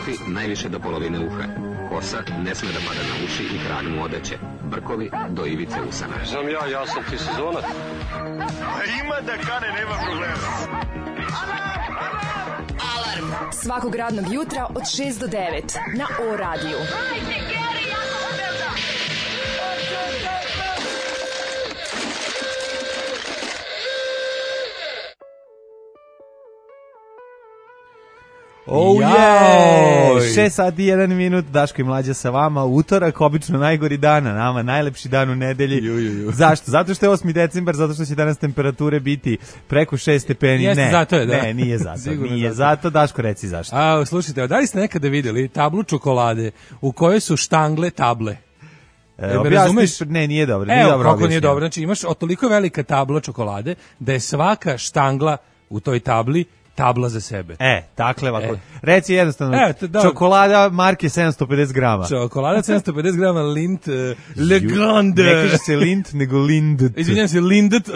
Kafi najviše do polovine uha. Kosa ne sme da pada na uši i krag mu odeće. Brkovi do ivice usana. Znam ja sam ti sezonac. Ima da kane, nema problema. Alarm svakog radnog jutra od 6 do 9 na O radiju. Oh yeah! 6 sati i 1 minut, Daško i Mlađa sa vama, utorak, obično najgori dan, a nama najlepši dan u nedelji. Zašto? Zato što je 8. decembar, zato što će danas temperature biti preko 6 stepeni. Jeste, zato je, da. Ne, nije zato. Nije zato, Daško, reci zašto. Slušajte, da li ste nekada vidjeli tablu čokolade u kojoj su štangle table? Objasniš? Ne, nije dobro. Nije dobro kako nije dobro. Znači, imaš toliko velika tabla čokolade da je svaka štangla u toj tabli tabla za sebe. Dakle, ovako. Reci jednostavno, čokolada marke 750 grama. Čokolada 750 grama Lindt Le Grande. Ne kaže se Lindt, nego Lindt. Izvinjam se, Lindt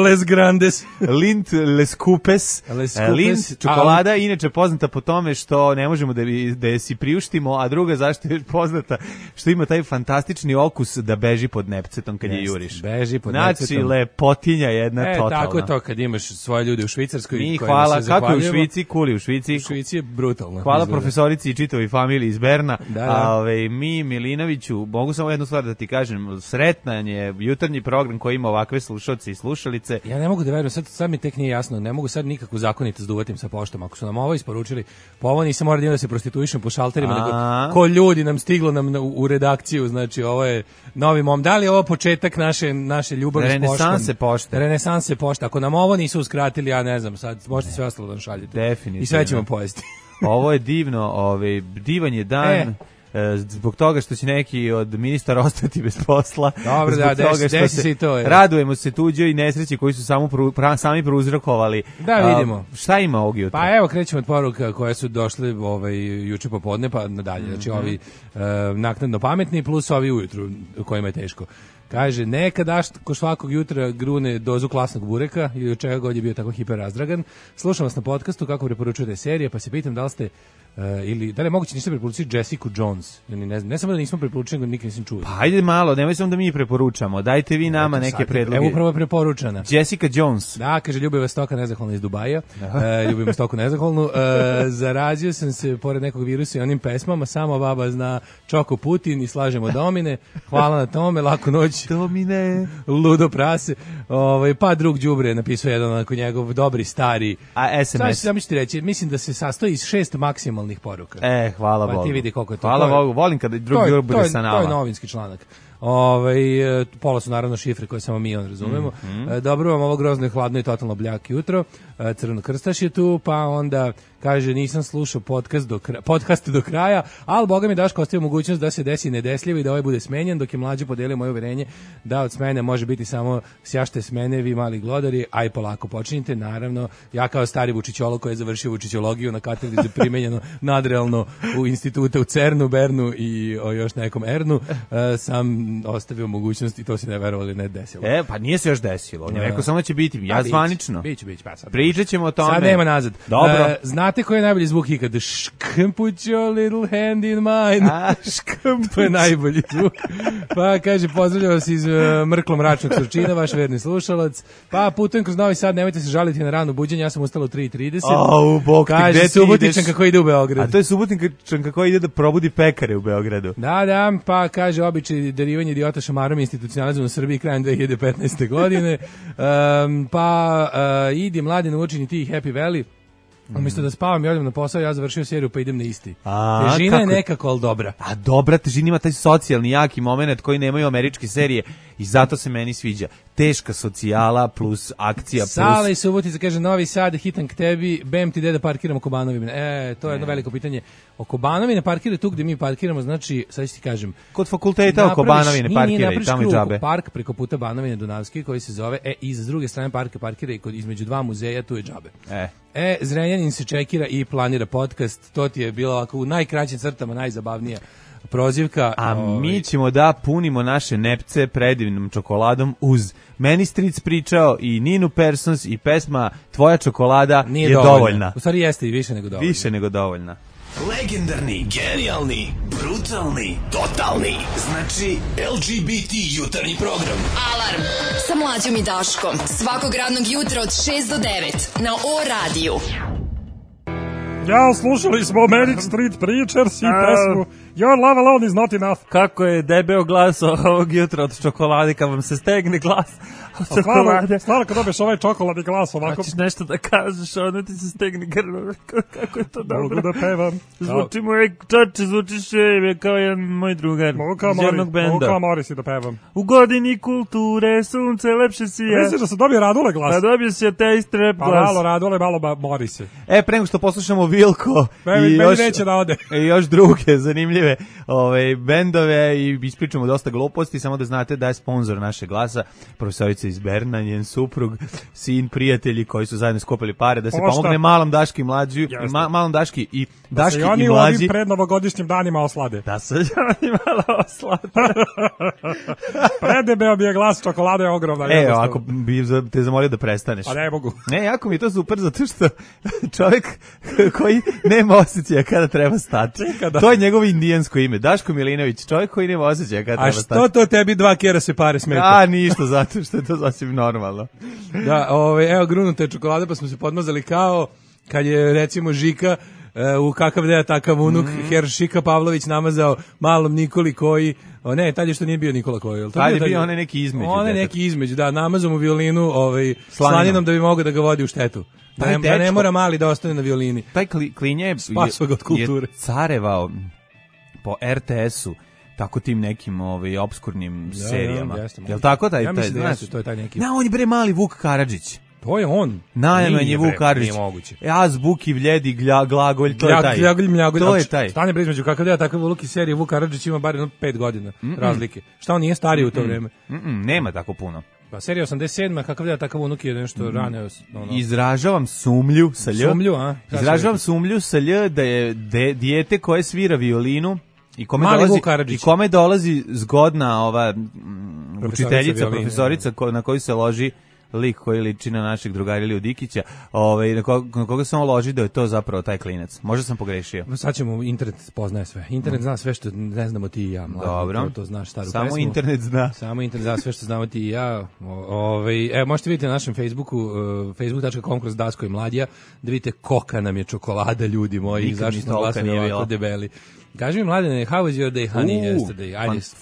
Les Grandes. Lindt Les Coupes. Lindt čokolada je inače poznata po tome što ne možemo da je si priuštimo, a druga zašto je poznata što ima taj fantastični okus da beži pod nepcetom kad je juriš. Beži pod nepcetom. Znači, lepotinja jedna totalna. Tako je to kad imaš svoje ljude u Švicarskoj. Mi hvala. Kako je u Švici? Kuli u Švici. U Švici je brutalno. Hvala profesorici i čitavoj familiji iz Berna. Da. Mi, Milinoviću, mogu samo jednu stvar da ti kažem, sretan je jutarnji program koji ima ovakve slušalce i slušalice. Ja ne mogu da verujem, sad mi tek nije jasno, ne mogu sad nikakvu zakonitost da uvatim sa poštom. Ako su nam ovo isporučili, po ovo nisam mora da se prostituišem po šalterima, nego ko ljudi nam stiglo nam u redakciju, znači ovo je novi mom. Da li je ovo početak naše ljubavi s poštom? Renesanse pošte. Ako nam ovo nisu uskratili, ja ne znam, sad možete sve ostalo da nam šaljete. Definitivno. I sve ćemo pojesti. Ovo je divno, divan je dan. Zbog toga što će neki od ministara ostati bez posla. Dobro, desi se i to. Radujemo se tuđoj nesreći koji su sami prouzrokovali. Da, vidimo. Šta ima ovog jutra? Pa evo, krećemo od poruka koje su došle juče popodne, pa nadalje. Znači, ovi naknadno pametni plus ovi ujutru kojima je teško. Kaže, nekada ko svakog jutra grune dozu klasnog bureka ili od čega god je bio tako hiper razdragan. Slušam vas na podcastu kako preporučujete serije, pa se pitam da li ste ili da li je moguće niste preporučili Jessica Jones? Ne samo da nismo preporučili, nego nikad nisam čuo. Pa ajde malo, nemoj samo da mi preporučamo. Dajte vi nama neke predloge. Evo upravo je preporučana. Jessica Jones. Da, kaže, Ljubiva Stoka nezahvalna iz Dubaja. Ljubim Stoku nezahvalnu. Zarazio sam se pored nekog virusa i onim pesmama. Samo baba zna Čoko Putin i slažemo domine. Hvala na tome, laku noć. Domine. Ludo prase. Pa drug đubre napisao jedan onako njegov dobri stari. A SMS. Sad ću ti reći, mislim da se sastoji iz 6 maksimalnih poruka. Hvala Bogu. Pa ti vidi koliko je to. Hvala Bogu, volim kada drugi đubre bude sa nama. To je novinski članak. Pola su naravno šifre koje samo mi razumemo. Dobro vam ovo grozno i hladno i totalno bljak jutro. Crveno krstaš je tu, pa onda kaže nisam slušao podcast do kraja, ali Boga mi Daško ostavio mogućnost da se desi nedesljivo i da ovaj bude smenjen, dok je Mlađe podelio moje uverenje da od smene može biti samo sjašte smene, vi mali glodari, aj polako počinjite. Naravno, ja kao stari Vučićolo koji je završio Vučićologiju na katedri za primenjeno nadrealno u institute u CERN-u, Bernu i još nekom Ernu, sam ostavio mogućnost i to se ne verovali ne desilo. Pa nije se još desilo. On je rekao samo će biti, ja zvanično. Biće, pa sad. Pričat ćemo o tome. Sad nema nazad. Dobro. Znate koji je najbolji zvuk ikada? Put your little hand in mine. To je najbolji zvuk. Pa kaže, pozdravljam vas iz mrklo mračnog Surčina, vaš verni slušalac. Pa putujem kroz Novi Sad, nemojte se žaliti na rano buđenje, ja sam ustala u 3:30. Kaže, Subotičanka koji ide u Beograd. A to je Subotičanka koji ide da probudi pekare u Beogradu. Da, pa kaže, običaj derivanje idiota šamarom institucionalizmu u Srbiji krajem 2015. godine. Idi mladi naučeni ti Happy Valley. Umjesto da spavam i odem na posao, ja završio seriju pa idem na isti. Težina je nekako, ali dobra. A dobra težina ima taj socijalni jaki moment koji nemaju američke serije i zato se meni sviđa. Teška socijala plus akcija plus... Sala i Subotica kaže, Novi Sad, hitan k tebi, bem ti da parkiram oko Banovine. To je jedno veliko pitanje. Oko Banovine parkira tu gdje mi parkiramo, znači, sad ću ti kažem... Kod fakulteta oko Banovine parkira i tamo je džabe. Park preko puta Banovine Dunavski koji se zove, i s druge strane parka parkira i između dva muzeja, tu je džabe. Zrenjanin se čekira i planira podcast, to ti je bilo ovako u najkraćim crtama najzabavnija prozivka. A mi ćemo da punimo naše nepce predivnom čokoladom uz Meni Stric pričao i Ninu Persons i pesma Tvoja čokolada je dovoljna. U stvari jeste i više nego dovoljna. Više nego dovoljna. Legendarni, genijalni, brutalni, totalni. Znači LGBT jutarnji program. Alarm sa Mlađom i Daškom. Svakog radnog jutra od 6 do 9 na O-radiju. Ja, slušali smo Manic Street Preachers i pesmu Your Love Alone is Not Enough. Kako je debeo glas ovog jutra od čokolade, kad vam se stegne glas od čokolade. Stvarno kad dobiješ ovaj čokoladni glas ovako. Hoćeš nešto da kažeš, ono ti se stegne grlo. Kako je to dobro. Mogu da pevam. Zvuči moj čače, zvučiš kao jedan moj drugar. Mogu kao Morisi da pevam. U godini kulture, sunce lepše sija. Misliš da se dobije Radule glas? Pa dobio se taj strep glas. Pa malo Radule, malo Morise. Pre nego što poslušamo Vilko meni neće da ode. I još druge zanimljive bendove i ispričamo dosta gluposti, samo da znate da je sponsor naše glasa profesorica iz Berna, njen suprug, sin, prijatelji koji su zajedno skopili pare da se pomogne malom Daški mlađi, malom Daški i Daški i mlađi. Da se oni u ovim prednovogodišnjim danima oslade. Da se oni malo oslade. Predebeo bi je glas, čokolada je ogromna. Ako bi te zamolio da prestaneš. Pa ne mogu. Ne, jako mi je to super, zato što čovjek koji nema osjećaja kada treba stati. To je njegovo indijansko ime. Daško Milinović, čovjek koji nema osjećaja kada treba stati. A što to tebi 2 kera se pare smeta? Ništa, zato što je to sasvim normalno. Da, evo grunute čokolade, pa smo se podmazali kao kad je recimo Žika u kakav deja takav unuk, Herr Šika Pavlović namazao malom Nikoli koji, tad je što nije bio Nikola koji. Tad je bio onaj neki između. Onaj neki između, da, namazao mu violinu slaninom da bi mogao da ga vodi u štetu. Da ne mora mali da ostane na violini. Taj klinje je carevao po RTS-u, tako tim nekim obskurnim serijama. Jel tako taj? Ja mislim da jeste, to je taj neki. On je bre mali Vuk Karadžić. To je on. Najmanji je Vuk Karadžić. Nije moguće. Zvuk i vljedi, glagolj, to je taj. Mljagolj. To je taj. Stane bre između kakav da takav Vuk i serije Vuk Karadžić ima bar 5 godina razlike. Šta on nije stariji u to vreme? Nema tako puno. Pa serija 87, kakav da takav unuk je nešto ranio. Izražavam sumlju sa lj. Izražavam sumlju sa lj da je dijete koje svira violinu i kome dolazi zgodna ova učiteljica, profesorica na koju se loži lik koji liči na našeg drugara Iliju Dikića, na koga se on loži da je to zapravo taj klinac. Možda sam pogrešio. Sad ćemo, internet poznaje sve. Internet zna sve što ne znamo ti i ja. Dobro. To znaš staru samo pesmu. Internet zna. Samo internet zna sve što znamo ti i ja. Možete vidjeti na našem Facebooku, facebook.com/ Daško i Mladija, da vidite kolika nam je čokolada, ljudi moji. Zašto smo glasali ovako debeli. Kaži mi, Mladene, how was your day, honey, yesterday?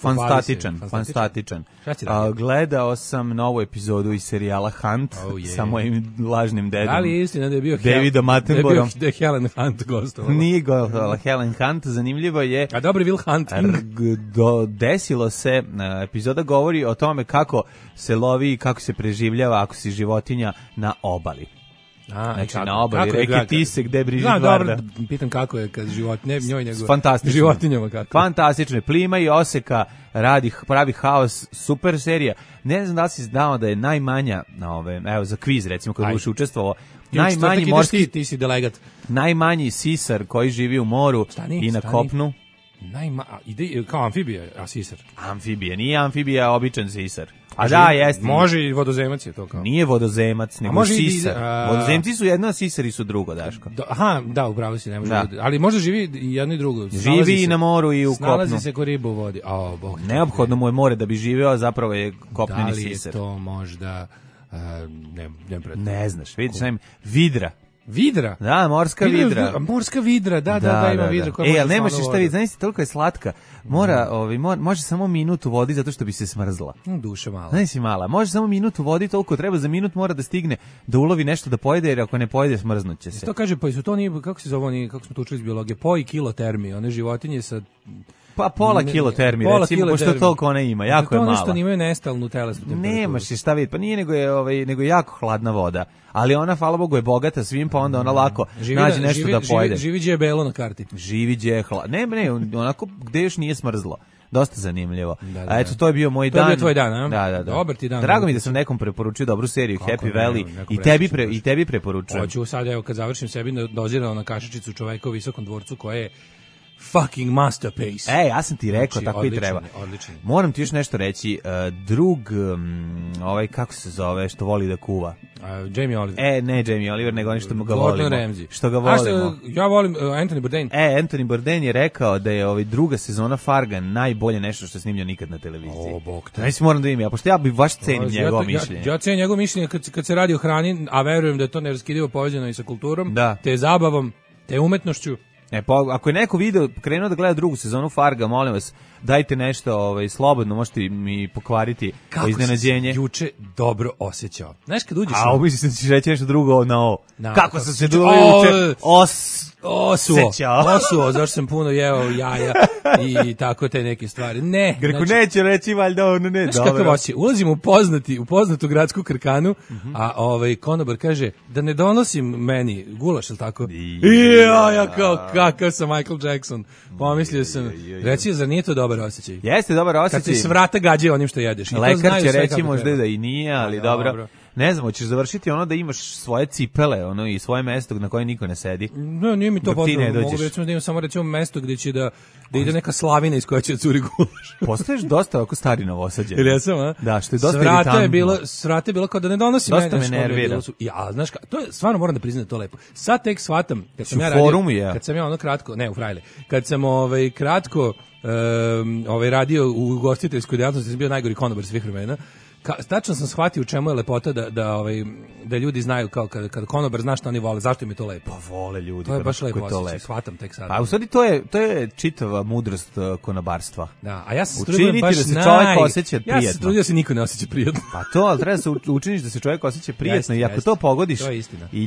Fantastičan. Gledao sam novu epizodu iz serijala Hunt sa mojim lažnim dedom. Da li je istina da je bio Davidom Attenboroughom? Da je Helen Hunt gostovala? Nije gostovala Helen Hunt, zanimljivo je. A dobri Will Hunting. Desilo se, epizoda govori o tome kako se lovi i kako se preživljava ako si životinja na obali. Znači na obali reke Tise gde briži Varda. Pitam kako je kad životinje, njoj nego životinjama kako. Fantastično, plima i oseka, pravi haos, super serija. Ne znam da li si znao da je najmanja, evo za kviz recimo kad budeš učestvovao, najmanji morski, ti si delegat. Najmanji sisar koji živi u moru i na kopnu. Kao amfibija, a sisar. Amfibija, nije amfibija, običan sisar. A da, jeste. Može i vodozemac je to kao. Nije vodozemac, nego sisar. Vodozemci su jedno, a sisari su drugo, Daško. Da, upravo si, ne može. Ali možda živi jedno i drugo. Živi i na moru i u kopnu. Snalazi se ko riba u vodi. Neophodno mu je more da bi živeo, zapravo je kopneni sisar. Da li je to možda, ne znaš, vidiš, vidra. Vidra? Da, morska vidra. Morska vidra, da, ima vidra. Ali nemaš šta vidjeti, znaš, toliko je slatka. Može samo minut u vodi zato što bi se smrzla. Duša mala. Znaš si mala, može samo minut u vodi, toliko treba za minut mora da stigne da ulovi nešto da pojede, jer ako ne pojede smrznuće se. To kaže, pa su to nije, kako se zove oni, kako smo to učili iz biologije, po i kilotermi, one životinje sa... Pa pola kilotermi, recimo, pošto toliko ona ima, jako je mala. To nešto nimaju nestalnu telesnu temperaturu. Nemaš je šta vidjeti, pa nije nego je jako hladna voda, ali ona, hvala Bogu, je bogata svim, pa onda ona lako nađe nešto da pojede. Živi gdje je belo na karti. Živi gdje je ne, onako gdje još nije smrzlo. Dosta zanimljivo. A eto, to je bio moj dan. To je bio tvoj dan, a? Da. Dobar ti dan. Drago mi da sam nekom preporučio dobru seriju Happy Valley i tebi preporučujem. Hoću sad, evo, kad završim sebi dozirao na kašičicu čoveka u Visokom dvorcu koje je fucking masterpiece. Ja sam ti rekao, tako i treba. Moram ti još nešto reći. Drug, kako se zove, što voli da kuva. Jamie Oliver. Ne Jamie Oliver, nego oni što ga Gordon volimo. Ramsay. Što ga volimo. Ja volim Anthony Bourdain. Anthony Bourdain je rekao da je druga sezona Farga najbolje nešto što je snimljeno nikad na televiziji. O, bog te. Znači moram da im ja, pošto ja bi baš cenim njegovo mišljenje. Ja cenim njegovo mišljenje kad se radi o hrani, a verujem da je to neraskidivo povezano i sa kulturom, te zabavom, te umetnošću. Ako je neko video krenuo da gleda drugu sezonu Farga, molim vas, dajte nešto slobodno, možete mi pokvariti iznenađenje. Kako juče dobro osjećao. Znaš kad uđeš... mislim da ćeš reći nešto drugo na ovo. Kako sam se juče Osuo, zašto sam puno jeo jaja i tako te neke stvari. Ne. Greko neće reći valjda ono ne. Znaš kakav osjećaj? Ulazim u poznatu gradsku krkanu, a konobar kaže da ne donosim meni gulaš, ili tako? Ja kakav sam Michael Jackson. Pomislio sam, reci, zar nije to dobar osjećaj? Jeste dobar osjećaj. Kad se s vrata gađaju onim što jedeš. Lekar će reći možda da i nije, ali dobro. Ne znam, hoćeš završiti ono da imaš svoje cipele i svoje mesto na koje niko ne sedi. No, nije mi to potrebno. Mogu recimo da imam samo mesto gde će da ide neka slavina iz koja će curi gulaš. Postaješ dosta ovako stari Novosađan. Ili ja sam, a? Da, što je dosta iritantno. Svrate je bilo kao da ne donosi mene. Dosta me nervira. Ja, znaš to je, stvarno moram da priznam da to lepo. Sad tek shvatam, kad sam ja ono kratko, ne u Frajle, kad sam kratko radio u ugostiteljskoj djelatnosti, sam bio najgori konobar svih vremena. Tačno sam shvatio u čemu je lepota da ljudi znaju kao kad konobar zna šta oni vole, zašto im je to lepo. Pa vole ljudi. To je baš lepo osjećaj, shvatam tek sad. A u stvari to je čitava mudrost konobarstva. Da, a ja se trudim baš da se čovjek osjeća prijetno. Ja se trudim da se niko ne osjeća prijetno. Pa to, ali treba se učiniš da se čovjek osjeća prijetno i ako to pogodiš. To je istina. I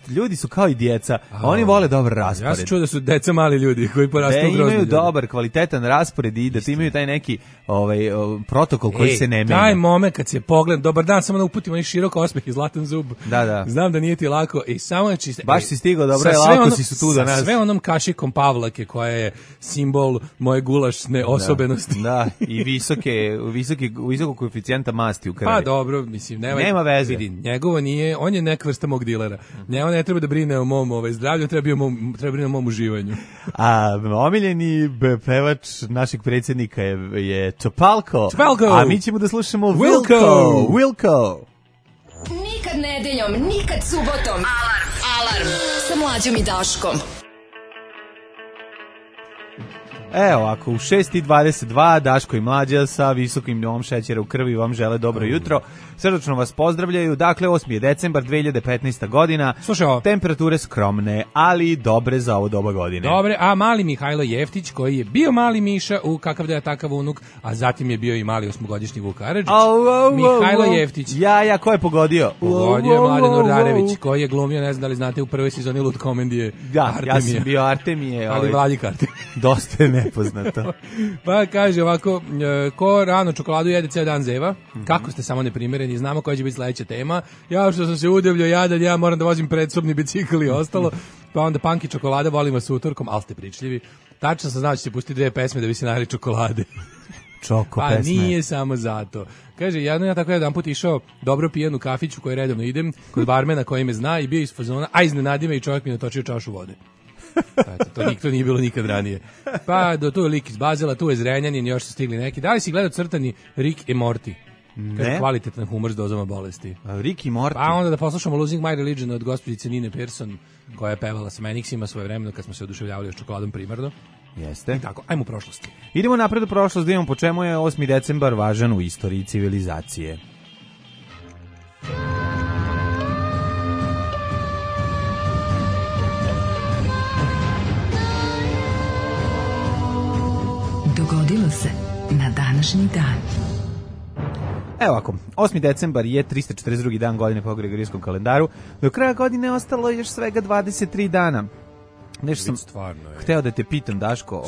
ljudi su kao i djeca, oni vole dobar raspored. Ja se čuo da su deca mali ljudi koji porastu u grozni. Imaju dobar, kvalitetan raspored i da ti imaju taj neki protokol koji se ne menja. Taj moment kad se pogled, dobar dan, samo da uputim onaj širok osmeh i zlatan zub. Da. Znam da nije ti lako i samo čiste. Baš si stigao dobro, lako si su tu do nas. Sve onom kašikom Pavlake koja je simbol moje gulašne osobenosti. Da, i visokog koeficijenta masti u krvi. Pa dobro, mislim, nema veze. Vidi, njegovo nije, on je neka vrsta mog dilera. Njemu ne treba da brine o mom zdravlju, treba brine o mom uživanju. A omiljeni pevač našeg predsjednika je Topalko. A mi ćemo da slušamo Wilco. Nikad nedeljom, nikad subotom. Alarm sa Mlađom i Daškom. Evo, ako u 6:22 Daško i Mlađa sa visokim nivom šećera u krvi vam žele dobro jutro. Srdačno vas pozdravljaju. Dakle, 8. je decembar 2015. godina. Slušaj, temperature skromne, ali dobre za ovo doba godine. Dobre, a mali Mihajlo Jeftić, koji je bio mali Miša u Kakav da je takav unuk, a zatim je bio i mali 8-godišnji Vuk Karadžić. Mihajlo Jeftić. Ja, ko je pogodio? Pogodio je Mladen Urdarević, koji je glumio, ne znam da li znate, u prvoj sezoni Lut komedije Artemije. Ja sam bio Artemije. Ali Vladik Artemije. Dosta je nepoznato. Pa kaže ovako, ko rano čokoladu jede ceo dan zeva, kako ste samo neprimereni, znamo koja će biti sledeća tema. Ja što sam se udavljao jadan, ja moram da vozim predsobni bicikl i ostalo, pa onda panki čokolada, volim vas utorkom, ali ste pričljivi. Tačno sam znao da ćete pustiti 2 pesme da bi se nari čokolade. Čoko pa pesme. Nije samo zato. Kaže, ja tako jedan put išao dobro pijen u kafiću koji redovno idem, kod barmena koji me zna i bio iz fazona, a iznenadi me i čovjek mi natočio čašu vode. To nije bilo nikad ranije. Pa tu je lik iz Bazela, tu je Zrenjanin, još su stigli neki. Da li si gledao crtani Rick i Morty? Ne. Kvalitetan humor s dozama bolesti. Rick i Morty. Pa onda da poslušamo Losing My Religion od gospođice Nine Pearson, koja je pevala sa Menixima svoje vremeno kad smo se oduševljavali s čokoladom primarno. Jeste. I tako, ajmo u prošlosti. Idemo napred u prošlost, da imamo po čemu je 8. decembar važan u istoriji civilizacije. Dogodilo se na današnji dan. Evo ovako, 8. decembar je 342. dan godine po Gregorijskom kalendaru. Do kraja godine ostalo još svega 23 dana. Nešto sam hteo da te pitam, Daško.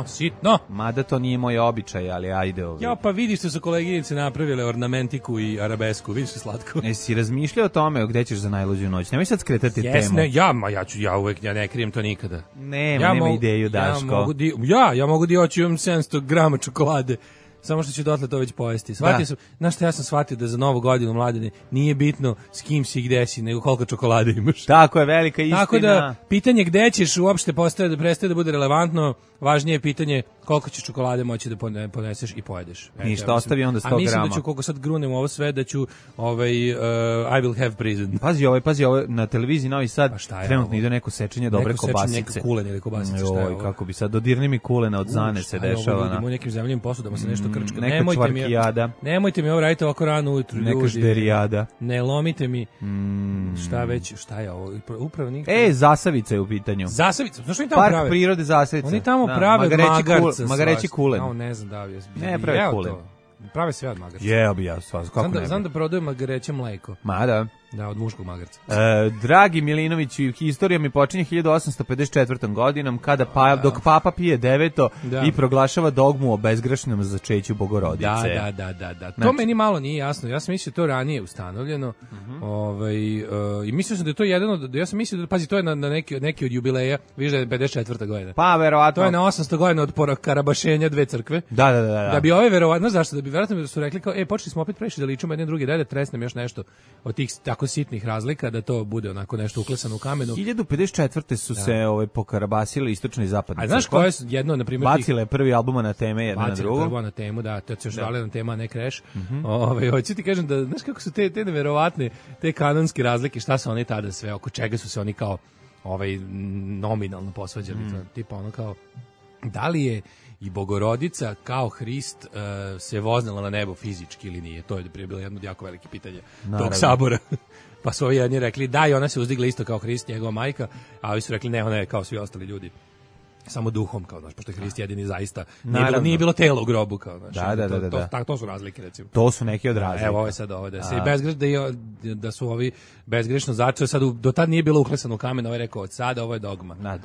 Sitno. Mada to nije moj običaj, ali ajde. Ja, pa vidiš što su koleginice napravile ornamentiku i arabesku, vidiš što slatko. Jesi razmišljao o tome gdje ćeš za najluđu noć? Nemoj sad skretati temu. Ja ne krijem to nikada. Nema ideju, Daško. Ja mogu da oći, imam 700 grama čokolade. samo što će dotle to već pojesti. Shvatio sam, znaš šta, ja sam shvatio da za Novu godinu, Mladene, nije bitno s kim si i gde si, nego koliko čokolade imaš. Tako je, velika istina. Tako da, pitanje gde ćeš uopšte prestaje da bude relevantno, važnije je pitanje koliko ćeš čokolade moći da poneseš i pojedeš. Ništa, ostavi onda 100 grama. A mislim da ću, koliko sad grunem ovo sve, da ću I will have prison. Pazi ovo, na televiziji Novi Sad trenutno ide neko sečenje dobre kobasice. Neko kulenje ili kobasice, šta je ovo? Kako bi sad, dodirni mi kulena od Zane se dešava. U nekim zemljivim posudama se nešto krčka. Neka čvarkijada. Nemojte mi ovo raditi ovako rano ujutru, ljudi. Neka žderijada. Ne lomite mi. Šta je ovo? Upravo nikad. Zasavica je u pitanju. Zasavica? Znaš oni tamo prave? Park prirode Zasavica. Oni tamo prave magarca. Magareći kulen. Ne znam da li ne prave kulen. Prave sve od magarca. Jeo bi ja, kako ne. Znam da prodaju magareće mleko. Ma da. Da, od muškog magarca. Dragi Milinović, historija mi počinje 1854. godinom, kada dok Papa Pije IX i proglašava dogmu o bezgrešnom začeću Bogorodice. Da. To meni malo nije jasno. Ja sam mislio to ranije ustanovljeno. I mislio sam da je to jedan od... Ja sam mislio da, pazi, to je na neki od jubileja, viš da je 54. godina. Pa, verovatno. To je na 800 godina od karabašenja dve crkve. Da. Da bi ove verovatno, zašto? Da bi verovatno su rekli kao, počeli smo opet previše da ličimo jedne druge, da tresnem još nešto od tih tako sitnih razlika, da to bude onako nešto uklesano u kamenu. 1054. su se pokarabasile istočno i zapadno. A znaš koje je jedno, na primjer... Bacile prvi albuma na teme, jedna na drugu. Bacile prvo na temu, da, to je još validna tema, ne Crash. Hoću ti kažem da, znaš kako su te neverovatne, te kanonske razlike, šta su oni tada sve, oko čega su se oni kao nominalno posvađali, tipa ono kao, da li je i Bogorodica kao Hrist se voznala na nebo fizički ili nije? To je prije bilo jedno od jako velike pitanja tog sabora. Pa su ovi jedni rekli da, i ona se uzdigla isto kao Hrist, njegova majka, a ovi su rekli ne, ona je kao svi ostali ljudi. Samo duhom, kao, znaš, pošto je Hrist jedini zaista. Nije bilo telo u grobu, kao, znaš. Da. To su razlike, recimo. To su neki od razlika. Evo, ovo je sad ovo, da su ovi bezgrešno začeo, sad do tad nije bilo uklesano u kamen, ovaj rekao, od sada ovo je dogma.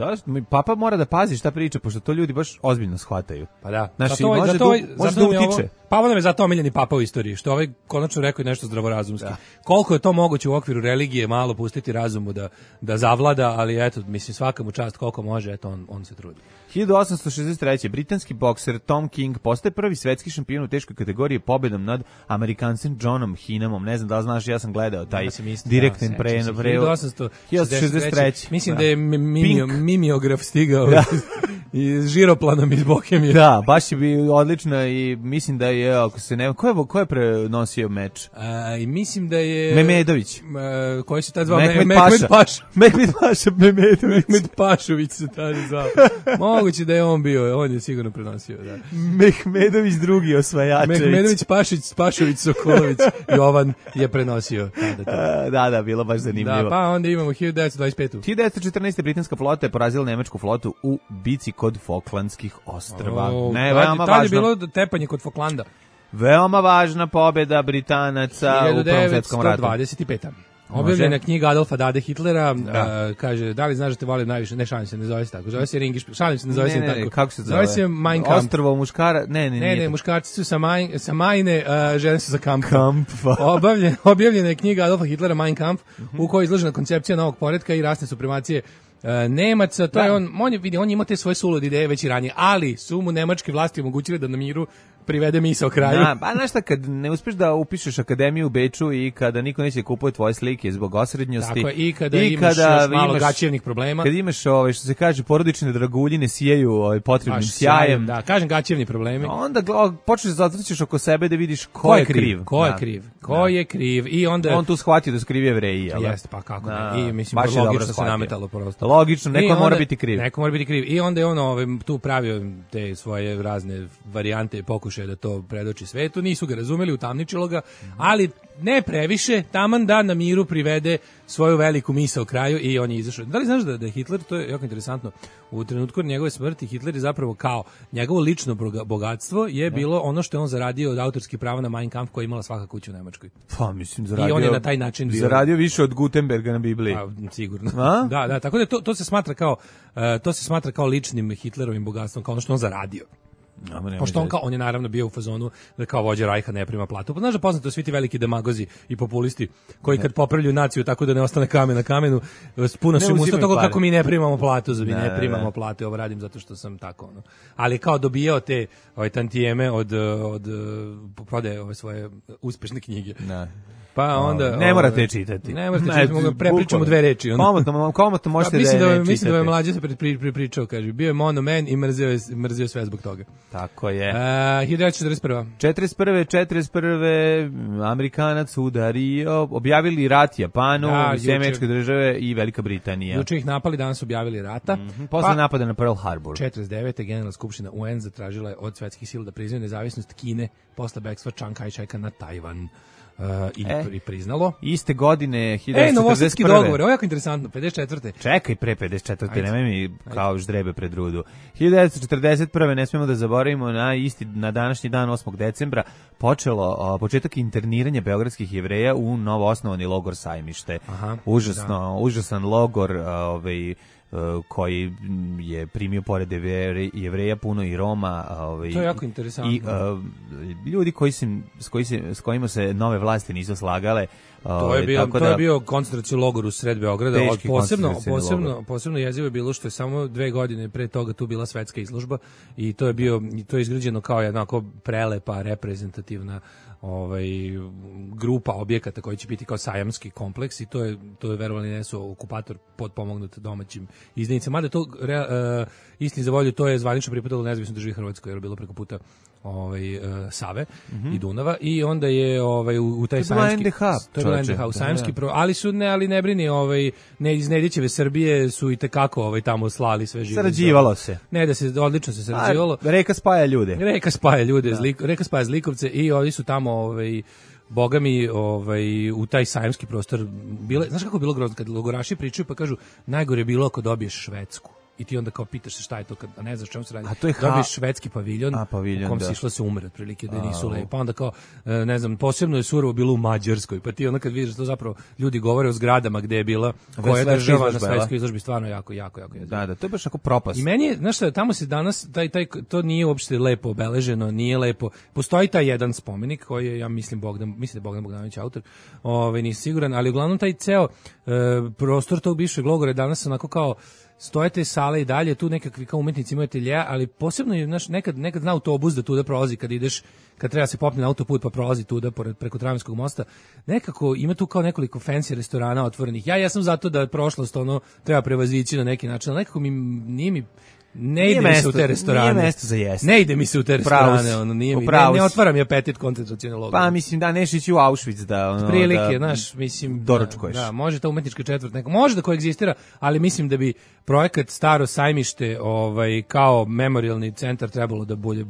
Papa mora da pazi šta priča, pošto to ljudi baš ozbiljno shvataju. Pa da. Znači, može da utiče. Papa nam je zato omiljeni papa u istoriji, što ovaj konačno rekao i nešto zdravorazumski. Koliko je to moguće u okviru religije malo pustiti razumu da zavlada, ali eto, mislim, svaka mu čast koliko može, eto, on se trudi. 1863. britanski bokser Tom King postaje prvi svetski šampion u teškoj kategoriji pobedom nad Amerikancem Johnom Hinamom. Ne znam da li znaš, ja sam gledao taj direktan prenos. 1863. Mislim da je mimeograf stigao iz žiroplanom iz Bohemije. Da, baš je bio odlično i mislim da je, ako se ne... Ko je prenosio meč? I mislim da je... Memedović. Koji se tad zvao? Mehmed Paša. Mehmed Pašović se tada zvao. Moguće da je on bio, on je sigurno prenosio, da. Mehmedović drugi osvajačević. Mehmedović Pašović Sokolović Jovan je prenosio. Da, bilo baš zanimljivo. Da, pa onda imamo 1925. 1914. britanska flota je porazila nemačku flotu u bici kod Falklandskih ostrva. Tad je bilo tepanje kod Falklanda. Veoma važna pobjeda Britanaca u Prvom svjetskom ratu. 1925. Objavljena knjiga Adolfa Dade Hitlera, kaže, da li znaš da te volim najviše, ne šalim se, ne zove se tako, zove se Ringiš, šalim se, ne zove se tako. Kako se zove? Zove se Mein Kampf. Ostrvo muškara, ne, muškarci su sa Majne, žene su za Kamp. Objavljena je knjiga Adolfa Hitlera Mein Kampf, u kojoj je izložena koncepcija novog poretka i rasne supremacije Nemaca, to je on ima te svoje sulude ideje već i ranije, ali su mu nemačke vlasti omogućile da na miru privede misao kraju. Pa znaš šta, kad ne uspeš da upišeš akademiju u Beču i kada niko neće kupuje tvoje slike zbog osrednjosti. Tako je, i kada imaš još malo gaćevnih problema. Kad imaš, što se kaže, porodične draguljine sijaju potrebnim sjajem. Da, kažem gaćevni problemi. Onda počneš da zatrčiš oko sebe da vidiš ko je kriv. Ko je kriv. I onda... On tu shvatio da su krivi Jevreji, jel? Jeste, pa kako ne. I mislim, logično se nametalo prosto. Logično, neko mora biti kriv. Neko mora biti kriv. I onda je on tu pravio te svoje razne varijante i pokušaje da to predoči svetu. Nisu ga razumeli, utamničilo ga, ali ne previše, taman da na miru privede svoju veliku misao kraju i on je izašao. Da li znaš da je Hitler, to je jako interesantno, u trenutku njegove smrti Hitler je zapravo kao njegovo lično bogatstvo je bilo ono što je on zaradio od autorskih prava na Mein Kampf koja je imala svaka kuća u Nemačkoj. Pa mislim, zaradio, i on je na taj način bio, zaradio više od Gutenberga na Bibliji. Sigurno. Da, tako da to se smatra kao ličnim Hitlerovim bogatstvom, kao ono što on zaradio. Pošto on je naravno bio u fazonu da kao vođa Rajha ne prima platu. Pa znaš da poznato svi ti veliki demagozi i populisti koji kad popravljaju naciju tako da ne ostane kamen na kamenu, puno su im usta toga kako mi ne primamo platu, mi ne primamo plate, ovo radim zato što sam tako ono. Ali kao dobijao te tantijeme od prodaje ove svoje uspešne knjige. Pa onda ne morate čitati. Ne morate čitati, mogu prepričamo dve reči. Komotno možete da ne čitate. Mislim da je mlađe se pripričao, kaže, bio je monoman i mrzio sve zbog toga. Tako je. 1941. 41. Amerikanac udario, objavili rat Japanu, Sjemečke države i Velika Britanija. Juče ih napali, danas objavili rata. Posle napada na Pearl Harbor. 49. Generalna skupština UN zatražila je od svetskih sila da priznaju nezavisnost Kine posle bekstva Chiang Kai-sheka na Tajvan. I priznalo. Iste godine 1941. Novosadski dogovor, ovo je jako interesantno, 54. Čekaj, pre 54. Nemoj mi kao ždrebe pred rudu. 1941. ne smemo da zaboravimo na današnji dan 8. decembra početak interniranja beogradskih Jevreja u novoosnovani logor Sajmište. Užasan logor, koji je primio pored Jevreja puno i Roma, to je jako interesantno. I ljudi s kojima se nove vlasti nisu slagale. To je bio koncentracioni logor u sred Beograda. Posebno jezivo je bilo što je samo 2 godine pre toga tu bila svetska izložba i to je izgrađeno kao jednako prelepa reprezentativna grupa objekata koji će biti kao sajamski kompleks i to je verovali ne su okupator potpomognut domaćim izdajnicama, mada to istini za volju to je zvanično pripadalo nezavisno državi Hrvatskoj jer je bilo preko puta Save i Dunava i onda je u taj sajamski to je NDH u sajamski ali ne brini iz Nedićeve Srbije su i tekako tamo slali sve živo. Sarađivalo se. Ne da se odlično se sarađivalo. Reka spaja ljude. Reka spaja zlikovce i oni su tamo boga mi u taj sajamski prostor bile, znaš kako je bilo grozno kad logoraši pričaju pa kažu najgore je bilo ako dobiješ Švedsku. I ti onda kao pitaš se šta je to kad ne znaš čemu se radi. Dobiješ švedski paviljon u kom si išla se umre otprilike da nisu lepo. Pa onda kao ne znam, posebno je surovo bilo u Mađarskoj. Pa ti onda kad vidiš to zapravo ljudi govore o zgradama gde je bila koja država na svetskoj izložbi stvarno jako jezivo. Da, to je baš tako propast. I meni je, znaš šta, tamo se danas to nije uopšte lepo obeleženo, nije lepo. Postoji taj jedan spomenik koji je, ja mislim da je Bogdan Bogdanović autor. Nisam siguran, ali uglavnom taj ceo prostor tog bivšeg logora danas onako kao stoje te sale i dalje, tu nekakvi kao umetnici imaju ateljeja, ali posebno je, znaš, nekad zna autobus da tu da prolazi kad ideš, kad treba se popne na autoput pa prolazi tu da preko Tramvajskog mosta, nekako ima tu kao nekoliko fancy restorana otvorenih. Ja sam zato da prošlost treba prevazići na neki način, ali nekako ne ide mi se u te restorane. Nije mesto za jesti. Ne ide mi se u te restorane, ne otvaram je apetit koncentracioni logor. Pa mislim da neš ići u Auschwitz da prilike, znaš, mislim doručkuješ. Da, može ta umetnička četvrt neka, može da koegzistira, ali mislim da bi projekat Staro sajmište kao memorialni centar trebalo da bolje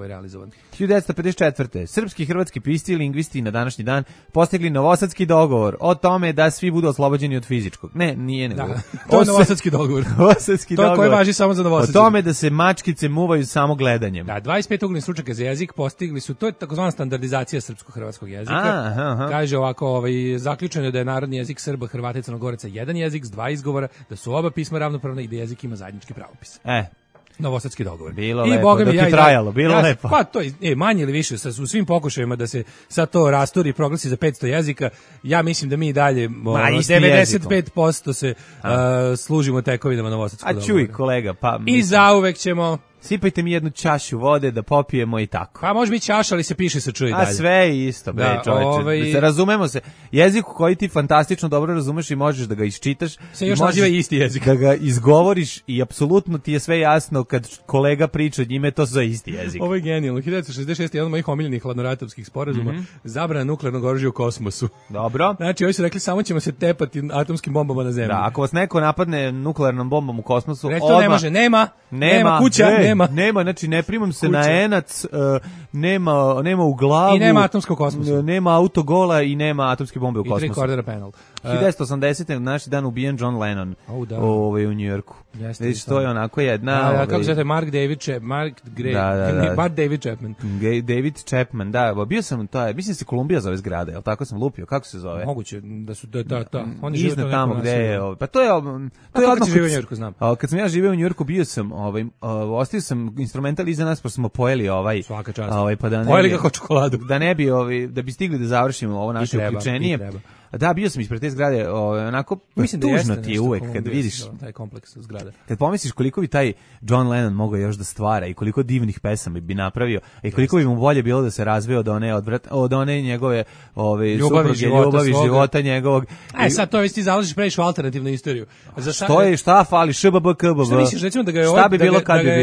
realizovan. 1954. Srpski i hrvatski pisci i lingvisti na današnji dan postigli novosadski dogovor o tome da svi budu oslobođeni od fizičkog. Nije nego. To je novosadski dogovor. To koji važi samo za novosadski. O tome da se mačkice muvaju samo gledanjem. Da, 25 uglednih stručnjaka za jezik postigli su, to je takozvana standardizacija srpsko-hrvatskog jezika. Kaže ovako, zaključeno je da je narodni jezik Srba, Hrvata i Crnogoraca jedan jezik s 2 izgovora, da su oba pisma ravnopravna i da jezik ima zajednički pravopis. Novosadski dogovor. Bilo lepo, dok je trajalo, bilo lepo. Pa to je manje ili više u svim pokušajima da se sad to rasturi i proglasi za 500 jezika. Ja mislim da mi dalje 95% se služimo tekovinama novosadskog dogovora. A čuj kolega, pa i zauvek ćemo. Sipajte mi jednu čašu vode da popijemo i tako. Pa može biti čaša, ali se piše sa čuj dalje. A sve je isto, bre, čoveče. Razumemo se. Jezik koji ti fantastično dobro razumeš i možeš da ga iščitaš. Se još naziva isti jezik. Da ga izgovoriš i apsolutno ti je sve jasno kad kolega priča njime, to za isti jezik. Ovo je genijalno. 1966. jedan od mojih omiljenih hladnoratovskih sporazuma, zabrana nuklearnog oružja u kosmosu. Dobro. Znači, ovi su rekli samo ćemo se tepati atomskim bombama na zemlji. Da, ako vas neko napadne nuklearnom bombom u kosmosu, to ne može, nema kuća, nema, znači ne primam se na enac, nema u glavu. I nema atomskog kosmosa. Nema autogola i nema atomske bombe u kosmosu. I 3/4 panel. 1980. naš dan ubijen John Lennon u Njujorku. Vidiš, to je onako jedna... kako se zove, Mark David Chapman. David Chapman, da, bio sam, mislim se Kolumbija zove zgrada, jel tako sam lupio, kako se zove? Moguće da su, oni žive tamo gde je, pa to je... Kako si živio u Njujorku, znam. Kad sam ja živio u Njujorku, bio sam, pustio sam instrumental iza nas, pa smo pojeli Svaka čast. Pa da Pojeli ga kao čokoladu. Da ne bi, da bi stigli da završimo ovo naše uključenije. Da, bio sam ispred te zgrade, onako, mislim da tužno ti je uvek kad vidiš taj kompleks zgrada. Kad pomisliš koliko bi taj John Lennon mogao još da stvara i koliko divnih pesama bi napravio i koliko bi mu bolje bilo da se razveo od one njegove supruge, ljubavi života njegovog. Sad to već ti zalažiš previše u alternativnu istoriju. Šta fali, šbbkbb. Šta misliš, recimo da ga je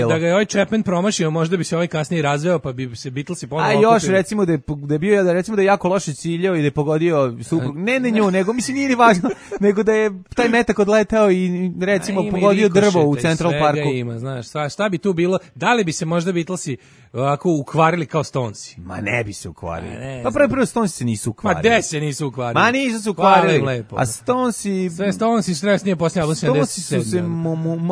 da ga je ovaj Chapman promašio, možda bi se ovaj kasnije razveo, pa bi se Beatlesi ponovo okupili. A još recimo da je bio, recimo da je jako loše ciljao i da je pogodio suprug, ne nju, nego mislim nije ni važno, nego da je taj metak odletao i recimo pogodio drvo u Central Parku. Ima, znaš, šta bi tu bilo? Da li bi se možda Beatlesi ovako ukvarili kao Stonesi? Ma ne bi se ukvarili. Pa prvo Stonesi se nisu ukvarili. Ma gde se nisu ukvarili? Ma nisu se ukvarili. A Stonesi... Sve Stonesi stres nije posljednje album 77. Stonesi su se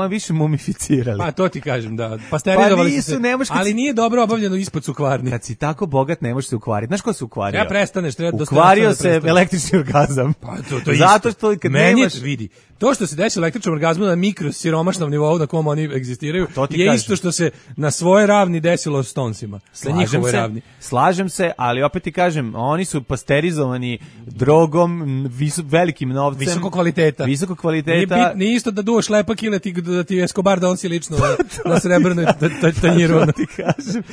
više mumificirali. Pa to ti kažem, da. Pasterizovali su se. Ali nije dobro obavljeno ispod su kvarni. Kad si tako bogat ne možeš se ukvariti. Znaš ko se ukvario? Ja prestaneš, treba ukvario se električni orgazam. Pa to zato što kad nemaš... vidi. To što se desi električnom orgazmu na mikrosiromašnom nivou na kom oni egzistiraju je isto što se na svoje ravni desilo Stonesima. Slažem se, ali opet ti kažem, oni su pasterizovani drogom, velikim novcem. Visokog kvaliteta. Nije isto da duvaš lepak ili da ti Escobar donosi lično na srebrnoj tanjiru. Ti kažem.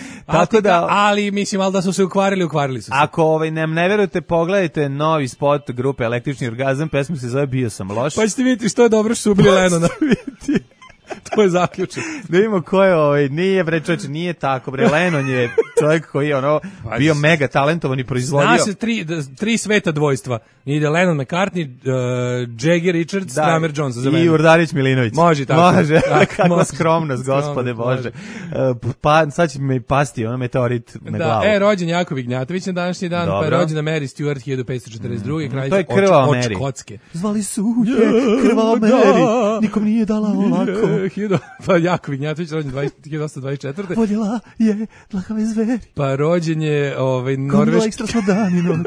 Ali mislim, ali da su se ukvarili su se. Ako ne verujete, pogledajte novi spot grupe Električni orgazam, pesma se zove Bio sam loš. Pa ćete vidjeti što je dobro što su ubili Lennona. To je zaključak. Da vidimo ko je nije bre čovječe, nije tako bre. Lennon je čovjek koji je bio mega talentovan i proizvodio. Zna se tri sveta dvojstva. Ide Lennon, McCartney, Jagger, Richards, Kramer, Jones. I Urdarić Milinović. Može tako. Može. Kakva skromnost, gospode Bože. Pa sad će mi pasti meteorit na glavu. Rođen Jakov Ignjatović na današnji dan, pa je rođena Mary Stewart 1542. Kraljica to je krvava Mary. Škotske. Zvali su je krvava Mary. Nikom nije dala olako. Pa Jakov Ignjatović rođen 1824. Voljela je dlakave zveri. Pa rođen je norveški... ekstra smo dan i noć.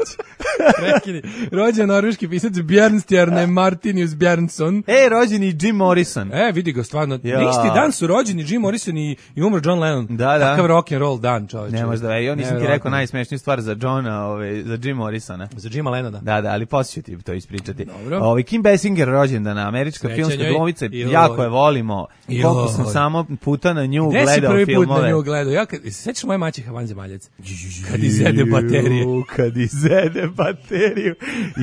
Rođen norveški pisac Bjernstjerne Martinius Bjernson. Rođen i Jim Morrison. Vidi ga, stvarno. Isti dan su rođeni Jim Morrison i umro John Lennon. Da. Takav rock and roll dan, čovječe. Ne možda, ja nisam ti rekao najsmešniju stvar za Johna, za Jim Morrisona. Za Jima Lennona. Da, ali poslije ću ti to ispričati. Kim Basinger rođendana, američka filmska glumica, jako je volimo. Koliko sam samo puta na nju gledao filmove. Gde si prvi put na nju gledao? Ja, sećaš moje maćeha vanzemaljac? Kad izede baterije. Kad izede bateriju.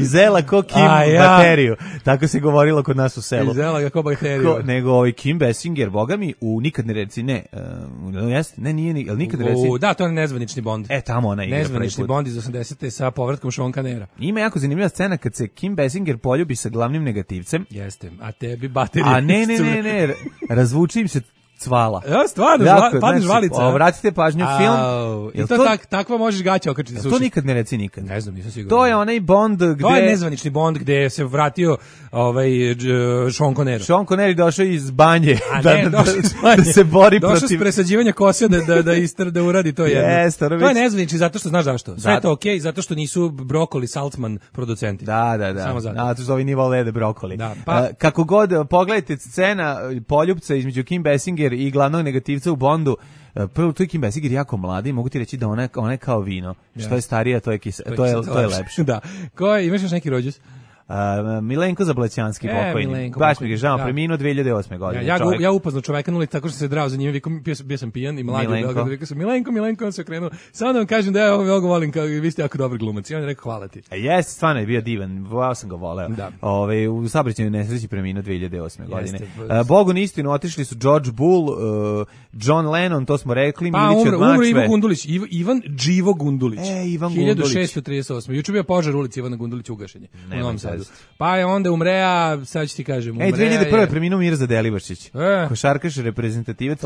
Izela ko Kim bateriju. Tako se govorilo kod nas u selu. Izela ga ko bateriju. Nego Kim Basinger, boga mi, u Nikad ne reci, nije, ali Nikad ne reci. Da, to je Nezvanični Bond. Tamo ona igra. Nezvanični Bond iz 80. sa povratkom Sean Connerya. Ima jako zanimljiva scena kad se Kim Basinger poljubi sa glavnim negativcem. Jeste, a tebi baterije. A ne, razvuči im se cvala. Ja, stvarno, padne žvalica. Vratite pažnju film. I to takva možeš gaća okačiti suši. To nikad ne reci nikad. Ne znam, nisam siguran. To je onaj Bond gde... To je Nezvanični Bond gde se vratio Sean Connery. Sean Connery došao iz banje da se bori protiv... Došao s presađivanja kose da uradi to jedno. To je Nezvanični zato što znaš zašto. Sve je to okej, zato što nisu Brokoli Saltzman producenti. Da. Samo zato. Zato što ovi nije vole brokoli. Kako god, pogledajte scena poljupca između Kim Basinger i glavnog negativca u Bondu. Prvo, tu je Kim Basinger jako mladi, mogu ti reći da ona je kao vino. Što je starija, to je lepše. Da. Imaš još neki rođus? Milenko Zablećanski pokojni. Baš mi je žao, preminuo 2008. godine. Ja upoznao čoveka nuli tako što se drao za njim, bio sam pijan i mladi u Beogradu, rekao sam Milenko, on se okrenuo. Samo da vam kažem da ja ovo volim, vi ste jako dobar glumac. I on je rekao hvala ti. Jeste, stvarno je bio divan, ja sam ga voleo. U saobraćajnoj nesreći preminuo 2008. godine. Bogu na istinu otišli su George Bull, John Lennon, to smo rekli, Milić od Mačve. Umro Ivo Gundulić, Ivan Dživo Gundulić. Ivan Gundulić. 1638. Juče bio požar ulici Ivana Gundulića ugašenje. U Novom Sadu. Pa je onda umreja, sad ću ti kažem, umreja 2001. preminuo Mirza Delibašić. Košarkaš, reprezentativac,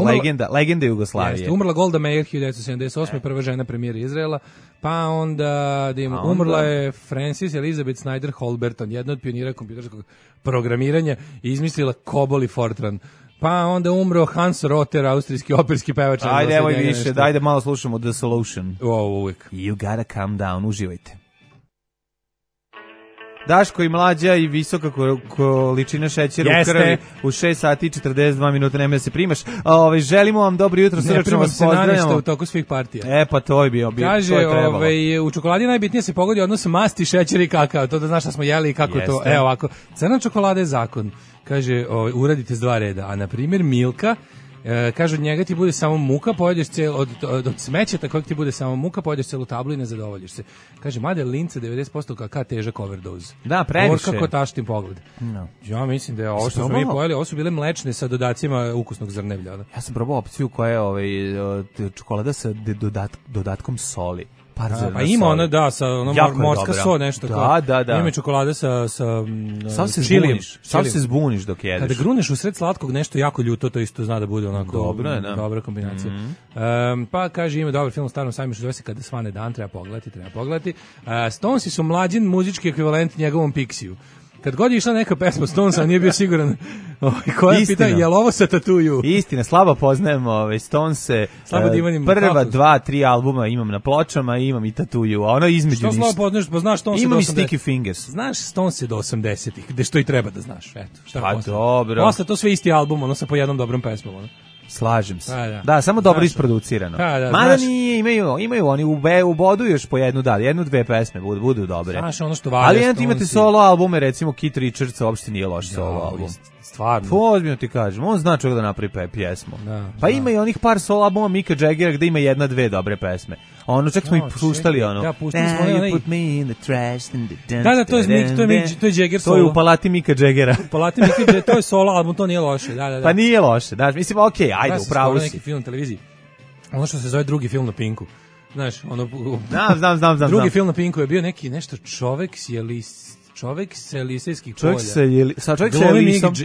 legenda Jugoslavije. Jeste, umrla Golda Meir 1978. Prva žena premijera Izraela. Pa onda umrla je Frances Elizabeth Snyder Holberton, jedna od pionira kompjuterskog programiranja i izmislila COBOL i Fortran. Pa onda umro Hans Rotter, austrijski operski pevač. Ajde, evo i više, dajde malo slušamo The Solution. Uvijek. You gotta calm down, uživajte. Daško i Mlađa i visoka količina šećera u krvi u 6 sati i 42 minuta, nemoj da se primaš. Želimo vam dobro jutro, srdačno vas pozdravljamo. U toku svih partija. Pa to je bio. Kaže, u čokoladi najbitnije se pogodi odnos masti, šećera i kakao. To da znaš šta smo jeli i kako to. Evo ovako, crna čokolada je zakon. Kaže, uradite s 2 reda. A na primjer Milka, kaže, od njega ti bude samo muka, pojedeš od smećeta kojeg ti bude samo muka, pojedeš celu tablu i ne zadovoljiš se. Kaže, mada linca 90% kakao težak overdose. Da, previše. Kako taštim pogled. No. Ja mislim da je ovo što smo mi pojeli, ovo su bile mlečne sa dodacima ukusnog zrnevlja. Ja sam probao opciju koja je čokolada sa dodatkom soli. Pa ima ona, da, sa morska so, nešto. Da. Ima čokolada sa čilijem. Sam se zbuniš dok jedeš. Kada gruneš u sred slatkog nešto jako ljuto, to isto zna da bude onako dobra kombinacija. Pa kaže, ima dobar film u Starom sajmištu, zove se Kada svane dan, treba pogledati. Stonesi su mlađin muzički ekvivalent njegovom Pixiju. Kad god je išla neka pesma Stonesa, nije bio siguran koja pita, je li ovo sa Tattoo? Istina, slabo poznajem Stonese. Prva 2-3 albuma imam na pločama i imam i Tattoo, a ono između ništa. Što slabo poznaš, pa znaš Stonese do 80. Imam i Sticky Fingers. Znaš Stonese do 80-ih, gde što i treba da znaš. Eto, šta pa posle? Dobro. Posle to sve isti album, ono sa po jednom dobrom pesmom. Ono. Slažem se. Da, samo dobro isproducirano. Mada nije, imaju oni u bodu još po jednu, jednu, 2 pesme budu dobre. Znaš, ono što valja. Ali imate solo albume, recimo Keith Richardsa uopšte nije loš solo album. Stvarno. Ozbiljno ti kažem, on zna čovjek da napravi pjesmu. Pa ima i onih par solo albuma Mika Jaggera gde ima 1-2 dobre pesme. Ono čak smo i puštali ono. Da, pustili smo onaj. Put me in the trash. Da, to je Jagger solo. To je u palati Mika Jaggera. U palati Mika Jaggera, to je solo album, to nije loše. Da. Pa nije loše, da. Mislim, okej, ajde, upravo si. Neki film na televiziji. Ono što se zove Drugi film na Pinku. Znaš, ono. Znam. Drugi film na Pinku je bio neki nešto čovek sa Elisejskih polja.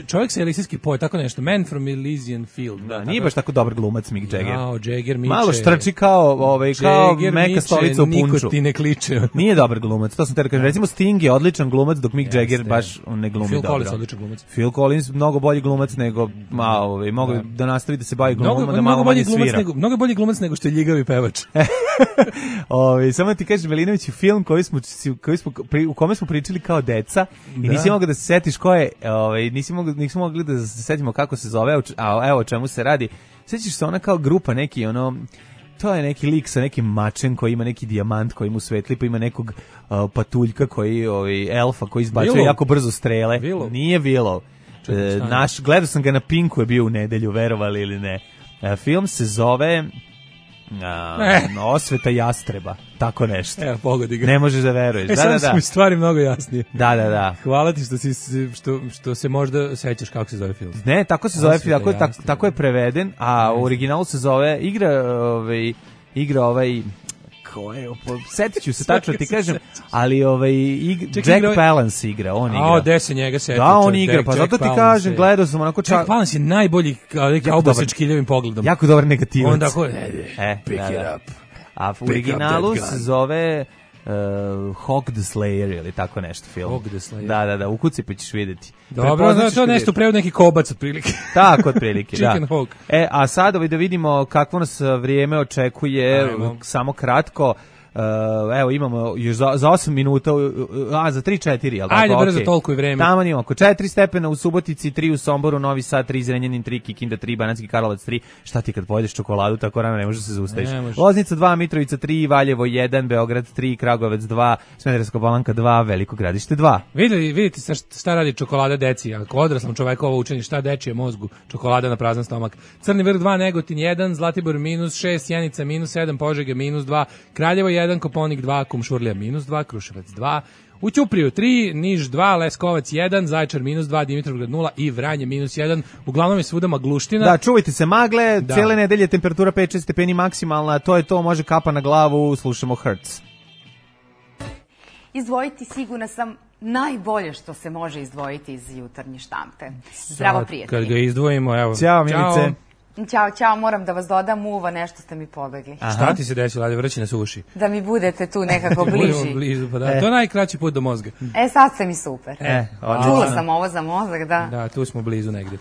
Čovjek sa Elisejskih polja, tako nešto. Man from Elysian Field. Da, nije baš tako dobar glumac Mick Jagger. Jagger miče. Malo štrči kao meka stolica u punču. Niko ti ne kliče. Nije dobar glumac, to sam te kažem. Recimo Sting je odličan glumac, dok Mick Jagger baš ne glumi dobro. Phil Collins odličan glumac. Phil Collins mnogo bolji glumac nego, mogu da nastavi da se bavi glumom, da malo manje svira. Mnogo bolji glumac nego što je ljigavi pevač. Samo ti kažem, Velinović, film u kome smo pričali kao deca i nisi mogao da se setiš ko je, nismo mogli da se setimo kako se zove, a evo o čemu se radi. Sećaš se ona kao grupa neki, to je neki lik sa nekim mačem koji ima neki dijamant koji mu svetli, pa ima nekog patuljka koji, elfa koji izbacuje jako brzo strele. Willow. Nije Willow. Gledao sam ga na Pinku, je bio u nedelju, verovali ili ne. Film se zove Osveta jastreba, tako nešto. Evo, pogodi ga. Ne možeš da veruješ. Sada su mi stvari mnogo jasnije. Da. Hvala ti što se možda sećaš kako se zove film. Ne, tako se zove film, tako je preveden, a u originalu se zove igra setit ću se tačno ti kažem, ali Jack Palance igra, on igra. Gde se njega seti? Da, on igra, pa zato ti kažem, gledao sam onako Jack Palance je najbolji kauboj sa čkiljavim pogledom. Jako dobar negativac. Onda pick it up. A u originalu se zove Hawk the Slayer ili tako nešto film. Hawk the Slayer. Da, ukuci pa ćeš vidjeti. Dobro, to je nešto prevod neki kobac otprilike. Tako otprilike, da. Chicken Hawk. A sad da vidimo kakvo nas vrijeme očekuje, samo kratko. Evo imamo još za 8 minuta, za 3-4, jel tako? Ajde, brzo, toliko je vreme. Tamo imamo oko 4 stepena u Subotici, 3 u Somboru, Novi Sad, 3 Zrenjanin, 3 Kikinda, 3 Banatski Karlovac, 3. Šta ti kad pojedeš čokoladu, tako rano ne možeš se zaustaviš. Loznica 2, Mitrovica 3, Valjevo 1, Beograd 3, Kragujevac 2, Smederevska Palanka 2, Veliko Gradište 2. Vidite šta radi čokolada deci, ako odraslom čoveku ovo učini, šta dečije mozgu, čokolada na prazan stomak. Crni vrh 2, Negotin 1, Zlatibor -6, Sjenica -7, Požega -2, Kraljevo 1, Koponik 2, Kumšurlija -2, Kruševac 2, u Ćupriju 3, Niš 2, Leskovac 1, Zaječar -2, Dimitrovgrad 0 i Vranje -1. Uglavnom je svuda magluština. Da, čuvajte se magle, cijele nedelje temperatura 5-6 stepeni maksimalna, to je to, može kapa na glavu, slušamo Hertz. Izdvojiti, sigurna sam, najbolje što se može izdvojiti iz jutarnje štampe. Zdravo, prijatelji. Kad ga izdvojimo, evo. Ćao, Milice. Ćao, moram da vas dodam uva, nešto ste mi pobegli. Šta ti se desilo, ajde, vrći nas u uši. Da mi budete tu nekako bliži. Blizu, pa da. To je najkraći put do mozga. Sad ste mi super. Čula sam ovo za mozak, da. Da, tu smo blizu negdje.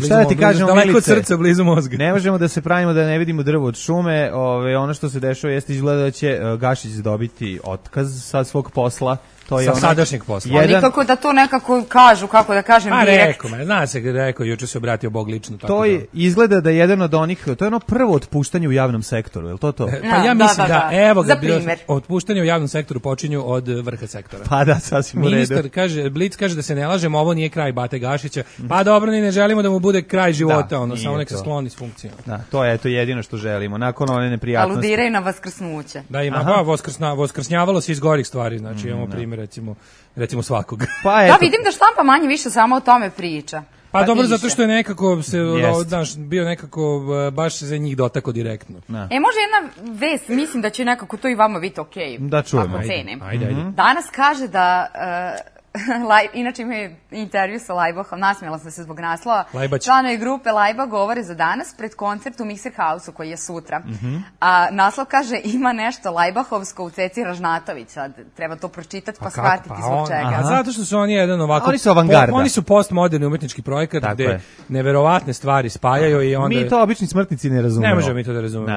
Šta da ti kažemo, Milice? Daleko od srca, blizu mozga. Ne možemo da se pravimo da ne vidimo drvo od šume. Ono što se dešava jeste izgleda da će Gašić dobiti otkaz sa svog posla. To je sa sadašnjeg posla. A nikako da to nekako kažu, kako da kažem, direkt. Zna se, rekao, juče se obratio Bog lično. Tako to je, izgleda da je jedan od onih, to je ono prvo otpuštanje u javnom sektoru, je li to? Pa ja mislim da, evo ga, otpuštanje u javnom sektoru počinju od vrha sektora. Pa da, sasvim u redu. Ministar kaže, Blic kaže da se ne lažemo, ovo nije kraj Bate Gašića. Pa dobro, ni ne želimo da mu bude kraj života, samo nek se skloni s funkcijom. Da, to je jedino što želimo, nakon one neprijatnosti. Aludiraju na vaskrsnuće. Da, ima, voskrsnjavalo se iz gorih stvari, znači imamo primjer, recimo svakog. Pa da, vidim da štampa manje više samo o tome priča. Pa dobro, zato što je nekako se bio nekako baš za njih dotako direktno. Može jedna vest, mislim da će nekako to i vama biti okej. Da čujemo. Ajde. Danas kaže da inače ima intervju sa Lajbahom, nasmijela sam se zbog naslova. Članovi grupe Lajbah govore za danas pred koncert u Mixer House-u koji je sutra. A naslov kaže ima nešto Lajbahovsko u Ceci Ražnatović. Sad treba to pročitati pa shvatiti zbog čega. Zato što su oni jedan ovako... Oni su avangarda. Oni su postmoderni umetnički projekat gde neverovatne stvari spajaju i onda... Mi to obični smrtnici ne razumemo. Ne možemo mi to da razumemo.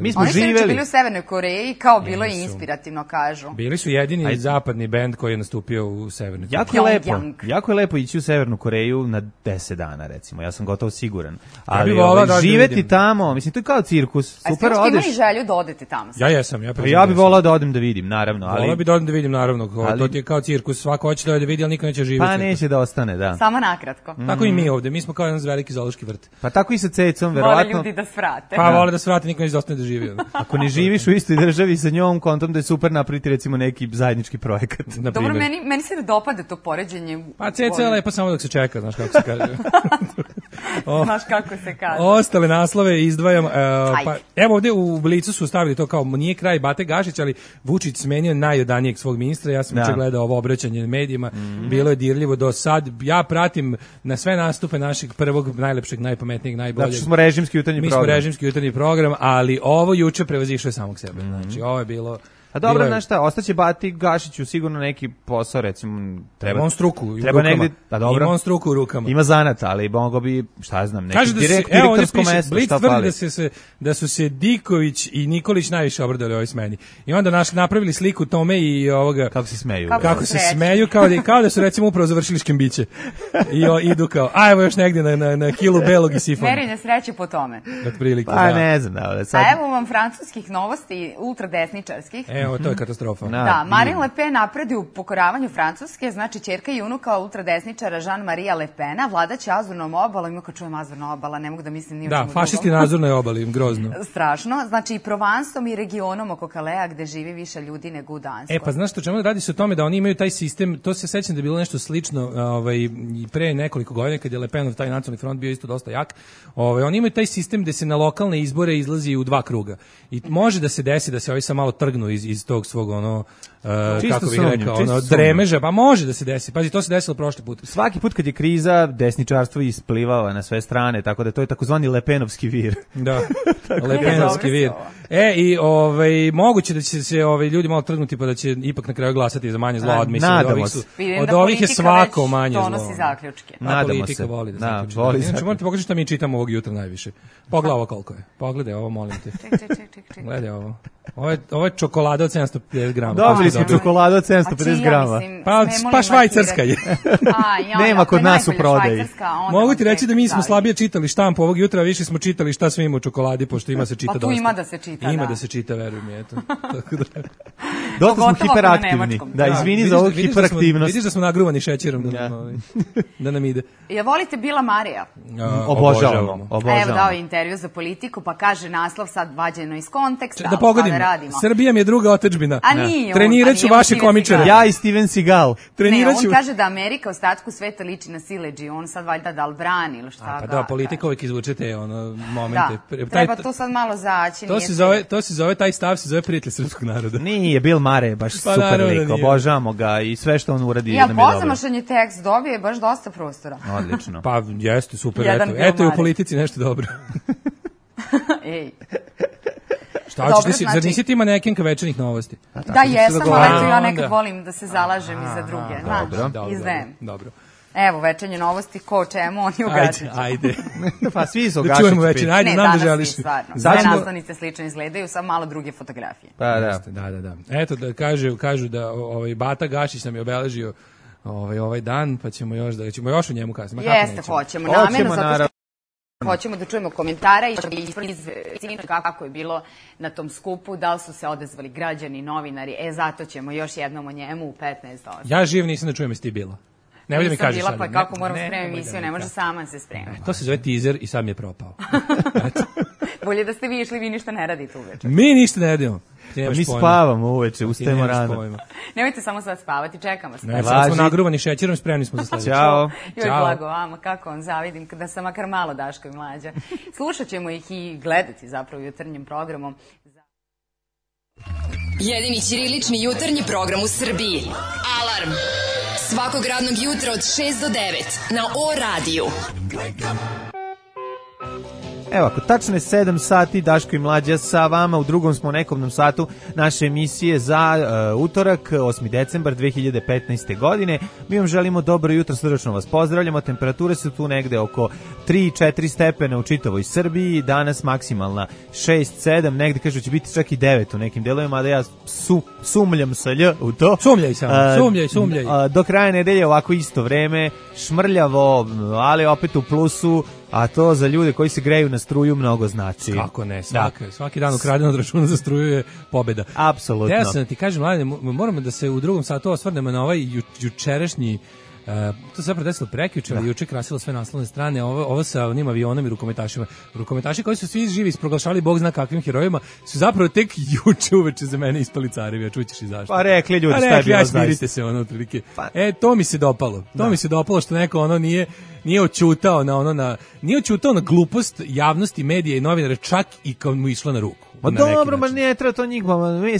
Mi smo živeli. Oni su bili u Severnoj Koreji kao bilo je inspirativno, kažu. Bili su jedini zapadni bend koji je nastupio u Severnoj Koreji. Jako je lepo ići u Severnu Koreju na 10 dana, recimo. Ja sam gotovo siguran. Ali živeti tamo, mislim, to je kao cirkus. Super, odeš. Imali želju da odete tamo? Ja jesam. Ja bih volao da odem da vidim, naravno. Volao bih da odem da vidim, naravno. To ti je kao cirkus, svako hoće da vidi, ali niko neće živjeti. Pa neće da ostane, da. Samo nakratko. Tako i mi ovde, mi smo kao jedan veliki zoološki vrt. Pa tako i sa Cecom, verovatno. Vole ljudi da svrate. Pa vole da svrate, niko neće da ostane da živi. Ako ne živiš u istoj državi sa njom, kontom da je super napraviti recimo neki zajednički projekat. Dobro, meni se dopada to poređenje. Pa Ceca je lepo samo dok se čeka, znaš kako se kaže. Znaš kako se kaže. Ostale naslove izdvajam. Pa, evo ovdje u Blicu su stavili to kao nije kraj Bate Gašić, ali Vučić smenio najodanijeg svog ministra. Ja sam gledao ovo obraćanje medijima. Bilo je dirljivo do sad. Ja pratim na sve nastupe našeg prvog, najlepšeg, najpametnijeg, najboljeg. Znači smo režimski jutarnji program. Mi smo režimski jutarnji program, ali ovo juče prevazišlo je samog sebe. Znači ovo je bilo... A dobro, znaš šta, ostaće Bati Gašiću sigurno neki posao, recimo, treba on struku, treba negdje, da dobro. Ima on struku u rukama. Ima zanat, ali mogo bi, šta znam, neki direktorsko mesto, šta fali. Blic da su se Diković i Nikolić najviše obradili ovoj smeni. I onda napravili sliku tome i ovoga... Kako se smeju. Kako se smeju, kao da su recimo upravo završili škembiće. I idu kao, a evo još negdje na kilu belog i sifona. Merenje sreće po tome. Pa ne znam, da. A evo vam francuskih novosti, ultradesničarskih. Evo, to je katastrofa. Da, Marine Le Pen napredi u pokoravanju Francuske, znači ćerka i unuka ultradesničara Jean-Marie Le Pena, vladaće Azurnom obalom, ima kad čujem Azurna obala, ne mogu da mislim ni o čemu drugom. Da, fašisti na Azurnoj obali, grozno. Strašno, znači i Provansom i regionom oko Kalea gde živi više ljudi nego u Danskoj. Pa znaš što, čemu radi se o tome da oni imaju taj sistem, to se sećam da je bilo nešto slično pre nekoliko godina kad je Le Penov taj nacionalni front bio isto dosta jak. Oni imaju taj sistem gde se na lokalne izbore izlazi u 2 kruga. I može da se desi da se ovi sad malo trgnu iz tog svog kako bih rekao, dremeža, pa može da se desi. Pazi, to se desilo prošli put. Svaki put kad je kriza, desničarstvo isplivava na sve strane, tako da to je takozvani Lepenovski vir. Da, Lepenovski vir. I moguće da će se ljudi malo trgnuti pa da će ipak na kraju glasati za manje zlo od mislim. Od ovih je svako manje zlo. Donosi zaključke. Politika voli da zaključi. Znači, morate pokažiti šta mi čitamo ovog jutra najviše. Pogledaj ovo koliko je. Pogledaj ovo, molim te. Ček. Gledaj ovo. Ovo je čokolada od 750 grama. Dobili smo čokoladu od 750 grama. Pa švajcarska je. Nema kod nas u prodaji. Mogu ti reći da mi smo slabije čitali štampu ovog jutra, više smo čitali šta sve ima u čokoladi, pošto ima se čita dosta. Pa tu ima da se čita, Ima da se čita, veruj mi, eto. Dosta smo hiperaktivni. Da, izvini za ovu hiperaktivnost. Vidiš da smo nagruvani šećerom da nam ide. Ja volite Bila Marija? Obožavamo. Evo dao intervju za Politiku, pa kaže naslov sad vađeno iz konteksta. Da pogodim, Srbija mi je druga otadžbina. A nije. Treniraću vaše komičare. Ja i Steven Seagal. Ne, on kaže da Amerika ostatku sveta liči na siledži, on sad valjda da li brani ili šta. Pa da, Politika uvijek izvuče te momente. Treba to sad malo zaći. To se zove, taj stav se zove prijatelj srpskog naroda. Nije, Bill Murray, baš super lik, obožavamo ga i sve što on uradi nam je dobro. Pozamašan tekst dobije baš dosta prostora. Odlično. Pa jeste, super, eto je u Politici nešto dobro. Ej. Šta hoćeš, zar nisi ti manekenka večernjih novosti? Da, jesam, ali eto ja nekad volim da se zalažem i za druge. Znači, izdajem. Dobro. Evo, večernje novosti, ko čemu, oni u Gačiću. Ajde. Pa svi su u Da Gašiću. čujemo večer, ajde, nam da želiš. Ne, danas svi, stvarno. Sve naslovnice slično izgledaju, samo malo druge fotografije. Pa da. Eto, da kažu da Bata Gašić nam je obeležio ovaj dan, pa ćemo još o njemu kasnije. Jeste, hoćemo, namjerno, zato što hoćemo da čujemo komentare i kako je bilo na tom skupu, da li su se odazvali građani, novinari, zato ćemo još jednom o njemu u 15:08. Ja živ nisam da čujem jesi ti bila. Ne da mi kažeš sad. Pa kako moram spremiti emisiju, ne može sama se spremiti. To se zove teaser i sad mi je propao. Bolje da ste vi išli, vi ništa ne radite uveče. Mi ništa ne radimo. Pa mi spavamo uveče, ustajemo rano. Nemojte samo sad spavati, čekamo se. Ne, sad smo nagruvani šećerom, spremni smo za sledeće. Ćao. Joj, blago vama, kako vam zavidim, da sam makar malo Daško i Mlađa. Slušat ćemo ih i gledati zapravo jutarnjim programom. Jedini ćirilični jutarnji program u Srbiji. Alarm! Svakog radnog jutra od 6 do 9 na O-radiju. Evo, ako tačno je 7 sati, Daško i Mlađa sa vama, u drugom smo nekovnom satu naše emisije za utorak, 8. decembar 2015. godine. Mi vam želimo dobro jutro, srdačno vas pozdravljamo, temperature su tu negde oko 3-4 stepena u čitavoj Srbiji, danas maksimalna 6-7, negde kažu će biti čak i 9 u nekim delovima, da ja sumljam sa lj u to. Sumljaj samo, sumljaj. Do kraja nedelje ovako isto vreme, šmrljavo, ali opet u plusu, a to za ljude koji se greju na struju mnogo znači. Kako ne, svaki dan ukraden od računa za struju je pobeda. Apsolutno. Ja sam ti kažem, mladine, moramo da se u drugom satu osvrnemo na ovaj jučerašnji, to se predesilo prekjuče, ali juče krasilo sve naslovne strane, ovo sa onim avionom i rukometašima. Rukometaši koji su svi živi isproglašali bog zna kakvim herojima, su zapravo tek juče uveče za mene ispali carevi, a čućeš i zašto. Pa rekli ljudi, šta je bilo zaista. Smirite se, otprilike. To mi se dopalo. To mi se dopalo što neko nije oćutao nije oćutao na glupost javnosti, medija i novinara, čak i kad mu išlo na ruku. Ma dobro, ma ne treba to njih,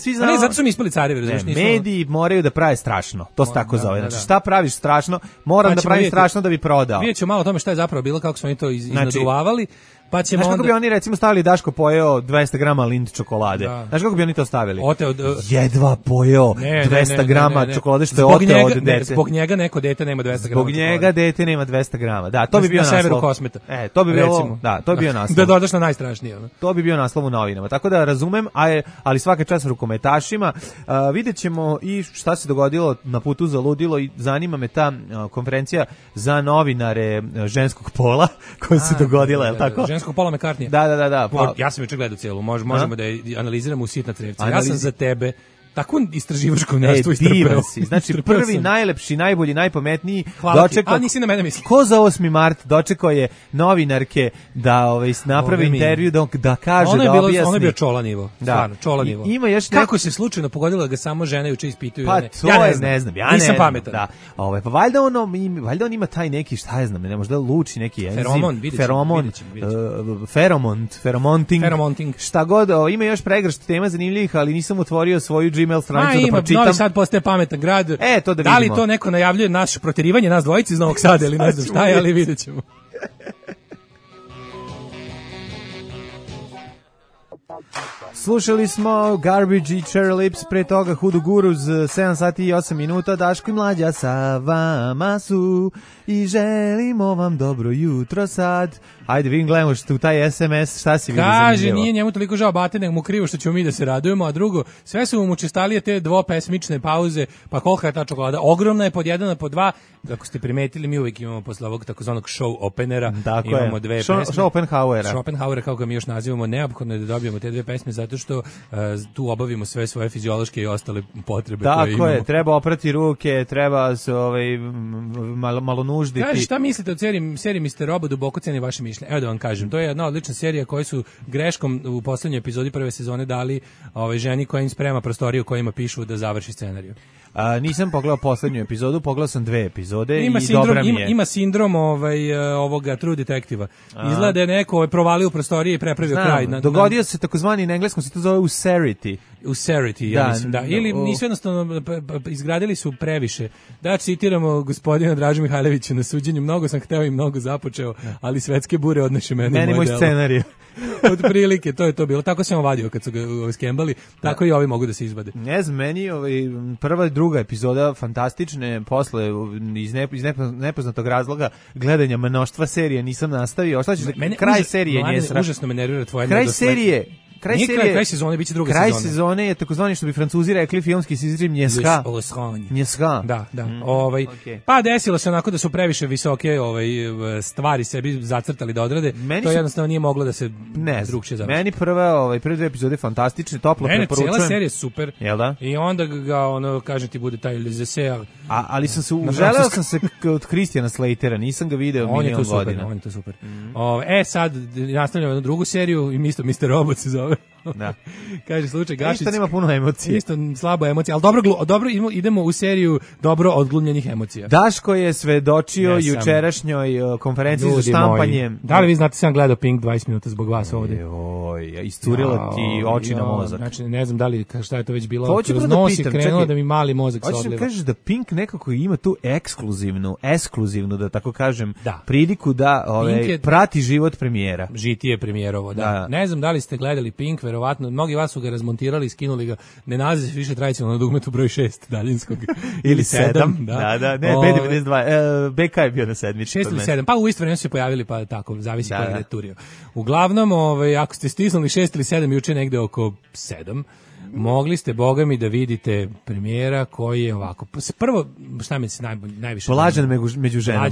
svi znamo. Ne, zato su mi ispali carevi, razumiješ? Mediji moraju da prave strašno, to se tako zove. Znači, šta praviš strašno, moram da pravim strašno da bi prodao. Vidjet ću malo o tome šta je zapravo bilo, kako smo mi to iznaduvavali. Pa ćemo znaš kako bi oni recimo stavili Daško pojeo 200 grama Lindt čokolade? Znaš kako bi oni to stavili? Jedva pojeo 200 grama čokolade što je oteo od dete. Zbog njega neko dete nema 200 grama čokolade. Zbog njega dete nema 200 grama. Da, to bi bio naslov. Na severu Kosmeta. To bi bilo, to bi bio naslov. Da dodaš na najstrašnije. To bi bio naslov u novinama. Tako da razumem, ali svaka čast rukometašima. Vidjet ćemo i šta se dogodilo na putu za ludilo i zanima me ta konferencija za novinare ženskog pola koja se dogodila, je li tako? Ženskog pola McCartney. Da. Pa, ja sam juče gledao cijelu, možemo da je analiziramo u sitna crevca. Ja sam za tebe tako istraživačko nešto istrpeo. Znači prvi, najlepši, najbolji, najpametniji dočekao. A nisi na mene misli. Ko za 8. mart dočekao je novinarke da naprave intervju, da kaže, da objasni. Ono je bio čola nivo. Stvarno, čola nivo. Ima još kako se slučajno pogodilo da ga samo žene juče ispituju. Pa to je, ne znam. Ja nisam pametan. Da. Pa valjda on ima taj neki, šta je znam, ne možda luči neki enzim. Feromonting. Šta god, ima još pregršt tema zanimljivih, ali nisam otvorio svoju Gmail stranicu da pročitam. Novi Sad postaje pametan grad. To da vidimo. Da li to neko najavljuje naše proterivanje nas dvojice iz Novog Sada ili ne znam šta je, ali vidjet ćemo. Slušali smo Garbage i Cherry Lips, pre toga Hudu Guruz, 7 sati i 8 minuta, Daško i Mlađa sa vama su i želimo vam dobro jutro sad. Ajde, vidim, gledamo što u taj SMS, šta si vidio zanimljivo? Kaže, nije njemu toliko žao Bate, nego mu krivo što ćemo mi da se radujemo, a drugo, sve su mu učestalije te dvopesmične pauze, pa kolika je ta čokolada? Ogromna je pod 1 a pod 2, ako ste primetili, mi uvijek imamo posle ovog takozvanog show openera, imamo dve pesme. Schopenhauera, kako ga mi još nazivamo, neophodno je da dobijemo te dve pesme, zato što tu obavimo sve svoje fiziološke i ostale potrebe koje imamo. Tako je, treba oprati ruke, treba se malo nužditi. Kaže, šta mislite o seriji Mr. Robot, duboko cenim vaše mišljenje? Evo da vam kažem, to je jedna odlična serija koju su greškom u poslednjoj epizodi prve sezone dali ženi koja im sprema prostoriju kojima pišu da završi scenariju. Nisam pogledao poslednju epizodu, pogledao sam 2 epizode i dobra mi je. Ima sindrom ovoga True Detective-a. Izgleda da je neko provalio u prostorije i prepravio kraj. Dogodio se takozvani, na engleskom se to zove Userity, ja mislim, da. Ili nisu jednostavno, izgradili su previše. Da, citiramo gospodina Draža Mihajlovića na suđenju, mnogo sam hteo i mnogo započeo, ali svetske bure odneše meni moj scenarij. Od prilike, to je to bilo. Tako sam vadio kad su ga skembali, tako i ovi mogu da se izvade. Ne znam, meni prva i druga epizoda fantastične, posle iz nepoznatog razloga gledanja mnoštva serija nisam nastavio. Šta ćeš kraj serije nje užasno me nervira tvoja kraj serije. Kraj sezone biće druga sezona. Kraj sezone je takozvani, što bi Francuzi rekli, filmski se izrim njeska. Njeska. Da. Okay. Pa desilo se onako da su previše visoke stvari sebi zacrtali da odrade. To jednostavno nije moglo da se drugčije završi. Meni prve dve epizode fantastične, toplo preporučujem. Cela serija je super. Jel da? I onda ga kažem ti bude taj Les Essais. Ali sam se uželeo sam se od Christiana Slatera, nisam ga video milion godina. On je to super. Sad nastavljamo jednu drugu seriju i Mr. Robot se zove. Da. Kaže slučaj Gašić. Isto nema puno emocija. Isto slabo emocija, ali dobro idemo u seriju dobro odglumljenih emocija. Daško je svedočio jučerašnjoj konferenciji za štampanje. Da li vi znate, sam gledao Pink 20 minuta zbog vas ovdje? Iscurila ti oči na mozak. Znači, ne znam da li, šta je to već bilo. Kroz nos je krenulo da mi mali mozak se odliva. Hoćeš da kažeš da Pink nekako ima tu ekskluzivnu, da tako kažem, priliku da prati život premijera. Žitije premijerovo, da. Ne znam da li ste gledali Pink, verovatno, mnogi vas su ga razmontirali i skinuli ga, ne nalazi se više tradicionalno na dugmetu broj 6 daljinskog. Ili 7, ne, B92, BK je bio na 7. 6 ili 7, pa u isto vreme su se pojavili, pa tako, zavisi koji je turio. Uglavnom, ako ste stisnuli 6 ili 7, juče negde oko 7, mogli ste, boga mi, da vidite premijera koji je ovako. Prvo, šta mi se najviše... Blažen među ženama.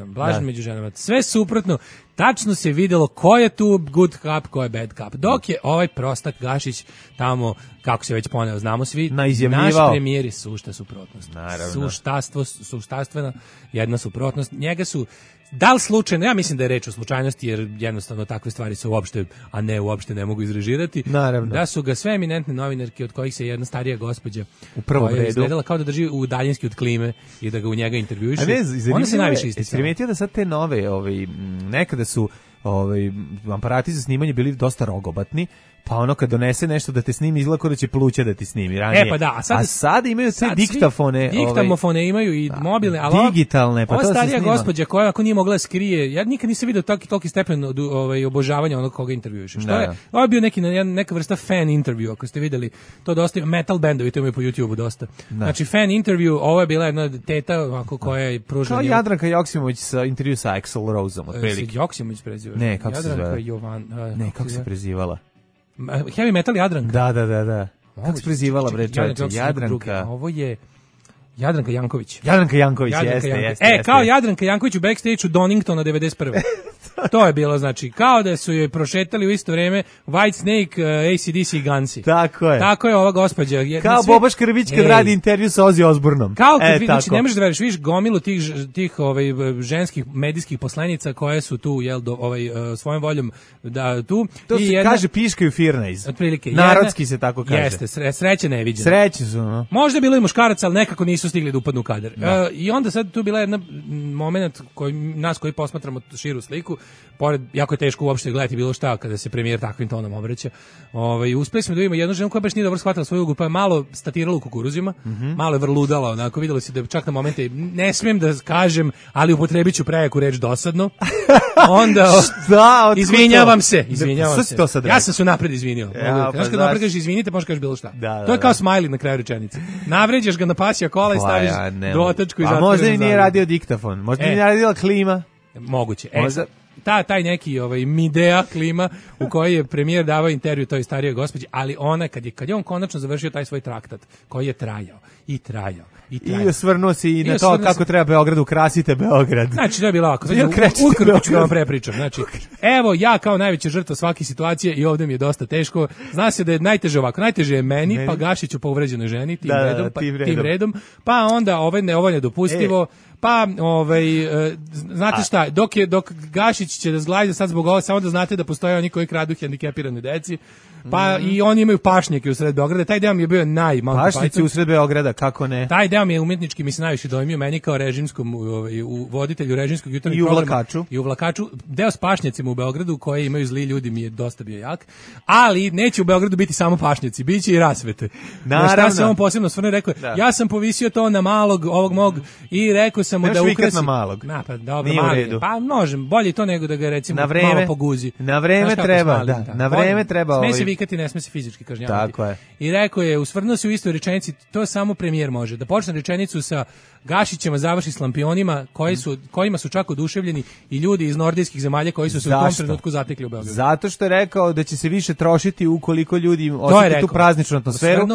Blažen među ženama. Sve suprotno, tačno se videlo ko je tu good cup, ko je bad cup. Dok je ovaj prostak Gašić tamo, kako se već poneo, znamo svi, naš premijer je sušta suprotnost. Naravno. Suštastvena jedna suprotnost. Njega su, da li slučajno, ja mislim da je reč o slučajnosti, jer jednostavno takve stvari se uopšte, a ne uopšte ne mogu izrežirati. Naravno. Da su ga sve eminentne novinarke, od kojih se jedna starija gospođa u prvom redu izgledala kao da drži u daljinski od klime i da ga u njega intervjuiše. Ona se najviše isticala. Primetio da sad te nove, nekada su aparati za snimanje bili dosta rogobatni, pa ono kad donese nešto da te snimi izgleda kao da će pluća da ti snimi ranije. Pa da, a sad imaju te diktafone. Diktamofone imaju i mobilne, ali digitalne, pa to se snima. Ova starija gospođa koja ako nije mogla da skrije, ja nikad nisam vidio toliki stepen obožavanja onog koga intervjuiše. Što je? Ovo je bio neka vrsta fan intervju, ako ste videli, to dosta metal bendovi to imaju po YouTubeu dosta. Znači fan intervju, ovo je bila jedna teta ovako koja je pružila. Kao Jadranka Joksimović sa intervju sa Axl Roseom otprilike. Joksimović preziva. Ne, kako se zove? Kako se prezivala? Heavy metal Jadranka. Da. Kako se prezivala, bre, čovječe? Jadranka. Ovo je Jadranka Janković. Jadranka Janković, jeste. Kao Jadranka Janković u backstage-u Doningtona 91. To je bilo, znači, kao da su joj prošetali u isto vreme Whitesnake, AC/DC i Gansi. Tako je ova gospođa. Kao Boba Škrbić kad radi intervju sa Ozzy Osbournom. Kao kad znači, ne možeš da veriš, vidiš gomilu tih ženskih medijskih poslenica koje su tu, svojom voljom da tu. To se kaže piškaju firnajz. Otprilike. Narodski se tako kaže. Jeste, sreće neviđena. Sreće su, no. Možda je bilo i muškaraca, ali nekako nisu stigli da upadnu u kadar. I onda sad tu bila jedna moment nas koji posmatramo širu sliku, pored, jako je teško uopšte gledati bilo šta kada se premijer takvim tonom obraća. Uspeli smo da vidimo jednu ženu koja baš nije dobro shvatila svoju ulogu, pa je malo statirala u kukuruzima, malo je vrludala, onako, vidjelo se da čak na momente, ne smijem da kažem, ali upotrebit ću prejaku reč dosadno. Onda, izvinjavam se. Ja sam se napred izvinio. Znaš kad napred kažeš izvinite, možeš kažeš bilo šta. To je kao smajli na kraju rečenice. Navređaš ga na pasija kola i staviš dotačku i zatvoriš. A možda i nije radio diktafon, možda nije radila klima. Moguće. Taj neki Midea klima u kojoj je premijer davao intervju toj starijoj gospođi, ali ona kad je on konačno završio taj svoj traktat koji je trajao. I osvrnuo si i na to kako treba Beograd, ukrasite Beograd. Znači, to je bilo ovako. Ukratko ću vam prepričam. Znači, evo, ja kao najveća žrtva svake situacije i ovdje mi je dosta teško. Zna se da je najteže ovako. Najteže je meni, pa Gašiću po uvređenoj ženi, tim redom. Pa onda ovo je nedopustivo. Pa, znate šta, dok Gašić će da zglajde sad zbog ovo, samo da znate da postoje oni koji kradu hendikepirane deci, pa i oni imaju pašnjake u sred Beograda, taj deo mi je bio Pašnjaci u sred Beograda, kako ne? Taj deo mi je umetnički, mi se najviše dojmio, meni kao režimskom, u voditelju režimskog jutarnjeg programa. I u Vlakaču. Deo s pašnjacima u Beogradu koje imaju zli ljudi mi je dosta bio jak, ali neće u Beogradu biti samo pašnjaci, bit će i rasvete. Naravno. Šta se on posebno osvrnuo, rekao, ja sam povisio to na malog, ovog mog, i rekao sam mu da ukrasi. Na malog. Pa dobro, mali. Pa možem, bolje to nego da ga recimo malo poguzi. Na vreme treba, da. Na vreme treba. vikati, ne sme se fizički kažnjavati. Tako je. I rekao je, usvrnuo se u istoj rečenici, to samo premijer može. Da počne rečenicu sa Gašićima, završi s lampionima, kojima su čak oduševljeni i ljudi iz nordijskih zemalja koji su se u tom trenutku zatekli u Beogradu. Zato što je rekao da će se više trošiti ukoliko ljudi osjete tu prazničnu atmosferu.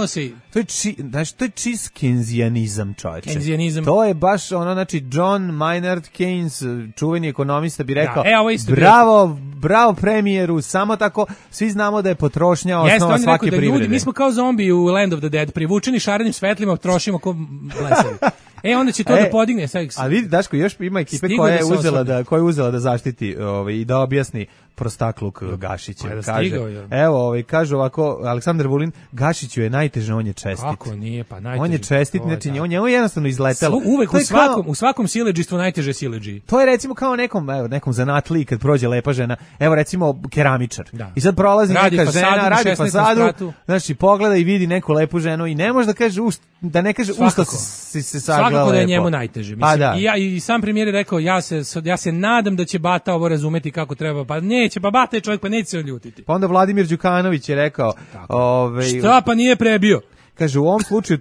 To je čist kenzijanizam, čovječe. Kenzijanizam. To je baš ono, znači, John Maynard Keynes, čuveni ekonomista, bi rekao, bravo premijeru, samo tako, svi znamo da je potrošnja osnova svake privrede. Ljudi, mi smo kao zombi u Land of the Dead, privučeni šarenim svetlima, trošimo ko blesavi. Onda će to da podigne. A vidi, Daško, još ima ekipe koja je uzela da zaštiti i da objasni prostakluk Gašića. Kažu ovako, Aleksandar Vulin, Gašiću je najteže, on je čestit. Kako nije, pa najteže. On je čestit, znači on je jednostavno izletelo. Uvek u svakom siledžistvu najteže siledži. To je recimo kao nekom zanatliji kad prođe lepa žena, evo recimo keramičar. I sad prolazi neka žena, radi fasadu, znači pogleda i vidi neku lepu ženu i ne može da kaže ne kaže usta si se sagla lepo. Svakako da je njemu najteže. I sam premijer je rekao, ja se nadam da će Bata ovo razumeti kako treba, pa neće, pa Bata je čovjek, pa neće se odljutiti. Pa onda Vladimir Đukanović je rekao... Šta pa nije prebio? Kaže, u ovom slučaju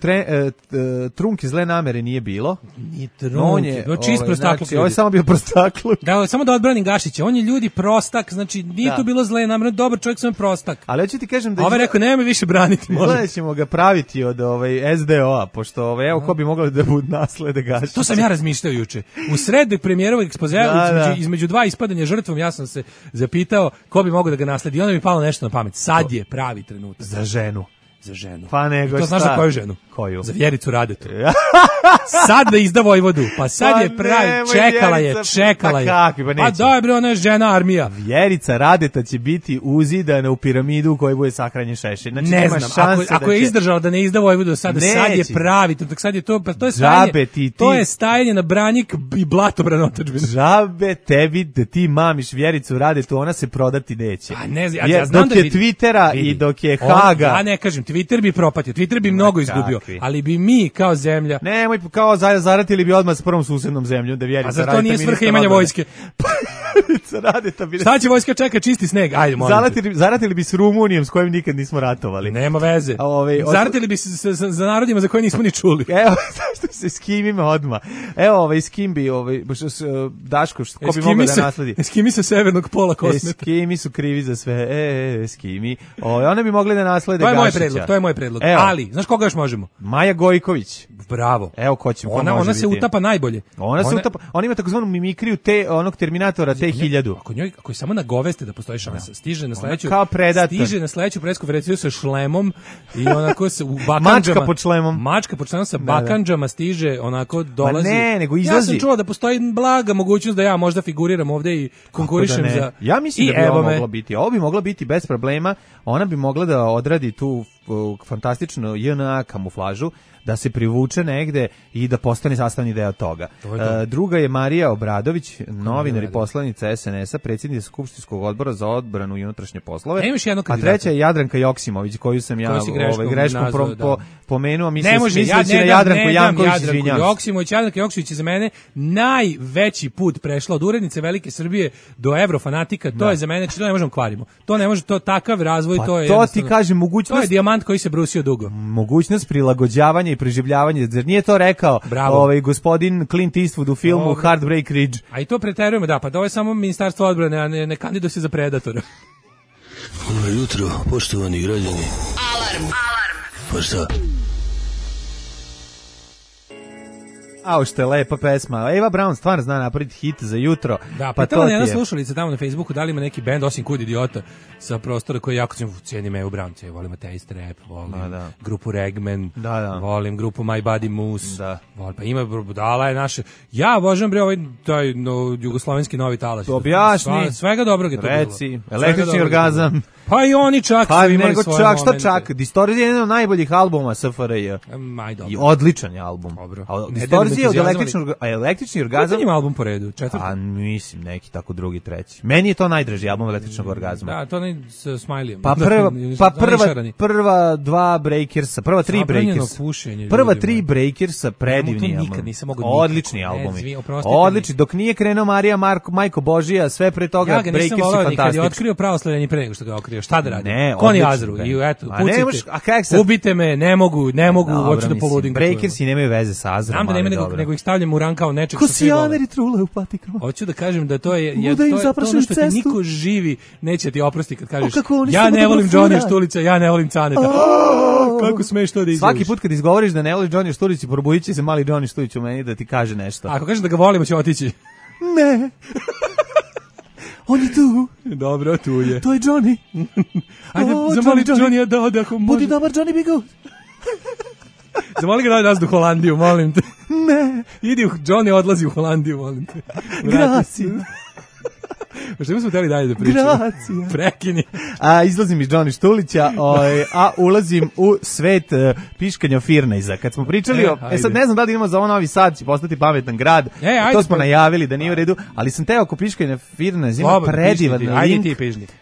trunke zle namere nije bilo. Nije trunke, čist prostakluk. Znači, ovo je samo bio prostakluk. Da, samo da odbranim Gašića, on je ljudi prostak, znači nije to bilo zle namere, dobar čovjek, sam prostak. Ali hoću ti kažem da... Ove rekao, nema me više braniti, molim. Gledaj ćemo ga praviti od SDO-a, pošto evo ko bi mogli da budu naslede Gašića. To sam ja razmišljao juče. U sred premijerovog ekspozea, između dva ispadanja žrtvom, ja sam se zapitao ko bi mogao da ga nasledi. I onda mi palo nešto na pamet. Sad je pravi trenutak. Za ženu. Za ženu. Pa nego to znaš za koju ženu? Koju? Za Vjericu Radetu. Sad da izda Vojvodu. Pa sad je pravi. Čekala je. Pa daj bre, ona je žena armija. Vjerica Radeta će biti uzidana u piramidu u kojoj bude sahranjen Šešelj. Znači, ne znam, ako je izdržala da ne izda Vojvodu sada, sad je pravi. Sad je to je stajanje. To je stajanje na branjik i blatobran otadžbine. Žabe tebi da ti mamiš Vjericu Radetu, ona se prodati neće. Pa ne znam, ja znam dok je Twittera i dok je Haga. Ja ne kažem, Twitter bi propatio, Twitter bi mnogo izgubio, ali bi mi kao zemlja... Nemoj, kao zaratili bi odmah s prvom susednom zemljom, da Vjerica Radeta... A zar to nije svrha imanja vojske? Vjerica Radeta bi... Šta će vojska čeka, čisti sneg? Ajde, molim te. Zaratili bi s Rumunijom, s kojim nikad nismo ratovali. Nema veze. Zaratili bi se za narodima za koje nismo ni čuli. Evo, zašto se s kim ima odmah? Evo, s kim bi, Daško, ko bi mogao da nasledi? Eskimi sa severnog pola kosmeta. Eskimi su krivi za sve, Eskimi. One bi mogli da naslede Gašića. To je moj predlog. Ali, znaš koga još možemo? Maja Gojković. Bravo. Evo ko će. Ona se utapa najbolje. Ona ima takozvanu mimikriju onog Terminatora T-1000. Ako je samo nagoveste da postoji šansa, stiže na sledeću. Kao predator. Stiže na sledeću presku konferenciju sa šlemom i onako se u bakandžama. Mačka pod šlemom sa bakandžama stiže, onako dolazi. Nego izlazi. Ja sam čuo da postoji blaga mogućnost da ja možda figuriram ovde i konkurišem za. Ja mislim da bi ovo moglo biti. Ovo bi moglo biti bez problema. Ona bi mogla da odradi tu fantastičnu JNA kamuflažu, da se privuče negde i da postane sastavni deo toga. Druga je Marija Obradović, novinar i poslanica SNS-a, predsjednica Skupštinskog odbora za odbranu i unutrašnje poslove. A treća je Jadranka Joksimović, koju sam ja greškom pomenuo. Misleći na Jadranku Janković, izvinjam. Jadranka Joksimović je za mene najveći put prešla od urednice Velike Srbije do Evrofanatika. To je za mene, to ne možemo kvarimo. To ne može, to takav razvoj, to je. To ti kažem, mogućnost. To je dijamant koji se brusio dugo. Mogućnost prilagođavanja i preživljavanje. Zar nije to rekao gospodin Clint Eastwood u filmu Heartbreak Ridge? A i to preterujemo, da, pa to je samo Ministarstvo odbrane, a ne kandiduje se za Predatora. Dobro jutro, poštovani građani. Alarm. Pa šta? Što je lepa pesma. Eva Braun stvarno zna napraviti hit za jutro. Da, pa to je jedna slušalica tamo na Facebooku, da li ima neki bend osim Kud idiota sa prostora koji jako cijenim Evu Braun. Volim Atheist Rap, volim grupu Regman, volim grupu My Body Moose. Volim, pa ima budala je naše. Ja obožavam taj jugoslovenski novi talas. Objasni. Svega dobrog je to bilo. Reci, električni orgazam. Pa i oni čak su imali svoje momente. Čak, Distorzija je jedan od najboljih albuma SFRJ. I odličan je album. Ne verzija od električni orgazam. Koji je album po redu? Četvrti? A mislim, neki tako drugi, treći. Meni je to najdraži album električnog orgazma. Da, to ne sa Smileyem. Prva dva Breakersa, prva tri Breakersa. Prva tri Breakersa, predivni album. Odlični albumi. Odlični, dok nije krenuo Marija Majko Božija, sve pre toga Breakersi fantastični. Kad je otkrio pravoslavlje pre nego što ga otkrio, šta da radi? Koni Azru i eto, pucite. Ubite me, ne mogu, hoću da poludim. Breakersi nemaju veze sa Azrom. Znam da nema nego ih stavljam u rang kao nečeg što svi vole. Ko trule u patikama. Hoću da kažem da to je ono što ti niko živi neće ti oprosti kad kažeš ja ne volim Johnny Štulića, ja ne volim Caneta. Kako smeš to da izgovoriš? Svaki put kad izgovoriš da ne voliš Johnny Štulića, probudit će se mali Johnny Štulić u meni da ti kaže nešto. Ako kažeš da ga volimo, će otići. Ne. On je tu. Dobro, tu je. To je Johnny. Ajde, zamoli Johnny da ode ako može. Budi dobar, Johnny, be good. Zamoli ga da nas do Holandiju, molim te. Ne. Idi, Johnny odlazi u Holandiju, molim te. Gracija. Što smo hteli dalje da pričamo? Gracija. Prekini. Izlazim iz Johnny Štulića, a ulazim u svet piškanja Firnejza. Kad smo pričali sad ne znam da li idemo za ovo Novi Sad, će postati pametan grad. To smo najavili da nije u redu, ali sam teo oko piškanja Firnejza ima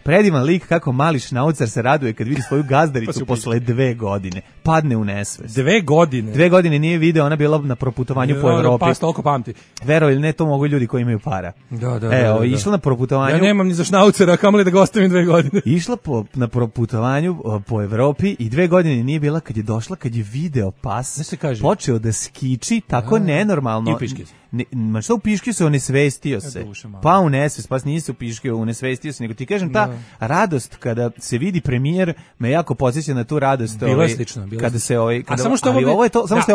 predivan lik kako mali šnaucar se raduje kad vidi svoju gazdaricu posle 2 godine. Padne u nesvest. 2 godine? 2 godine nije video, ona bila na proputovanju po Evropi. Pa toliko pamti. Verovali ili ne, to mogu ljudi koji imaju para. Da. Išla na proputovanju. Ja nemam ni za šnaucera, kamoli da ga ostavim 2 godine. Išla na proputovanju po Evropi i 2 godine nije bila kad je došla, kad je video pas, počeo da skiči tako nenormalno. I piške. Ma što u piške se onesvestio se. Pa u nesvest, pas nije se u piške onesvestio se, nego ti kažem ta radost kada se vidi premijer me jako podsjeća na tu radost. Bilo je slično. Kada se samo što je ovo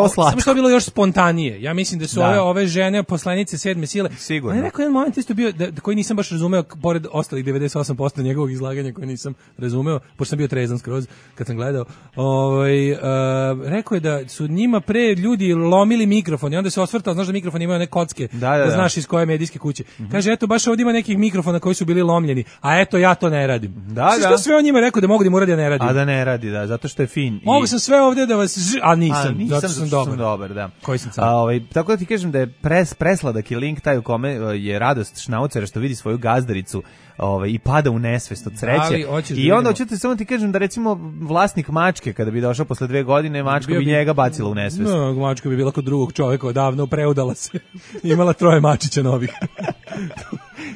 slatko. Samo što je bilo još spontanije. Ja mislim da su ove žene poslanice 7. sile. Sigurno. Ali neko jedan moment isto bio koji nisam baš razumeo, pored ostalih 98% njegovog izlaganja koje nisam razumeo, pošto sam bio trezan skroz kad sam gledao. Rekao je da su njima pre ljudi lomili mikrofon i onda se osvrtao, znaš da mikrofon imaju one kocke, da znaš iz koje medijske kuće. Kaže, eto, baš ovdje ima nekih mikrofona koji su bili lomljeni, a eto, ja to ne radim. Što sve on njima rekao da mogu da mu radi, a ne radim. A da ne radi, zato što je fin. Mogu sam sve ovdje da vas, a nisam, zato što sam dobar. Da. Koji sam sad? Tako da ti kažem da je presladak je link taj u kome je radost šnaucera što vidi svoju gazdaricu i pada u nesvest od sreće. I onda hoćete samo ti kažem da recimo vlasnik mačke kada bi došao posle 2 godine, mačka bi njega bacila u nesvest. No, mačka bi bila kod drugog čovjeka, odavno preudala se. Imala 3 mačića novih.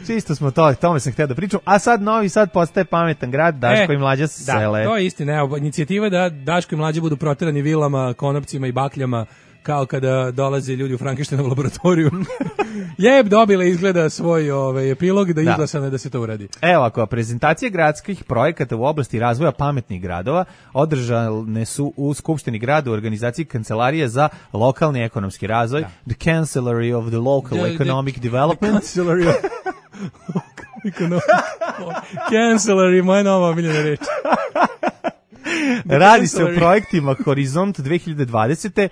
Čisto smo tome sam htio da pričam. A sad Novi Sad postaje pametan grad, Daško i Mlađa se sele. Da, to je istina. Inicijativa da Daško i Mlađa budu proterani vilama, konopcima i bakljama, kao kada dolaze ljudi u Frankensteinovu laboratoriju. Dobila izgleda svoj epilog da izglasano da se to uradi. Evo ako, prezentacije gradskih projekata u oblasti razvoja pametnih gradova održane su u Skupštini grada u organizaciji Kancelarije za lokalni ekonomski razvoj, the Cancellery of the Local Economic Development. Cancellery Cancellery, moja nova omiljena reč. Radi se o projektima Horizont 2020.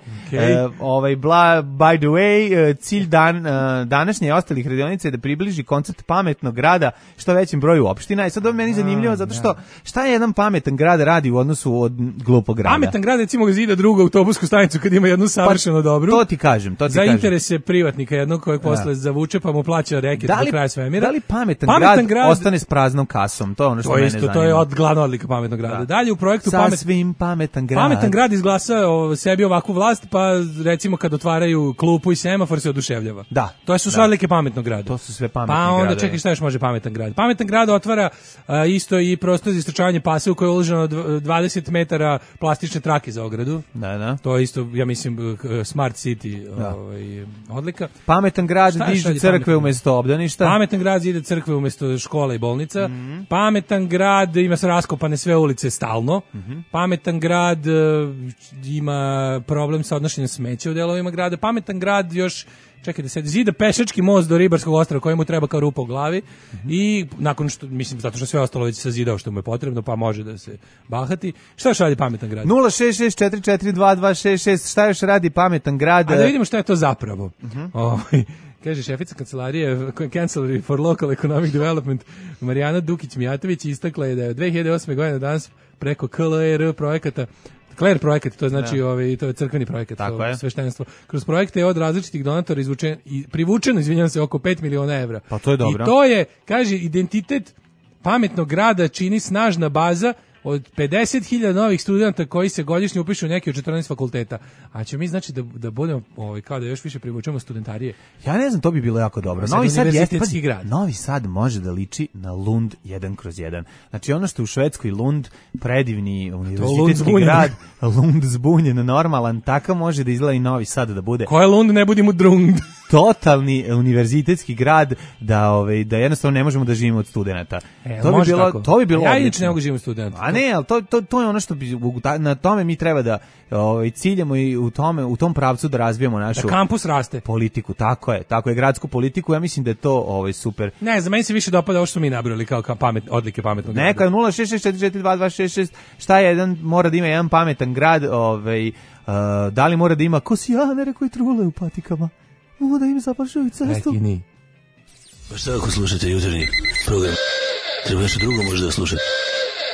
By the way, cilj današnje i ostalih radionica je da približi koncept pametnog grada što većem broju opština. I sad ovo meni zanimljivo zato što šta je jedan pametan grad radi u odnosu od glupog grada? Pametan grad recimo zida drugu autobusku stanicu kad ima jednu savršeno dobru. To ti kažem. Za interese privatnika jednog kojeg posle zavuče pa mu plaća reket do kraja svemira. Da li pametan grad ostane s praznom kasom? To je ono što mene zanima. To je glavna odlika pametnog grada. Dalje u projektu pametan grad. Pametan grad izglasa sebi ovakvu vlast, pa recimo kad otvaraju klupu i semafor se oduševljava. Da. To su sve odlike pametnog grada. To su sve pametni gradovi. Pa onda gradovi. čekaj šta još može pametan grad. Pametan grad otvara isto i prostor za istračavanje pasa u kojoj je uloženo 20 metara plastične trake za ogradu. Da. To je isto, ja mislim, Smart City odlika. Pametan grad diže crkve umjesto obdaništa. Pametan grad zide crkve umjesto škola i bolnica. Pametan grad ima se raskopane sve ulice stalno. Pametan grad ima problem sa odnošenjem smeća u delovima grada. Pametan grad još, čekaj da se zida pešački most do Ribarskog ostrva kojemu treba kao rupa u glavi i nakon što, mislim, zato što sve ostalo već sazidao što mu je potrebno, pa može da se bahati. Šta još radi pametan grad? 066442266, šta još radi pametan grad? A da vidimo šta je to zapravo. Kaže šefica kancelarije Cancellery for Local Economic Development Marijana Dukić-Mijatović istakla je da je od 2008. godine danas preko KLR projekata Kler projekat, to znači to je crkveni projekat, sveštenstvo. Kroz projekte je od različitih donatora privučeno, izvinjavam se, oko 5 miliona evra. Pa to je dobro. I to je, kaže, identitet pametnog grada čini snažna baza od 50.000 novih studenta koji se godišnje upišu u neki od 14 fakulteta. A će mi znači da budemo kao da još više privučemo studentarije. Ja ne znam, to bi bilo jako dobro. Novi Sad je grad. Novi Sad može da liči na Lund 1/1. Znači ono što u Švedskoj Lund, predivni univerzitetski grad, Lund zbunjen, normalan, takav može da izgleda i Novi Sad da bude. Ko je Lund, ne budimo Drund. Totalni univerzitetski grad da jednostavno ne možemo da živimo od studenata. To bi bilo ja inače ne mogu živjeti od studenata. A ne, ali to je ono što bi, na tome mi treba da ciljamo i u tom pravcu da razvijemo našu da kampus raste. Politiku, tako je, gradsku politiku, ja mislim da je to super. Ne, za meni se više dopada ovo što smo mi nabrali kao odlike pametnog grada. Neka 066442226, šta je mora da ima jedan pametan grad, da li mora da ima kosijanere koji trule u patikama? Mogu da im zapašaju cestu. Rekini. Pa šta ako slušate jutarnji program? Treba nešto drugo možda da slušate.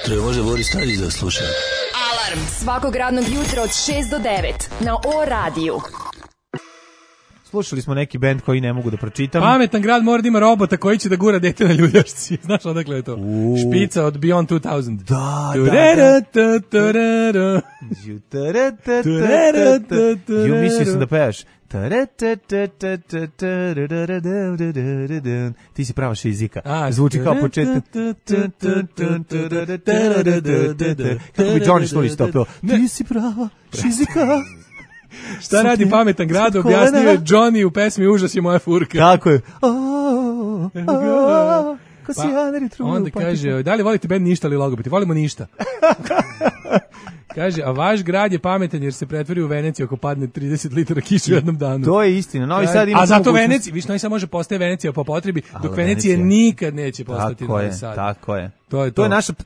Treba možda Boris Tadić da sluša. Alarm svakog radnog jutra od 6 do 9 na O-radiju. Slušali smo neki bend koji ne mogu da pročitam. Pametan grad mora da ima robota koji će da gura dete na ljuljašci. Znaš odakle je to? Špica od Beyond 2000. Da. Ju mislio sam da pevaš. Ti si prava šizika. Zvuči kao početak. Kako bi Johnny Snow istopio? Ti si prava šizika. Šta radi pametan grad, objasnio je Johnny u pesmi Užas je moja furka. Tako je. Onda kaže, da li volite band Ništa ili Logopeti? Volimo Ništa. Kaže, a vaš grad je pametan jer se pretvori u Veneciju ako padne 30 litara kiše u jednom danu. To je istina. Novi Sad ima a zato Venecija, Novi Sad može postaje Venecija po potrebi, dok Venecija nikad neće postati Novi Sad. Tako je. To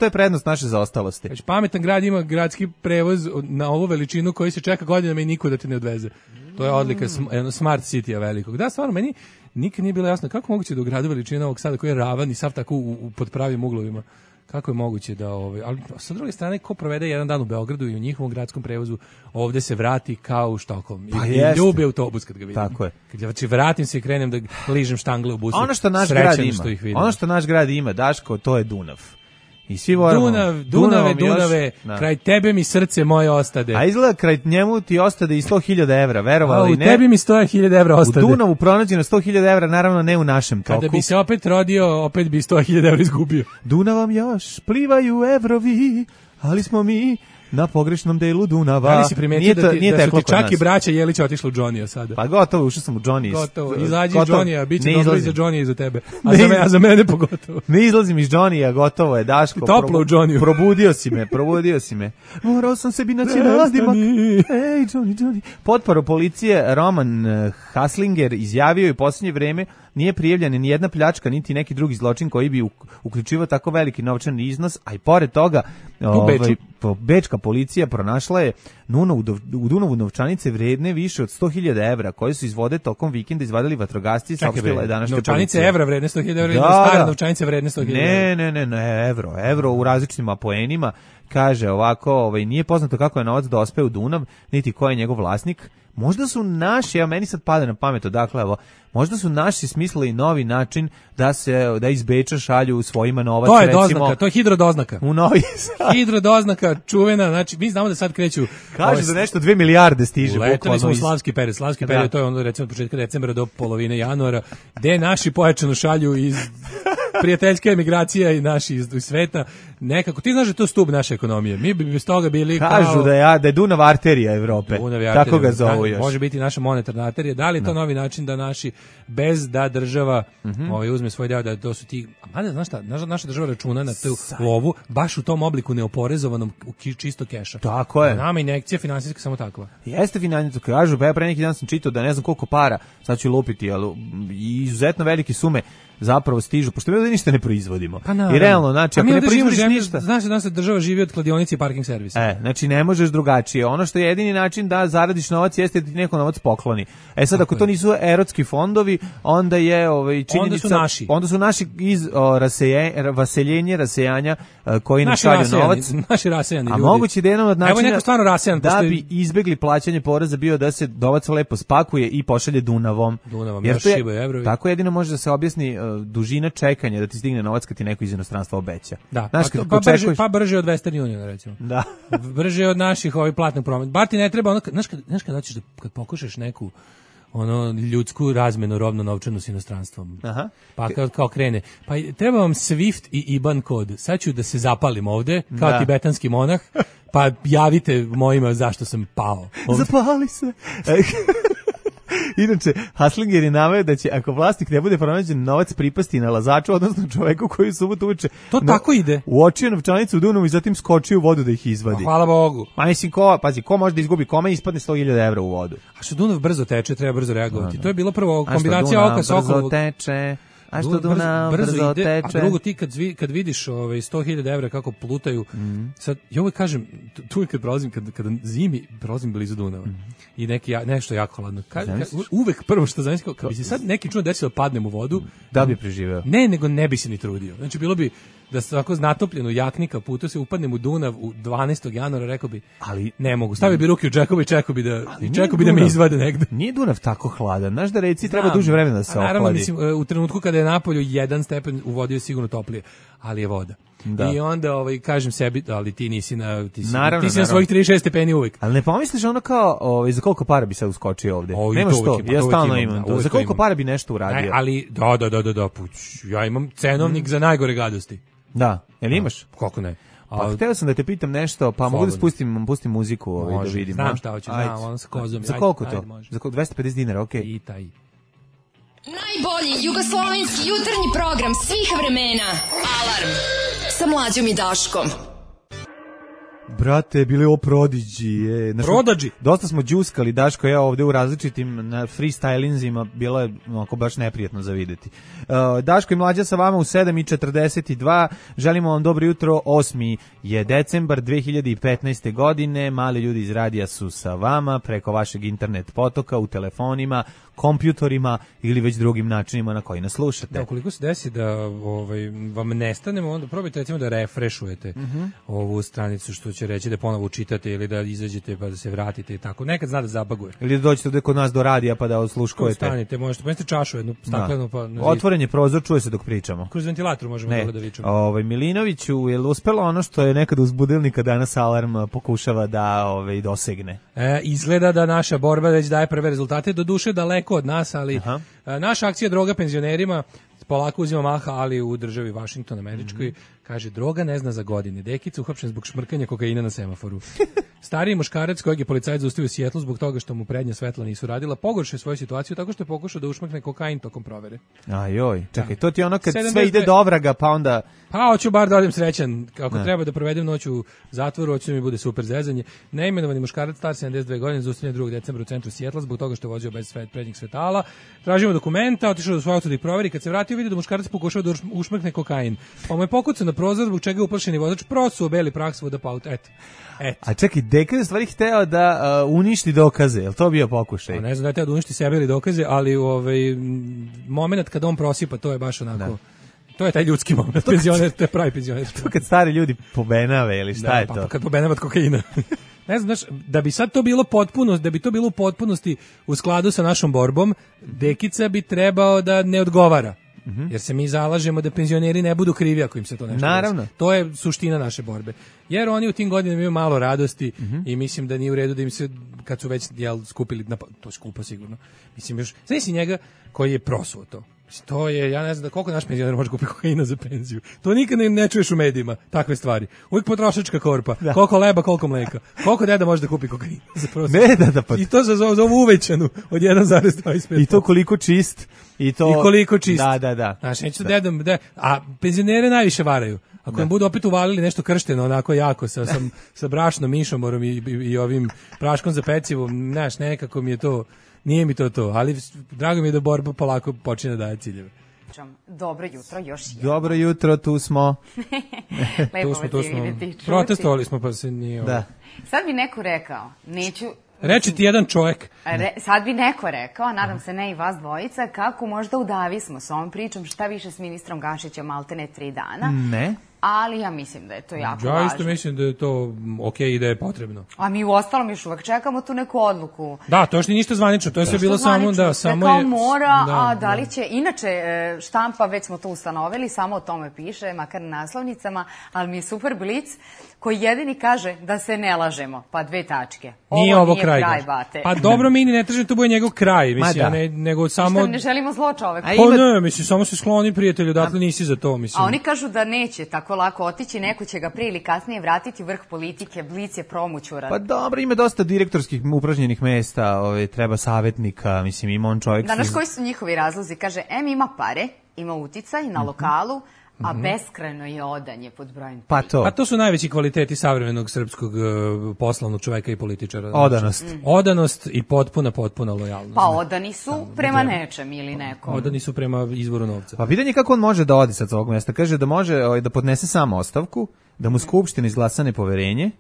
je prednost naše zaostalosti. Znači, pametan grad ima gradski prevoz na ovu veličinu koji se čeka godinama i niko da te ne odveze. To je odlika smart city-a velikog. Da, stvarno, meni nikad nije bilo jasno kako moguće da u gradu veličina ovog sada koji je ravan i sav tako pod pravim uglovima. Kako je moguće da ali sa druge strane ko provede jedan dan u Beogradu i u njihovom gradskom prevozu ovde se vrati kao u Štokholm i ljubi autobus kad ga vidim. Tako je. Kad vratim se i krenem da ližem štangle u busu. Ono što naš grad ima, Daško, to je Dunav. I svi Dunave, kraj tebe mi srce moje ostade. A izgleda kraj njemu ti ostade i 100.000 evra, verovali ili ne? U tebi mi 100.000 evra ostade. U Dunavu pronađeno 100.000 evra, naravno ne u našem toku. Kada bi se opet rodio, opet bi 100.000 evra izgubio. Dunavom još plivaju evrovi, ali smo mi na pogrešnom delu Dunava. Da li si primetio da su ti čak i braća Jelić otišli u Johnny-a sada? Pa gotovo, ušao sam u Johnny. Gotovo, izađi iz Johnny-a, bit će dobro i za Johnny i za tebe. A za mene pogotovo. Ne izlazim iz Johnny-a, gotovo je, Daško. Toplo u Johnny-u. Probudio si me. Morao sam sebi naći nadimak. Ej, Johnny. Potporo policije Roman Haslinger izjavio i u posljednje vreme nije prijavljena ni jedna pljačka, niti neki drugi zločin koji bi uključivao tako veliki novčani iznos, a i pored toga bečka policija pronašla je u Dunavu novčanice vredne više od 100.000 evra, koje su iz vode tokom vikenda izvadili vatrogasci, saopštila je današnja policija. Novčanice evra vredne 100.000 evra ili stare novčanice vredne 100.000 evra? Ne, evro u različitim apoenima. Kaže ovako, nije poznato kako je novac dospeo u Dunav, niti ko je njegov vlasnik. Možda su naši, evo meni sad pada na pamet, dakle, evo, možda su naši smislili novi način da iz Beča šalju svojima novac. To je doznaka, to je hidrodoznaka. U Novi Sad. Hidrodoznaka, čuvena, znači mi znamo da sad kreću. Kaže da nešto 2 milijarde stiže. Letali smo u Slavski period, to je ono recimo od početka decembra do polovine januara, gde naši pojačano šalju iz prijateljska emigracija i naši iz sveta. Nekako, ti znaš da je to stub naše ekonomije. Mi bi bez toga bili kažu da je Dunav arterija Evrope. Tako ga zovu još. Može biti naša monetarna arterija. Da li je to novi način da naši, bez da država uzme svoj deo, da to su ti... A znaš šta, naša država računa na tu lovu baš u tom obliku neoporezovanom čisto keša. Tako je. Nama injekcija finansijska samo takva. Jeste finansijska, kažu, pa ja pre neki dan sam čitao da ne znam koliko para, sad ću lupiti, ali izuzetno velike sume zapravo stižu, pošto da ništa ne proizvodimo. Pa naravno. I realno, znači, ako ne proizvodiš ništa... Znaš da država živi od kladionice i parking servisa. Znači, ne možeš drugačije. Ono što je jedini način da zaradiš novac jeste da ti neko novac pokloni. Sad, ako to nisu erotski fondovi, onda je činjenica... Onda su naši iz rasejanja koji nam šalju novac. Naši rasejani ljudi. A moguće da jedan od načina da bi izbegli plaćanje poreza bio da se novac lepo spakuje i pošalje Dunavom. Jer to je, tako jedino može da se objasni dužina čekanja da ti stigne novac kad ti neko iz inostranstva obeća. Da, pa brže od Western Uniona, recimo. Da. Brže od naših platnih prometa. Bar ti ne treba, znaš kad hoćeš kad pokušaš neku ljudsku razmenu robno novčanu s inostranstvom. Aha. Pa kao krene. Pa treba vam Swift i IBAN kod. Sad ću da se zapalim ovde, kao tibetanski monah, pa javite mojima zašto sam pao. Zapali se. Inače, Haslinger je naveo da će, ako vlasnik ne bude pronađen, novac pripasti nalazaču, odnosno čoveku koji subotu uveče tako ide. Uočio novčanicu u Dunavu i zatim skočio u vodu da ih izvadi. Hvala Bogu. Ma mislim, ko može da izgubi kome i ispadne 100.000 evra u vodu. A što Dunav brzo teče, treba brzo reagovati. To je bilo prvo kombinacija oka sa okovog. Brzo teče. A što Dunav brzo teče. A drugo, ti kad vidiš 100.000 evra kako plutaju, sad, ja uvijek kažem, tu uvijek kad prolazim, kada zimi prolazim blizu Dunava i nešto jako hladno, uvijek prvo što zamislim, kao bi se sad neki čuno desilo da padnem u vodu, da bi preživeo. Ne, nego ne bi se ni trudio. Znači, bilo bi da se tako natopljeno jaknika putu se upadnem u Dunav u 12. januara, rekao bi, ali ne mogu. Stavio bi ruke u džekove i čekao bi da me izvade negde. Nije Dunav tako hladan. Znaš da reci treba duže vremena da se ohladi. Naravno, mislim, u trenutku kada je napolju 1 stepen, u vodi je sigurno toplije, ali je voda. Da. I onda kažem sebi, ali ti nisi na svojih 36 stepeni uvek. Ali ne pomisliš ono kao za koliko para bi sad uskočio ovde? Nemaš to, ja stalno imam to. Za koliko para bi nešto uradio? Ali da, ja imam cenovnik za najgore gadosti. Da, jel imaš? Kako ne? Pa htio sam da te pitam nešto, pa mogu da pustim muziku da vidim. Znam šta hoćeš, ono sa kozom. Za koliko to? Za 250 dinara, okej. I taj. Najbolji jugoslovenski jutarnji program svih vremena. Alarm sa Mlađom i Daškom. Brate, bili ovo prodiđi. Prodađi? Dosta smo džuskali, Daško, ja ovde u različitim freestylinzima, bilo je onako baš neprijatno za videti. Daško i Mlađa sa vama u 7:42. Želimo vam dobro jutro. 8. je decembar 2015. godine. Mali ljudi iz radija su sa vama preko vašeg internet potoka, u telefonima, kompjutorima ili već drugim načinima na koji nas slušate. Da, ukoliko se desi da vam nestanemo, onda probajte recimo da refrešujete ovu stranicu, što će reći da ponovo učitate ili da izađete pa da se vratite i tako. Nekad zna da zabaguje. Ili da dođete ovde kod nas do radija pa da osluškujete. Stanite, možete pomesti čašu jednu staklenu pa... Otvoren je prozor, čuje se dok pričamo. Kroz ventilator možemo da vičemo. Milinoviću, je li uspelo ono što je nekad uz budilnika danas alarm pokušava da dosegne? Izgleda da naša borba već daje prve rezultate, do duše daleko od nas, ali naša akcija droga penzionerima polako uzima maha, ali u državi Washington američkoj, kaže, droga ne zna za godine. Dekica uhapšen zbog šmrkanja kokaina na semaforu. Stariji muškarac kojeg je policajac zaustavio u Sijetlu zbog toga što mu prednja svetla nisu radila, pogoršao svoju situaciju tako što je pokušao da ušmrkne kokain tokom provere. Ajoj, čekaj, to ti je ono kad sve ide do ovraga, pa onda... Pa hoću bar da odem srećan, kako treba da provedem noć u zatvoru, hoću da mi bude super zezanje. Neimenovani muškarac star 72 godine zaustavljen 2. decembra u centru Sijetla zbog toga što je vozio bez prednjih svetala. Tražimo dokumenta, otišao do svog auta da ih proveri, kad se vratio vidi da muškarac pokušao da ušmrkne kokain. Pa mu je pokucao na prozor zbog čega je uplašeni vozač prosuo beli prah svuda po autu. Eto. A čekaj, Deka je stvari hteo da uništi dokaze, je li to bio pokušaj? Ne znam da je hteo da uništi sebe ili dokaze, ali moment kad on prosipa, to je baš onako... Da. To je taj ljudski moment, penzioner, to je pravi penzioner. To kad stari ljudi pobenave ili šta je to? Pa kad pobenave od kokaina. Ne znam, da bi sad to bilo u potpunosti u skladu sa našom borbom, Dekica bi trebao da ne odgovara. Jer se mi zalažemo da penzioneri ne budu krivi ako im se to nešto desi. To je suština naše borbe. Jer oni u tim godinama imaju malo radosti i mislim da nije u redu da im se, kad su već skupili, to je skupo sigurno. Mislim još, znaš si njega koji je prosuo to. To je, ja ne znam koliko naš penzioner može kupiti kokaina za penziju. To nikad ne čuješ u medijima, takve stvari. Uvijek potrošačka korpa, koliko leba, koliko mleka. Koliko deda može da kupi kokain za prostor. Pa... I to za ovu uvećanu od 1,25. I to koliko čist. I koliko čist. Da. Znaš, neću dedom, a penzionere najviše varaju. Ako im budu opet uvalili nešto kršteno, onako jako, sa brašnom, mišomorom i ovim praškom za pecivo, znaš, nekako mi je to... Nije mi to, ali drago mi je da borba polako počinje da daje ciljeve. Gašićom. Dobro jutro, još jedno. Dobro jutro, tu smo. Lepo vas je vidjeti. Protestovali smo, pa se nije... Da. Sad bi neko rekao, neću... Reći ti jedan čovjek. Sad bi neko rekao, nadam se ne i vas dvojica, kako možda udavi smo s ovom pričom, šta više s ministrom Gašićem, maltene 3 dana. Ne. Ali ja mislim da je to jako važno. Ja isto mislim da je to okej i da je potrebno. A mi u ostalom još uvek čekamo tu neku odluku. Da, to još nije ništa zvanično, to je sve bilo samo da... Sve kao mora, a da li će... Inače, štampa, već smo to ustanovili, samo o tome piše, makar na naslovnicama, ali mi je super Blic, koji jedini kaže da se ne lažemo, pa 2 tačke. Nije ovo kraj, bate. Pa dobro, mi ne tražimo to bude njegov kraj, mislim, nego samo... Što ne želimo zlo čoveku. Pa ne, mislim, samo se skloni prijatelju, dakle nisi za to, mislim. A oni kažu da neće tako lako otići, neko će ga prije ili kasnije vratiti vrh politike, Blic je promućuran. Pa dobro, ima dosta direktorskih upražnjenih mesta, treba savjetnika, mislim, ima on čovjek... Znaš koji su njihovi razlozi? Kaže, ima pare, ima uticaj na lokalu, a beskrajno je odanje pod brojem 3. Pa to su najveći kvaliteti savremenog srpskog poslovnog čoveka i političara. Odanost. Odanost i potpuna lojalnost. Pa odani su prema nečem ili nekom. Odani su prema izvoru novca. Pa pitanje kako on može da odi sad s ovog mjesta. Kaže da može da podnese sam ostavku, da mu Skupština izglasa nepoverenje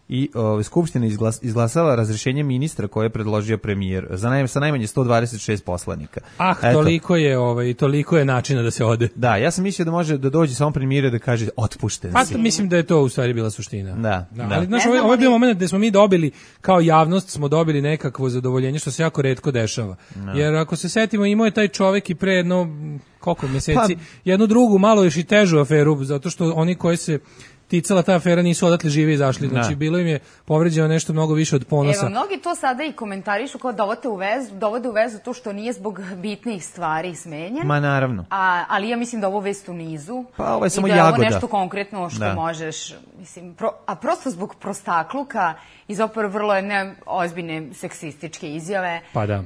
i Skupština izglasala razrješenje ministra koje je predložio premijer sa najmanje 126 poslanika. Toliko je načina da se ode. Da, ja sam mislio da može da dođe samo premijer da kaže otpušten si. Pa mislim da je to u stvari bila suština. Da. Ali znaš, ovo je bio moment gde smo mi dobili, kao javnost smo dobili nekakvo zadovoljenje, što se jako retko dešava. Jer ako se setimo, imao je taj čovek i pre jedno, koliko mjeseci, jednu drugu, malo još i težu aferu, zato što oni koji se ticala ta afera nisu odatle živi izašli. Znači, bilo im je povređeno nešto mnogo više od Ponosa. Evo, mnogi to sada i komentarišu kao dovode u vezu to što nije zbog bitnih stvari smenjen. Ma naravno. Ali ja mislim da ovo vest u nizu. Pa ovo je samo jagoda. I da je ovo nešto konkretno što možeš, mislim, a prosto zbog prostakluka i zapravo vrlo ozbiljne seksističke izjave. Pa da.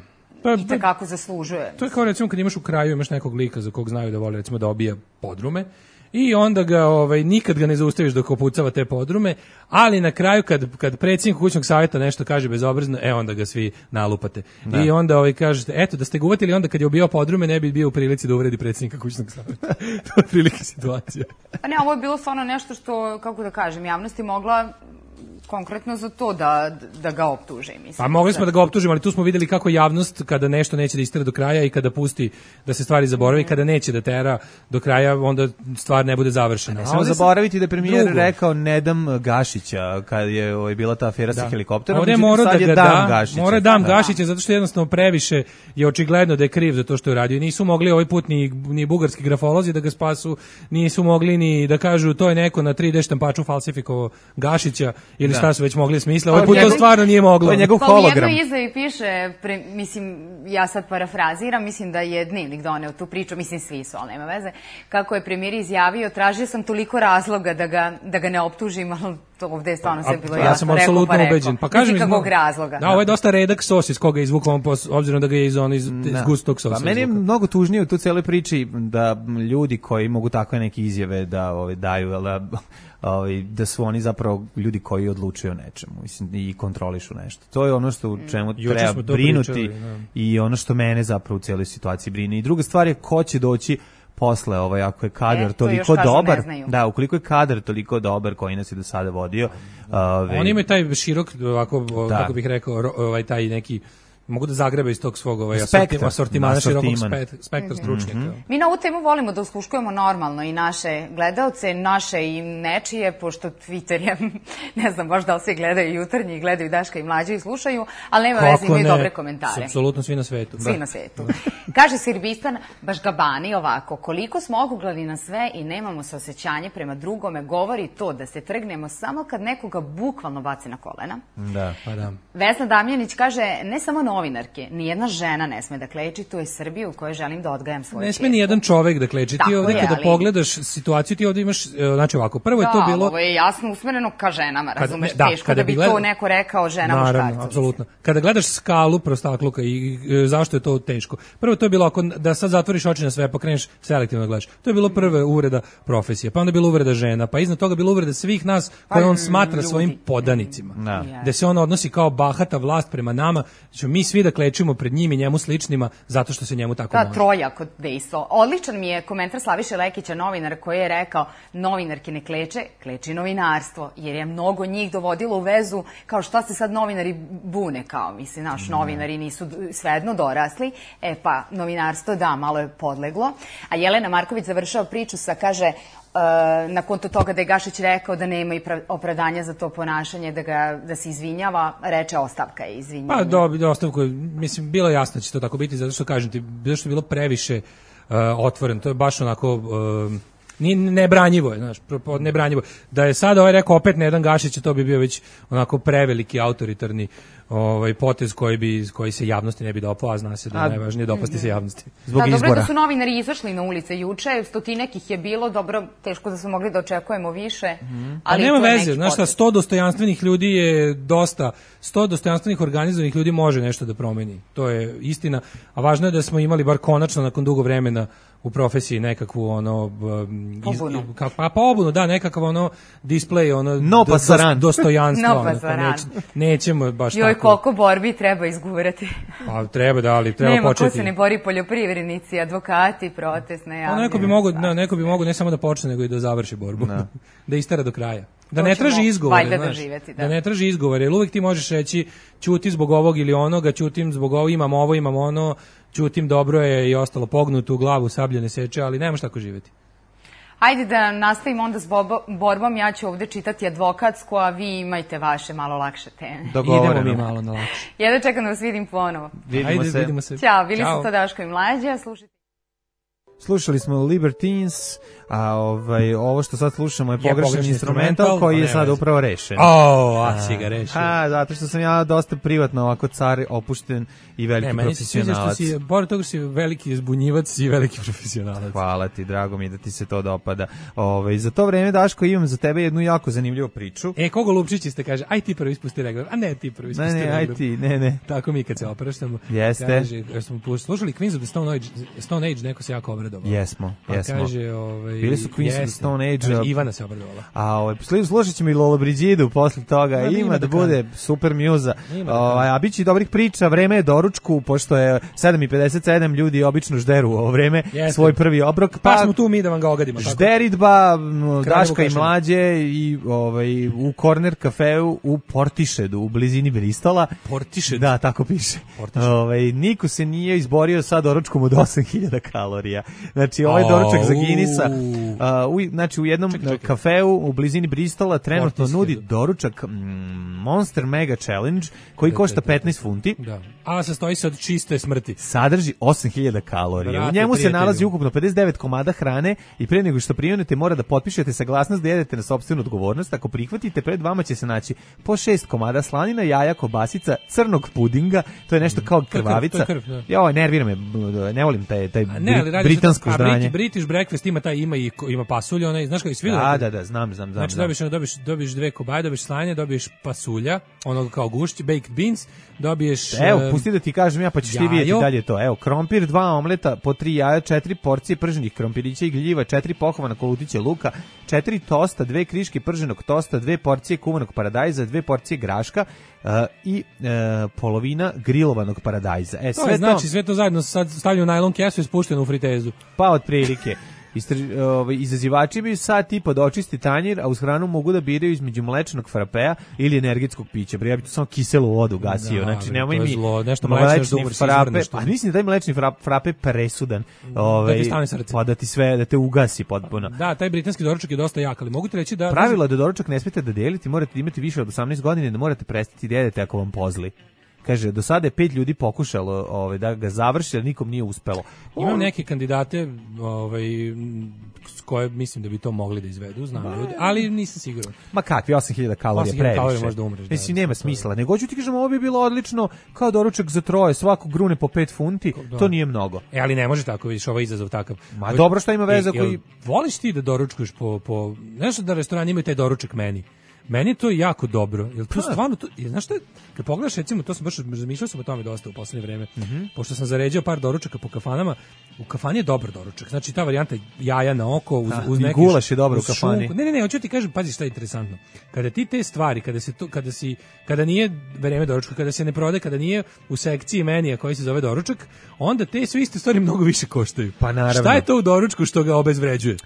I takako zaslužuje. To je kao recimo kad imaš u kraju, imaš nekog lika za kog znaju da voli recimo da obija podrume i onda ga nikad ga ne zaustaviš dok opucava te podrume, ali na kraju kad predsjednik kućnog savjeta nešto kaže bezobrazno, onda ga svi nalupate. Da. I onda kažete, eto da ste ga uvatili onda kad je obijao podrume ne bi bio u prilici da uvredi predsjednika kućnog savjeta. To je prilike situacija. Pa ne, ovo je bilo stvarno nešto što, kako da kažem, javnost je mogla konkretno za to da ga optuže, mislim. Pa mogli smo da ga optužimo, ali tu smo vidjeli kako javnost kada nešto neće da istera do kraja i kada pusti da se stvari zaboravi, kada neće da tera do kraja, onda stvar ne bude završena. Ne samo zaboraviti da je premijer rekao ne dam Gašića kad je bila ta afera sa helikopterom. Ovdje mora dam Gašića zato što jednostavno previše je očigledno da je kriv za to što je radio. Nisu mogli ovaj put ni bugarski grafolozi da ga spasu, nisu mogli ni da kažu to je neko na 3D štampaču falsifikovao Gašića ili šta su već mogli smisla. Ovaj put to stvarno nije moglo. To je njegov hologram. U jednoj izjavi piše, mislim, ja sad parafraziram, mislim da je Dnevnik doneo tu priču, mislim svi su, ali nema veze, kako je premijer izjavio, tražio sam toliko razloga da ga ne optužim, ali to ovdje je stvarno sve bilo jasno. Ja sam apsolutno ubeđen. Pa kažem kakvog razloga. Da, ovo je dosta redak sos iz koga je izvukao, obzirom da ga je iz gustog sosa. Pa meni je mnogo tužnije u tu cijeloj priči da ljudi koji mogu takve neke izjave da daju, da su oni zapravo ljudi koji odlučuju o nečemu, mislim, i kontrolišu nešto. To je ono što u čemu treba brinuti i ono što mene zapravo u cijeloj situaciji brine. I druga stvar je ko će doći posle, ako je kadar toliko dobar, ukoliko je kadar toliko dobar koji nas je do sada vodio. Oni imaju taj širok, kako bih rekao, taj neki, mogu da zagrebe iz tog svog asortimana širokog spektra stručnjaka. Mi na ovu temu volimo da usluškujemo normalno i naše gledaoce, naše i nečije, pošto Twitter je, ne znam baš da li se gledaju Jutarnji i gledaju Daška i Mlađe i slušaju, ali nema veze, imaju dobre komentare. Apsolutno svi na svetu. Svi na svetu. Kaže Sirbistan Bašgabani ovako, koliko smo okuglavi na sve i nemamo saosećanje prema drugome, govori to da se trgnemo samo kad nekoga bukvalno baci na kolena. Da, pa da. Vesna Damjanić kaže, ne samo novinarke, nijedna žena ne sme da kleči, to je Srbija u kojoj želim da odgajam svoje čerke. Ne sme ni jedan čovek da kleči. Ti ovdje kada pogledaš situaciju, ti ovdje imaš, znači ovako, prvo je to bilo... Da, ovo je jasno usmereno ka ženama, razumeš, teško da bi to neko rekao žena muškarcu. Naravno, apsolutno. Kada gledaš skalu prostakluka i zašto je to teško, prvo to je bilo ako da sad zatvoriš oči na sve, pa kreneš selektivno da gledaš. To je bilo prva uvreda profesije, pa onda je bilo uvreda žena, pa iznad toga bilo uvreda svih nas koje on smatra svojim podanicima. Gde se on odnosi kao bahata vlast prema nama, znači mi svi da klečimo pred njim i njemu sličnima zato što se njemu tako može. Trojako dejstvo. Odličan mi je komentar Slaviše Lekića, novinara, koji je rekao: novinarke ne kleče, kleči novinarstvo, jer je mnogo njih dovodilo u vezu kao šta se sad novinari bune, kao mislim, naš novinari nisu svejedno dorasli, pa novinarstvo da, malo je podleglo. A Jelena Marković završava priču sa, kaže, na konto toga da je Gašić rekao da nema i opravdanja za to ponašanje, da se izvinjava, reče ostavka je izvinjavanje. Pa ostavku, mislim, bilo jasno da će to tako biti, zato što kažem ti, zato što je bilo previše otvoreno, to je baš onako... nebranjivo je, znaš, nebranjivo. Da je sada ovaj rekao opet na jedan Gašić, to bi bio već onako preveliki autoritarni potez koji se javnosti ne bi dopao, a zna se da je najvažnije dopasti se javnosti. Zbog izbora. Dobro je da su novinari izašli na ulice juče, 100 ih je bilo, dobro, teško da smo mogli da očekujemo više, ali nema veze, znaš šta, 100 dostojanstvenih ljudi je dosta, 100 dostojanstvenih organizovanih ljudi može nešto da promeni, to je istina, a važno je da smo imali bar konačno nakon dugo vremena u profesiji nekakvu pobunu, da, nekakav display, dostojanstvo. Nećemo baš tako. Joj, koliko borbi treba izgurati. Pa treba da, ali treba početi. Nema ko se ne bori, poljoprivrednici, advokati, protest, najavljeni. Neko bi mogo ne samo da počne, nego i da završi borbu. Da istara do kraja. Da ne traži izgovore, da ne traži izgovore, jer uvijek ti možeš reći ćuti zbog ovog ili onoga, ćutim zbog ovo, imam ono, ćutim dobro je i ostalo pognuto u glavu, sablje ne seče, ali nemaš tako živjeti. Ajde da nastavimo onda s borbom, ja ću ovde čitati advokatsku, a vi imajte vaše malo lakše teme. Idemo mi malo na lakše. Ja da čekam da vas vidim ponovo. Vidimo se. Ćao, bili su to Daško i Mlađa, Slušali smo Libertines, a ovo što sad slušamo je pogrešan instrumental koji je sad upravo rešen. Si ga rešio. Zato što sam ja dosta privatno ovako car, opušten i veliki profesionalac. Pored toga što si veliki zbunjivac i veliki profesionalac. Hvala ti, drago mi da ti se to dopada. Za to vreme, Daško, imam za tebe jednu jako zanimljivu priču. Kogo Lupčići ste kaže, aj ti prvi ispusti regler, a ne ti prvi ispusti regler. Aj ti, ne. Tako mi kad se opraštamo. Jeste. Kaže, smo slušali Queens of the Stone Age, neko se jako obradovao. Jesmo. Kaže, bili su Queens of the Stone Age. Ivana se obradovala. A slušat ćemo i Lola Brigidu posle toga. Ima da bude super mjuza. A bit će i dobrih priča. Vreme je doručku, pošto je 7:57, ljudi obično žderu ovo vreme, svoj prvi obrok. Pa smo tu mi da vam ga ogadimo. Žderidba, Daška i Mlađe i u Corner kafeu u Portišedu, u blizini Bristola. Portišed? Da, tako piše. Niko se nije izborio sa doručkom od 8000 kalorija. Znači, ovaj doručak za Guinnessa, znači u jednom kafeu u blizini Bristola trenutno nudi doručak Monster Mega Challenge koji košta 15 funti. Da. A sastoji se od čiste smrti. Sadrži 8000 kalorija. U njemu se nalazi ukupno 59 komada hrane i pre nego što primjenite mora da potpišete saglasnost da jedete na sopstvenu odgovornost. Ako prihvatite, pred vama će se naći po 6 komada slanina, jaja, kobasica, crnog pudinga, to je nešto kao krvavica. Joj, nervira me, ne volim taj britansko ždranje. British breakfast ima pasulja, znaš kako je svi. Da, znam. Znači dobiješ 2 kobaje, dobiješ slanje, dobiješ pasulja, onoga kao gušć, baked beans, dobiješ... Evo, pusti da ti kažem ja, pa ćeš ti vidjeti dalje to. Evo, krompir, 2 omleta, po 3 jaja, 4 porcije prženih krompirića i gljiva, 4 pohovana kolutića luka, 4 tosta, 2 kriške prženog tosta, 2 porcije kuvanog paradajza, 2 porcije graška i polovina grilovanog paradajza. Sve to zajedno sad stavljeno u najlon kesu i spušteno u fritezu. Pa otprilike. Izazivači bi sad tipa da očisti tanjir, a uz hranu mogu da biraju između mlečnog frapea ili energetskog pića. Ja bih tu samo kiselu vodu gasio. Znači, nemoj mi mlečni frape. A mislim da taj mlečni frape presudan. Pa da ti sve, da te ugasi potpuno. Da, taj britanski doručak je dosta jak, ali mogu ti reći da... Pravilo je da doručak ne smijete da deliti, morate imati više od 18 godina i da morate prestati da jedete ako vam pozli. Kaže, do sada je 5 ljudi pokušalo da ga završi, ali nikom nije uspelo. Imam neke kandidate s koje mislim da bi to mogli da izvedu, znam ljudi, ali nisam siguran. Ma kakvi, 8000 kalorija previše. 8000 kalorija možda umreš. Mislim, nema smisla. Nego ću ti kažem, ovo bi bilo odlično kao doručak za troje, svako grune po 5 funti, to nije mnogo. Ali ne može tako, vidiš, ovo je izazov takav. Ma dobro, šta ima veze koji... Voliš ti da doručkuješ znaš da restoran imaju taj doručak meni? Meni je to jako dobro. Jel to stvarno to, znaš šta, kad pogledaš recimo, to sam baš razmišljao sam o tome dosta u poslednje vreme. Pošto sam zaređao par doručaka po kafanama, u kafani je dobar doručak. Znači ta varijanta jaja na oko uz neki gulaš je dobro u kafani. Ne, hoću ti kažem, pazi šta je interesantno. Kada ti te stvari, kada nije vreme doručka, kada se ne prodaje, kada nije u sekciji menija koji se zove doručak, onda te sve iste stvari mnogo više koštaju. Pa naravno. Šta je to u doručku što ga obezvređuje?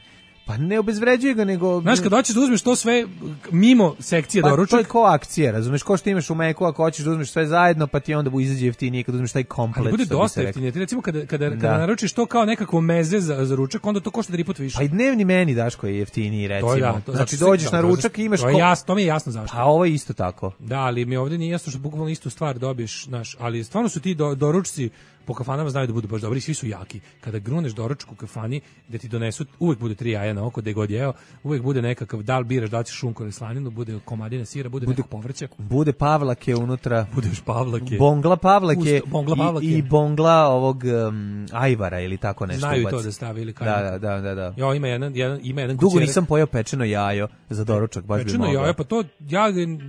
Pa ne obezvređuje ga, nego... Znaš, kad hoćeš da uzmeš to sve mimo sekcije doručak... Pa to je ko akcija, razumeš, ko što imaš u Meku, ako hoćeš da uzmeš sve zajedno, pa ti onda izađe jeftinije kad uzmeš taj komplet. Ali bude dosta jeftinije. Ti recimo kada naručiš to kao nekako meze za ručak, onda to košta 3 puta više. Pa i dnevni meni daš koji je jeftiniji, recimo. To znači dođeš na ručak i imaš... To mi je jasno zašto. A ovo je isto tako. Da, ali mi ovdje nije jasno što bukvalno istu stvar dobiješ, znaš, ali stvarno su ti doručci po kafanama znaju da budu baš dobri, svi su jaki. Kada gruneš doručak u kafani, da ti donesu, uvek bude 3 jaja na oko, gde god jeo, uvek bude nekakav, da li biraš, da li ćeš šunku ili slaninu, bude komadine sira, bude nekog povrća. Bude pavlake unutra. Bude još pavlake. Bongla pavlake. I bongla ovog ajvara ili tako nešto. Znaju to da stavi ili kaj. Da. Jo, ima jedan dugo nisam pojeo pečeno jajo za doručak, baš bi mogao. Pečeno jajo, pa to,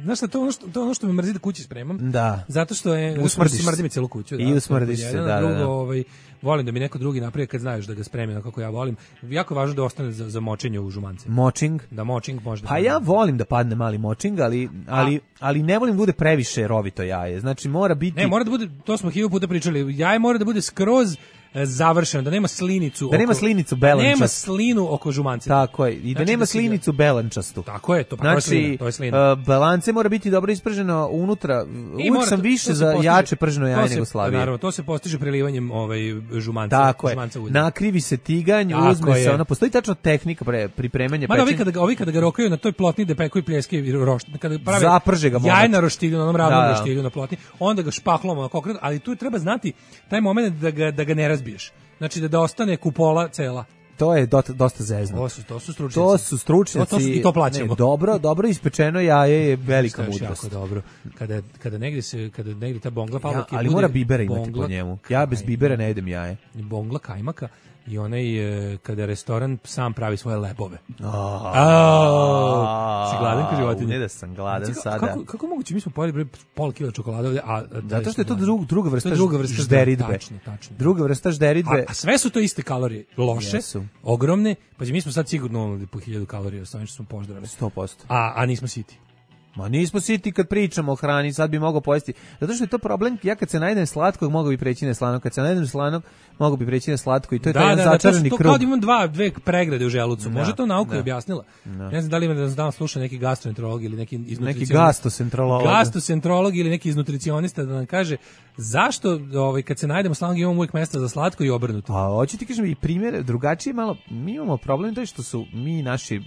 znaš šta, to ono što me mrzi da kući spremam. Da. Zato što smrdi mi celu kuću. I usmrdiš se, drugo, volim da mi neko drugi napravi kad znaš da ga spremi kako ja volim. Jako je važno da ostane za močenje u žumance. Močing? Da močing možda. Pa ja volim da padne mali močing, ali ne volim da bude previše rovito jaje. Znači mora biti... Ne, mora da bude, to smo 1000 puta pričali, jaje mora da bude skroz završeno, da nema slinicu. Da nema slinicu belančastu. Da nema slinu oko žumance. Tako je, i da nema slinicu belančastu. Tako je, to je slina. Balance mora biti dobro isprženo unutra. Uvijek sam više za jače prženo jaje nego slabije. Naravno, to se postiže prelivanjem žumanca. Tako je, nakrivi se tiganj, uzme se, ona postoji tačno tehnika pripremanja pečenja. Mada ovi kada ga rokaju na toj plotni da pekuju pljeske i roštilj, kada prave zaprže ga jaje na roštilju, na onom ravnom roštilju na plotni, onda ga špaklom onako okrenuo, ali tu treba znati taj moment da ga ne razbiješ. Znači da ostane kupola cela. To je dosta zezno. To su stručnjaci. To su stručnjaci. I to plaćamo. Dobro ispečeno jaje je velika mudrost. Jako dobro. Kada negdje ta bongla pavlake ali mora bibera imati po njemu. Ja bez bibera ne jedem jaje. Bongla kajmaka i onaj kada restoran sam pravi svoje lebove. Si gladan kao životinje? Ne da sam gladan sada. Kako moguće, mi smo pojeli pola kila čokolade ovdje, zato što je to druga vrsta žderidbe. Tačno. Druga vrsta žderidbe. A sve su to iste kalorije. Loše, ogromne. Pa mi smo sad sigurno po 1000 kalorija, s ovim što smo poždrali. 100%. A nismo siti. Ma nismo siti kad pričamo o hrani, sad bi mogao pojesti. Zato što je to problem, ja kad se najedem slatkog, mogu bi preći na slanog, kad se najedem slanog, mogu bi preći na slatko i to je taj jedan začarani krug. To kao da imam dve pregrade u želucu. Može to nauka objasnila. Ne znam da li me danas sluša neki gastroenterolog ili neki gastroenterolog ili neki nutricionista da nam kaže zašto kad se najdemo slanog imamo uvijek mesta za slatko i obrnuto. A hoću ti kažem i primjer drugačije malo, mi imamo problem to što su mi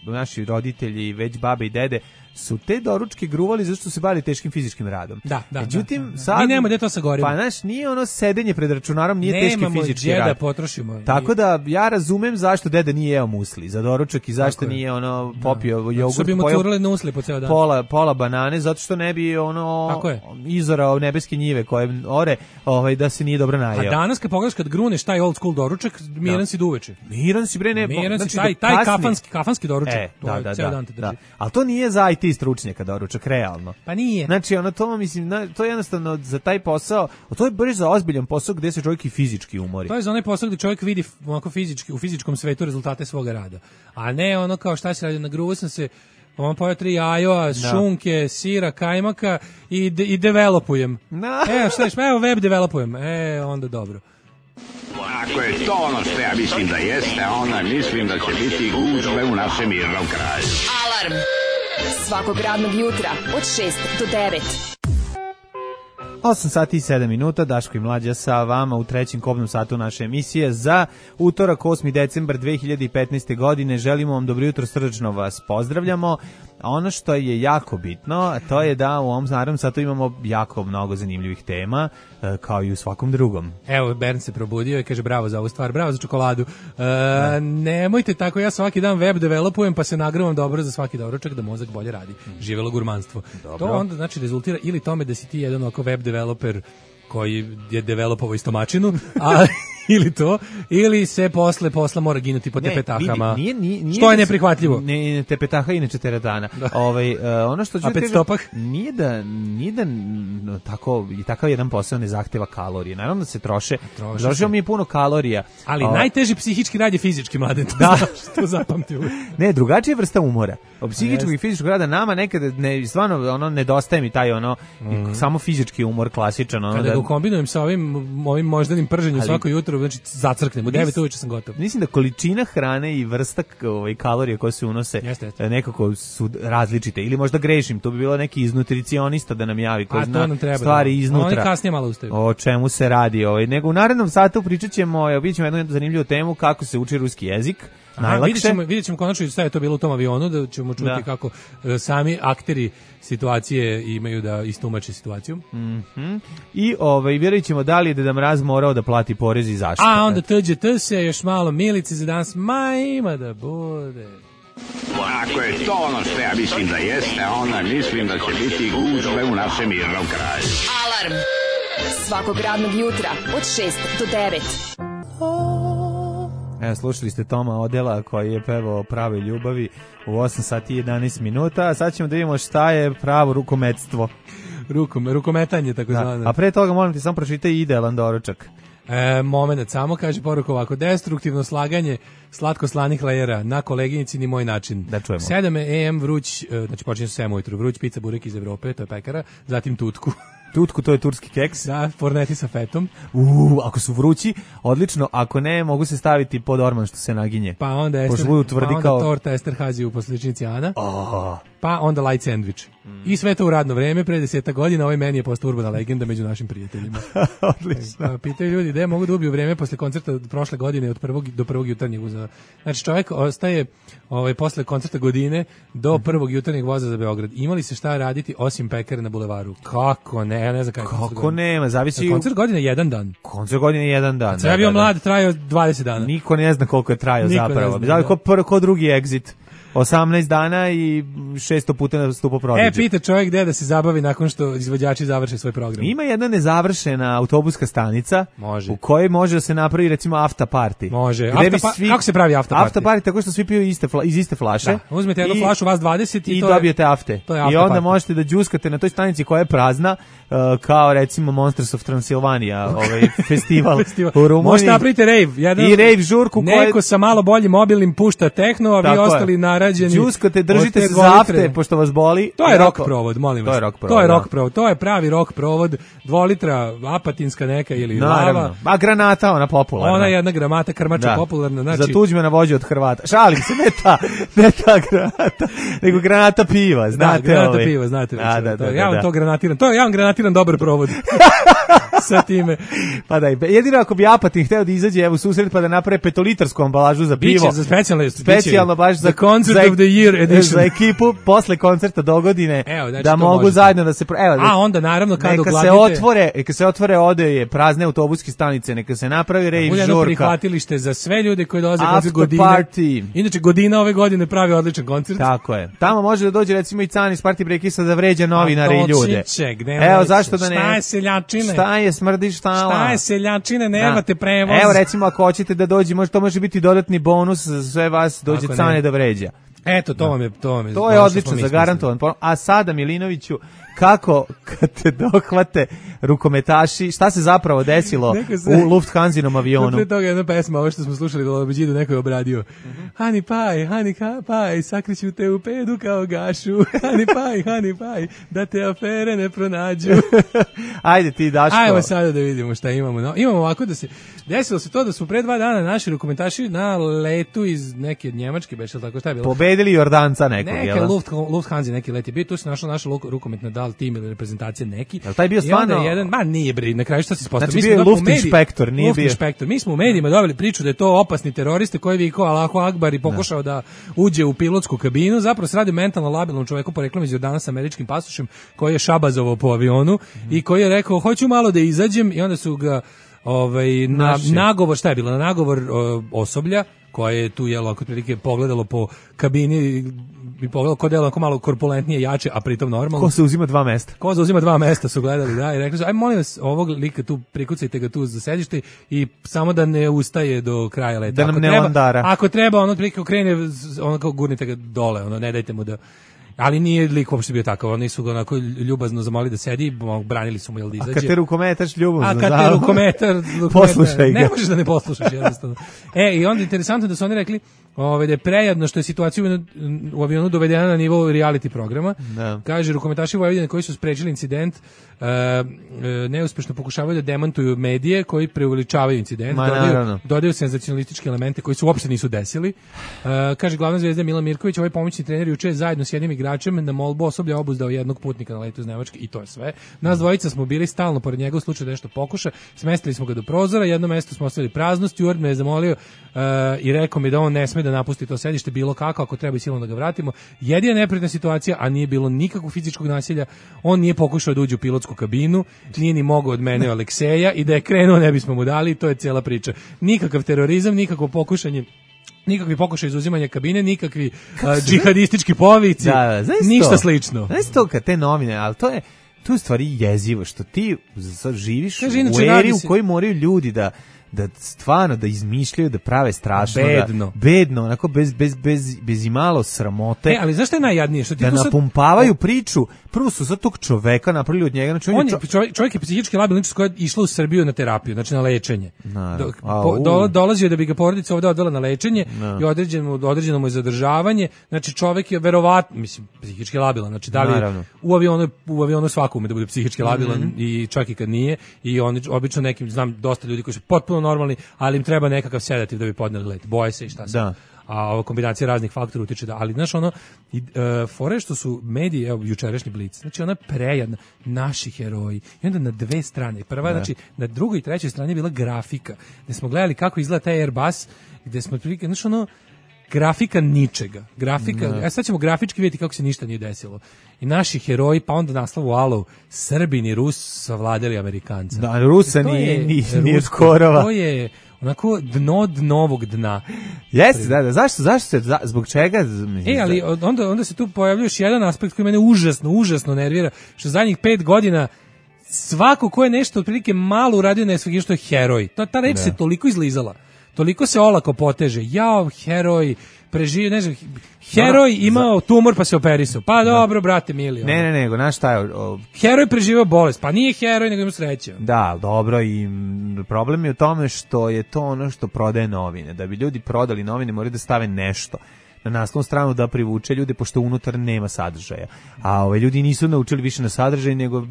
naši roditelji, već babe i dede su te doručke gruvali zato što se bavili teškim fizičkim radom. Međutim, sad mi nemamo gde to sagorimo. Pa znaš, nije ono sedenje pred računarom, nije teški fizički rad. Da potrošimo. Tako da ja razumem zašto deda nije jeo musli za doručak i zašto nije popio jogurt. Što bi mu curali na usli po ceo dan. Pola banane, zato što ne bi izorao nebeske njive koje ore, da se nije dobro najeo. A danas kad pogledaš kad gruneš taj old school doručak, miran si duveče. Miran si bre, ne. Znači taj kafanski doručak. Ceo dan te drži. Al to nije za IT stručnjaka doručak, realno. Pa nije. Znači, to mislim, to je jednostavno za taj posao, to je baš za ozbiljan posao gde se čovjek i fizički umori. To je za onaj posao gde čovjek vidi onako fizički, u fizičkom svetu rezultate svoga rada. A ne ono kao šta se radi, nagruo sam se, pojao 3 jajoa, šunke, sira, kajmaka i developujem. Evo web developujem. Onda dobro. Ako je to ono što ja mislim da jeste, onda mislim da će biti gužve u našem mirnom kraju. Alarm svakog radnog jutra od 6 do 9. 8 sati i 7 minuta, Daško i Mlađa sa vama u trećem kobnom satu naše emisije za utorak 8. decembar 2015. godine. Želimo vam dobro jutro, srdačno vas pozdravljamo. A ono što je jako bitno, to je da u ovom naravnom satu imamo jako mnogo zanimljivih tema, kao i u svakom drugom. Evo, Bern se probudio i kaže bravo za ovu stvar, bravo za čokoladu. Nemojte tako, ja svaki dan web developujem pa se nagravam dobro za svaki doručak da mozak bolje radi. Živelo gurmanstvo. Dobro. To onda znači rezultira ili tome da si ti jedan oko web developer koji je developovao istomačinu, ili to, ili se posle posla mora ginuti po tepetahama. Nije što je neprihvatljivo. Ne, tepetaha inače teretana. Ono što ću nije da tako i takav jedan posao ne zahteva kalorije. Naravno da se troše mi je puno kalorija. Ali najteži psihički rad je fizički, Mladen. Da, što zapamtio. Ne, drugačija vrsta umora. Od psihičkog i fizičkog rada nama nekada stvarno nedostaje mi taj samo fizički umor klasičan. Kada ga kombinujem sa ovim moždanim prženjem svako jutro, znači zacrknem, u 9 uveče sam gotov. Mislim da količina hrane i vrsta kalorija koje se unose nekako su različite. Ili možda grešim, to bi bilo neki iznutricionista da nam javi koji zna stvari iznutra. Oni kasnije malo ustaju. O čemu se radi. Nego u narednom satu pričat ćemo, vidjet ćemo jednu zanimljivu temu kako se uči ruski jezik. Vidjet ćemo konačno šta je to bilo u tom avionu, da ćemo čuti kako sami akteri situacije imaju da istumače situaciju. I vjerujem ćemo da li je Deda Mraz morao da plati porez i zašto. A onda TGT se još malo milice za danas, ima da bude. Ako je to ono što ja mislim da jeste, onda mislim da će biti gužve u našem mirnom kraju. Alarm svakog radnog jutra od 6 do 9. Slušali ste Toma Odela koji je pevao Prave ljubavi u 8 sati i 11 minuta, a sad ćemo da vidimo šta je pravo rukometstvo. Rukometanje, tako zvano. A pre toga moram ti samo pročitaj idealan doručak. Moment, samo kaže poruku ovako: destruktivno slaganje slatko-slanih lejera na koleginici ni moj način. Da čujemo. 7 AM vruć, znači počinje se 7 ujutru, vruć pizza burek iz Evrope, to je pekara, zatim tutku. Tutku, to je turski keks. Da, forneti sa fetom. Ako su vrući, odlično, ako ne, mogu se staviti pod orman što se naginje. Pa onda torta Esterhazy u posličnici Ana. Pa onda light sandwich. I sve to u radno vreme, pre 10 godina, ovaj meni je postao urbana legenda među našim prijateljima. Odlično. Pitaju ljudi, gde mogu da ubiju vreme posle koncerta prošle godine od do prvog jutarnjeg voza. Znači čovjek ostaje posle koncerta godine do prvog jutarnjeg voza za Beograd. Imali se šta raditi osim pekare na bulevaru? Kako ne, ja ne znam kako nema, zavisi. Koncert godine je jedan dan. Koncert godine je jedan dan. Kad bio mlad, trajao 20 dana. Niko ne zna koliko je trajao zapravo. Ko drugi exit. 18 dana i 600 puta nastupa Prodigy. Pita čovjek gde da se zabavi nakon što izvođači završe svoj program. Ima jedna nezavršena autobuska stanica u kojoj može da se napravi recimo after party. Može. Kako se pravi after party? After party tako što svi piju iz iste flaše. Da. Uzmete jednu flašu, vas 20 i dobijete afte. I onda možete da džuskate na toj stanici koja je prazna, kao recimo Monsters of Transylvania, festival u Rumuniji. Možete napraviti rave. I rave žurku. Neko sa malo boljim mobilnim pušta tehno, a vi ostali na džuskate, držite se za afte pošto vas boli. To je rock provod, molim vas. To je rock provod. To je pravi rock provod. 2 litra apatinska neka ili lava. A granata, ona popularna. Ona je jedna granata krmača popularna. Znači, za Tuđmana vođe od Hrvata. Šalim se, ne ta granata, nego granata piva, znate. Da, granata piva, znate. Ja vam to granatiram. Ja vam granatiram dobar provod. Sa time. Pa da, jedino ako bi Apatin hteo da izađe evo susret pa da naprave 5-litarsku ambalažu za pivo. Biće za specijalno baš za Concert of the Year edition. Za ekipu posle koncerta dogodine da mogu zajedno da se onda naravno kad neka se otvore odeje prazne autobuske stanice, neka se napravi rave žurka. Bude prihvatilište za sve ljude koji dolaze koncert godine. Inače Godina ove godine pravi odličan koncert. Tako je. Tamo može da dođe recimo i Can iz Party Breakisa da vređa novinare i ljude. Evo zašto da ne. Šta je seljačine? Šta je smrdi štala? Šta je seljačine? Nemate prevoz. Evo recimo ako hoćete da dođe, to može biti dodatni bonus za sve vas, dođe Cane da vređa. Eto, to je odlično, zagarantovan. A sada, Milinoviću, kako kad te dohvate rukometaši, šta se zapravo desilo u Lufthansinom avionu? Pre toga jedna pesma, ovo što smo slušali da Beđidu neko je obradio. Honey pie, sakriću te u pedu kao gašu. Honey pie, da te afere ne pronađu. Ajde ti, Daško. Ajmo sada da vidimo šta imamo. Imamo ovako da se, desilo se to da su pre 2 dana naši rukometaši na letu iz neke Njemačke, beš, tako šta je bilo? Pobedili Jordanca nekog, jel? Neka Lufthansa neki let je bio, tu se našla naša rukometna dal tim ili reprezentacija neki. Jel taj bio stvarno? Nije bre, na kraju šta se ispostavilo? Znači bio je Luftinspektor, nije bio. Luftinspektor. Mi smo u medijima dobili priču da je to opasni teroriste koji viko Allahu Akbar i pokušao da uđe u pilotsku kabinu. Zapravo se radi o mentalno labilnom čoveku poreklom iz Jordana sa američkim pasošem koji je šabazovao po avionu i koji je rekao hoću malo da izađem i onda su ga na nagovor, šta je bilo? Na nagovor osoblja koje je tu jelo ako prilike pogledalo po kabini i pogledalo ko delo malo korpulentnije, jače, a pritom normalno. Ko se uzima 2 mesta? Ko se uzima 2 mesta su gledali, da, i rekli su, aj molim vas, ovog lika tu prikucajte ga tu za sedište i samo da ne ustaje do kraja leta. Da nam ne landara. Ako treba, ono prilike okrene, ono kao gurnite ga dole, ono ne dajte mu da. Ali nije lik uopšte bio takav, oni su ga onako ljubazno zamolili da sedi, branili su mu jel da izađe. A kad te rukometaš ljubazno, a kad te rukometar poslušaj ga. Ne možeš da ne poslušaš jednostavno. I onda interesantno da su oni rekli da je prejadno što je situacija u avionu dovedena na nivo reality programa. Da. Kaže, rukometaši Vojvodine koji su sprečili incident neuspešno pokušavaju da demantuju medije koji preuveličavaju incident, dodaju senzacionalističke elemente koji se uopšte nisu desili. Kaže, glavna zvezda Milan Mirković, ovaj pomoćni trener juče zajedno s jednim igračem na molbu osoblja obuzdao jednog putnika na letu iz Nemačke i to je sve. Nas dvojica smo bili stalno pored njega u slučaju da nešto pokuša, smestili smo ga do prozora, jedno mesto smo ostavili prazno, steward me je zamolio i rekao mi da on ne sme da napusti to sedište bilo kako, ako treba i silom da ga vratimo. Jedina neprijatna situacija, a nije bilo nikakvog fizičkog nasilja, on nije pokušao da uđe u pilotsku kabinu, nije ni mogao od mene Alekseja i da je krenuo ne bismo mu dali, to je cijela priča. Nikakav terorizam, nikakvo pokušanje, nikakvi pokušaj izuzimanja kabine, nikakvi džihadistički povici, ništa slično. Znaš to kad te novine, ali to je stvari jezivo, što ti živiš u eri u kojoj moraju ljudi da stvarno da izmišljaju, da prave strašno, bedno, onako bez imalo sramote. Ali zašto je najjadnije? Što ti da napumpavaju priču, prvo su za tog čoveka napravili od njega. Znači čovjek je psihički labilan, koja je išla u Srbiju na terapiju, znači na lečenje. Dolazio da bi ga porodica ovdje odvela na lečenje i određeno mu je zadržavanje, znači čovjek je verovatno, mislim, psihički labilan, znači da li u avionu svako ume da bude psihički labilan i čak i kad nije, i oni obično nekim, znam dosta ljudi koji su potpuno normalni, ali im treba nekakav sedativ da bi podneli let. Boje se i šta se. A ova kombinacija raznih faktora utiče da, ali znaš fore što su mediji, evo jučerašnji Blic, znači ona prejadna, naši heroji, i onda na 2 strane, prva, znači na drugoj i trećoj strani je bila grafika, gde smo gledali kako izgleda taj Airbus, gde smo prilike, znači grafika ničega, sad ćemo grafički vidjeti kako se ništa nije desilo. I naši heroji, pa onda naslov u Alov, Srbin i Rus savladali Amerikanca. Da, Rusa nije skorova. To je onako dno dnovog dna. Jeste, da, zašto se, zbog čega? Ali onda se tu pojavljuje još jedan aspekt koji mene užasno nervira, što zadnjih 5 godina svako ko je nešto otprilike malo uradio na svega što je heroj. Ta reč se toliko izlizala. Toliko se olako poteže. Jao, heroj, preživio, ne znam, heroj imao tumor pa se operisao. Pa dobro, brate mili. Ne, nego, znaš šta je? Heroj preživio bolest, pa nije heroj, nego ima sreće. Da, dobro, i problem je u tome što je to ono što prodaje novine. Da bi ljudi prodali novine, moraju da stave nešto na naslovnu stranu da privuče ljude, pošto unutar nema sadržaja. A ljudi nisu naučili više na sadržaj, nego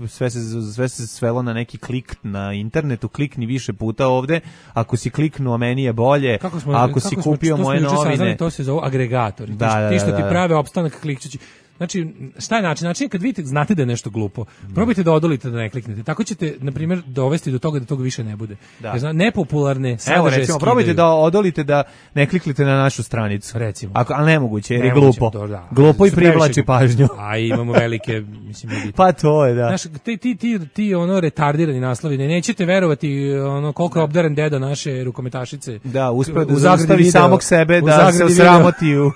sve se svelo na neki klik na internetu, klikni više puta ovde, ako si kliknuo meni je bolje, ako si kupio moje novine. To se zove agregatori, ti što ti prave opstanak klikćući. Znači, šta je način? Način je kad vidite, znate da je nešto glupo. Probajte da odolite da ne kliknete. Tako ćete, na primjer, dovesti do toga da toga više ne bude. Jer nepopularne sadržaje recimo, probajte da odolite da ne kliknete na našu stranicu. Recimo. Ali nemoguće, jer je glupo. Glupo i privlači pažnju. A imamo velike, mislim, pa to je, da. Znaš, ti retardirani naslovi, nećete verovati koliko je obdaren deda naše rukometašice. Da, uspeo da zaustavi samog sebe, da se osramoti u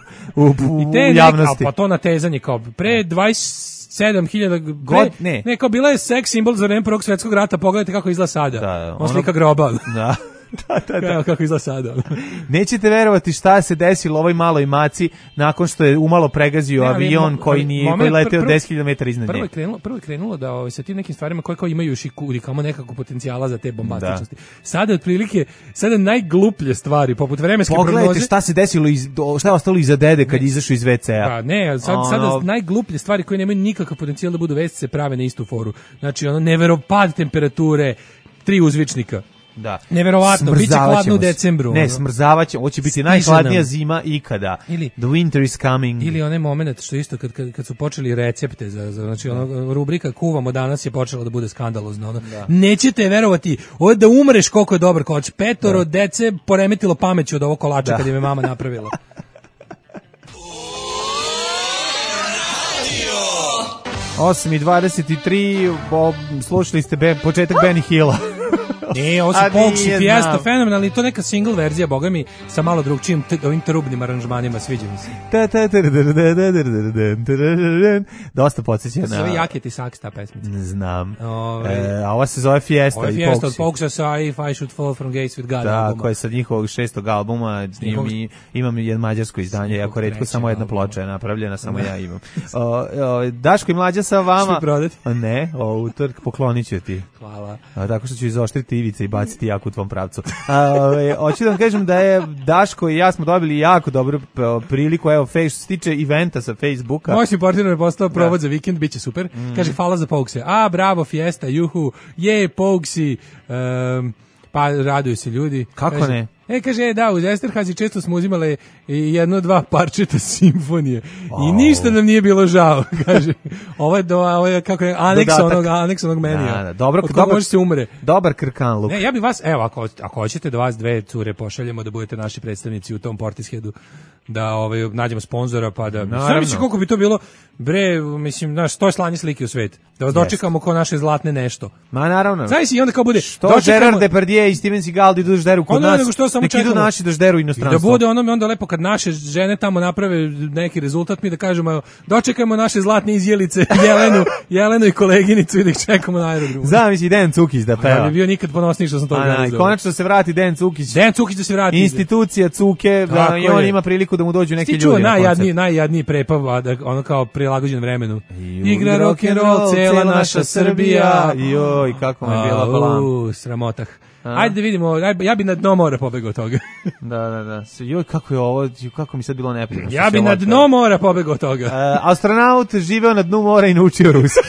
javnosti. Pa to natezanje kao pre 27.000 godina. Ne, kao bila je seks simbol za vreme Prvog svjetskog rata, pogledajte kako izgleda sada. On slika groba. Da. Da. Kako izgleda sada. Nećete verovati šta se desilo ovoj maloj maci nakon što je umalo pregazio avion koji leteo 10 km iznad nje. Prvo je krenulo da sa tim nekim stvarima koje kao imaju još i kamo nekako potencijala za te bombastičnosti. Sada otprilike, najgluplje stvari, poput vremenske prognoze. Pogledajte šta se desilo, šta je ostalo iza dede kad izašao iz WC-a. Pa ne, sada najgluplje stvari koje nemaju nikakav potencijal da budu vesti se prave na istu foru. Znači, neveropad temperature, 3 uzvičnika. Da. Neverovatno, biće hladno u decembru. Ne, smrzavat ćemo, ovo će biti najhladnija zima ikada. The winter is coming. Ili onaj moment što isto kad su počeli recepte znači rubrika kuvamo danas je počela da bude skandalozno. Nećete verovati, ovo da umreš koliko je dobar kolač. 5 dece poremetilo pameću od ovog kolača kad im je mama napravila. 8:23, slušali ste početak Benny Hilla. Ovo su Pogues i Fiesta, fenomenalni, to neka single verzija, boga mi, sa malo drugčijim ovim trubnim aranžmanima, sviđa mi se. Dosta podsjeća na... Zove Jaket i Saks ta pesmica. Znam. A ova se zove Fiesta. Ovo je Fiesta od Pogsa sa If I Should Fall From Gates With God albuma. Da, koja je sa njihovog 6. albuma, imam jedno mađarsko izdanje, jako retko, samo jedna ploča je napravljena, samo ja imam. Daško i Mlađa sa vama. Što prodati? Ne, utorak poklonit ću ti. Hvala. Tako što ću izoštriti ivice i baciti jako u tvom pravcu. Hoću da vam kažem da je Daško i ja smo dobili jako dobru priliku, evo, što se tiče eventa sa Facebooka. Moj si partner je postao provod za vikend, bit će super. Kaže, hvala za Pogse. Bravo, Fiesta, juhu, Pogsi, pa raduju se ljudi. Kako ne? Kaže, da, uz Esterhazy često smo uzimale 1-2 parčeta simfonije i ništa nam nije bilo žao, kaže. Ovo je kako je, aneks onog menija. Dobro, od koga može se umre. Dobar krkanluk. Ja bi vas, evo, ako hoćete da vas dve cure pošaljemo da budete naši predstavnici u tom Portisheadu, da nađemo sponzora, pa da... Znam misli koliko bi to bilo, mislim, to je slanje slike u svet. Da vas dočekamo ko naše zlatne nešto. Ma naravno. Znaš i onda kao bude... Što Gerard Depardieu i Steven Seagal idu žderu kod nas, nek idu naši da žderu inostranstvo. Da bude onda lepo kad naše žene tamo naprave neki rezultat, mi da kažemo, dočekajmo naše zlatne izjelice, Jelenu i koleginicu i da ih čekamo na aerodromu. Zamisli Dejan Cukić da peva. Ja bi bio nikad ponosniji što sam to organizovao. Konačno se vrati Dejan Cukić. Dejan Cukić da se vrati. Institucija Cuke, i on ima priliku da mu dođu neki ljudi na koncert. Najjadniji prepav, ono kao prilagođen vremenu. Igra rock'n'roll, cela naša Srbija. Joj, kako mi je bila blam. Sramotah. Ajde da vidimo, ja bi na dno mora pobegao toga. Da. Joj, kako je ovo, kako mi sad bilo neprijatno. Ja bi na dno mora pobegao toga. Astronaut živeo na dnu mora i naučio ruski.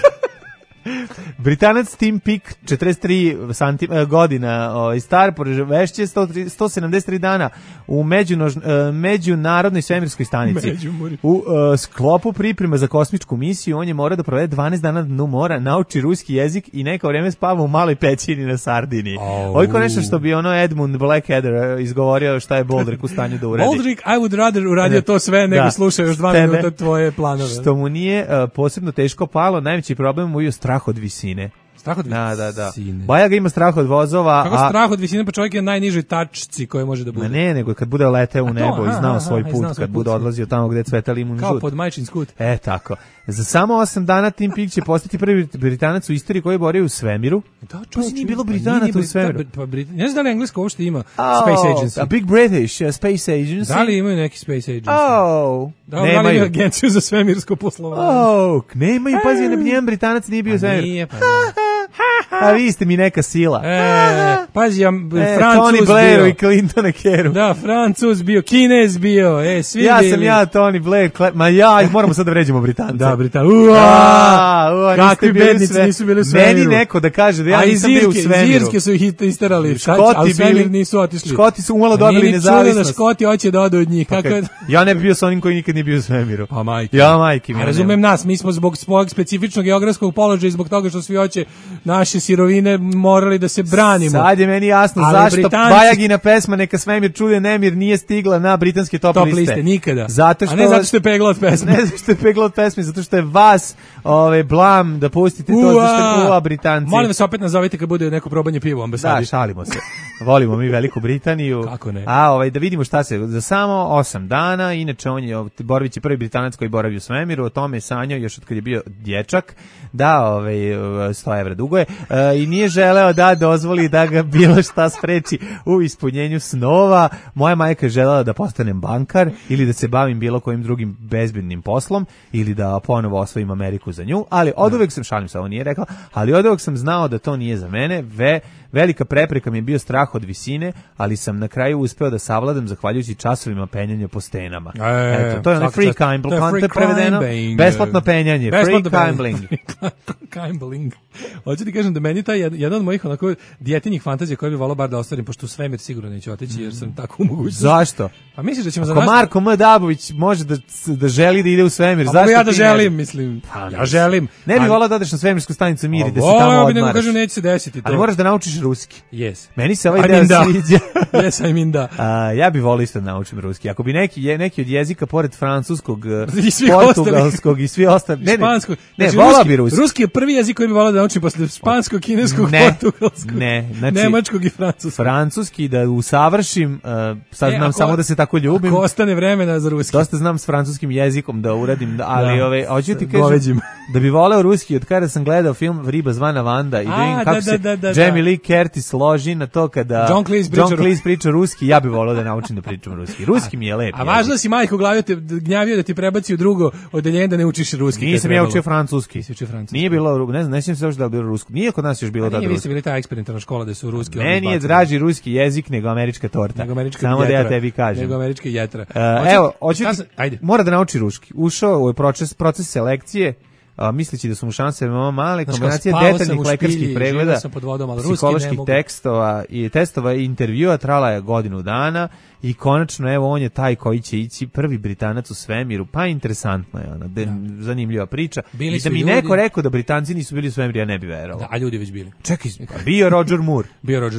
Britanac Tim Peake, 43 godina, star, preživešće 173 dana u međunarodnoj svemirskoj stanici. U sklopu priprema za kosmičku misiju on je morao da provede 12 dana na dnu mora, nauči ruski jezik i neko vreme spava u maloj pećini na Sardiniji. Ovo je nešto što bi Edmund Blackadder izgovorio šta je Boldrik u stanju da uradi. Boldrik, I would rather uradio to sve nego slušao još 2 minuta tvoje planove. Što mu nije posebno teško palo, najveći problem mu je strah od visine. Strah od visine? Da. Bajaga ima strah od vozova. Kako strah od visine, pa čovjek je na najnižoj tačci koje može da bude. Ne, nego kad bude leteo u nebo i znao svoj put, kad bude odlazio tamo gde cveta limun žut. Kao pod majčin skut. Tako. Za samo 8 dana Tim Peake će postati prvi Britanac u istoriji koji je borio u svemiru. Da, čovječ, nije bilo Britanaca u svemiru. Ne znam da li englesko uopšte ima Space Agency. A Big British Space Agency. Da li imaju neki Space Agency? Da li imaju agenciju za svemirsko poslovanje? Nemaju, pazi, nijedan Britanac nije bio u svemiru. Nije, pa A vi ste mi neka sila. Pazi, Francuz Tony Blairu i Clintona Keru. Da, Francuz bio, Kinez bio, svi bili. Ja, Tony Blair, moramo sad da vređemo Britance. Da, kakvi bednici nisu bili u svemiru. Meni neko da kaže da ja nisam bio u svemiru. Zirske su ih isterali, a u svemir nisu otišli. Škoti su umalo dobili nezavisnost. Da Škoti hoće da odu od njih. Ja ne bi bio sa onim koji nikad nije bio u svemiru. Pa majke. Ja, majke mi. Razumem nas, mi smo zbog svog specifičnog geografskog položaja i zbog toga što svi hoće naše sirovine morali da se branimo. Sad je meni jasno zašto Bajagina pesma Neka svemir čuje nemir nije stigla na britanske top liste. Nikada. A ne zato što je pegla od pesme. Ne zato što je pegla od pesme, zato što je vas blam da pustite to, zato što je Britanci. Molim vas opet nazovite kad bude neko probanje piva u ambasadi. Da, šalimo se. Volimo mi Veliku Britaniju. Kako ne? Da vidimo šta se, za samo 8 dana, inače on je, Borović je prvi Britanac koji boravi u svemiru, o tome je sanjao još od kad je bio dječak, da 100 evra dugo je, i nije želeo da dozvoli da ga bilo šta spreči u ispunjenju snova. Moja majka je želela da postanem bankar ili da se bavim bilo kojim drugim bezbednim poslom ili da ponovo osvojim Ameriku za nju, ali oduvek sam, šalim se, ovo nije rekla, ali oduvek sam znao da to nije za mene. Velika prepreka mi je bio strah od visine, ali sam na kraju uspeo da savladam zahvaljujući časovima penjanja po stenama. Eto, to je onaj free climbing, prevedeno, besplatno penjanje, free climbing. Hoću ti kažem da meni taj jedan od mojih onako djetinjih fantazija koje bi volao bar da ostvarim, pošto u svemir sigurno neću otići jer sam tako u mogućnosti. Zašto? A misliš da ćemo za Ako nas... Marko M. Dabović može da želi da ide u svemir, A zašto ja da ti želim, mislim. Ja želim. Ne bih volao da odeš na svemirsku stanicu Mir i da se tamo Voleo bi odmaraš. da kažem neće se desiti to. Ali moraš da naučiš ruski. Yes. Meni se ovaj deo sviđa. Yes, I mean da. Ja bih volio isto da naučim ruski. Ako bi neki od jezika pored francuskog, I portugalskog i svi ostali. Španskog. Ne, volao bi ruski. Ruski je prvi jezik koji bi volao da naučim posle španskog, kineskog, portugalskog, nemačkog i francuskog. Francuski da usavršim, sad znam samo da se tako ljubim. Ako ostane vremena za ruski. Dosta znam s francuskim jezikom da uradim, ali hoću ti kažem da bi voleo ruski od kada sam gledao film Riba zvana Vanda i da vidim kako se Jamie Lee Curtis loži na to kada John Cleese priča ruski, ja bih voleo da naučim da pričam ruski. Ruski mi je lep. A važno si majku glavi te gnjavio da ti prebaci u drugo odeljenje da ne učiš ruski. Nisam ja učio francuski. Nije bilo, ne znam, ne sjećam se još da je bilo rusko. Nije kod nas još bilo da rusko. Vi ste bili ta eksperimentalna škola da su ruski. Meni je draži ruski jezik nego američka torta. Samo da ja tebi kažem. Nego američka jetra. Evo, mora da nauči ruski. Ušao u proces selekcije, misleći da su mu šanse veoma male, kombinacija detaljnih lekarskih pregleda, psiholoških testova i intervjua trala je godinu dana i konačno evo on je taj koji će ići prvi Britanac u svemiru, pa interesantno je zanimljiva priča. I da mi neko rekao da Britanci nisu bili u svemiru, ja ne bi verovao. A ljudi već bili. Čekaj, bio Roger Moore.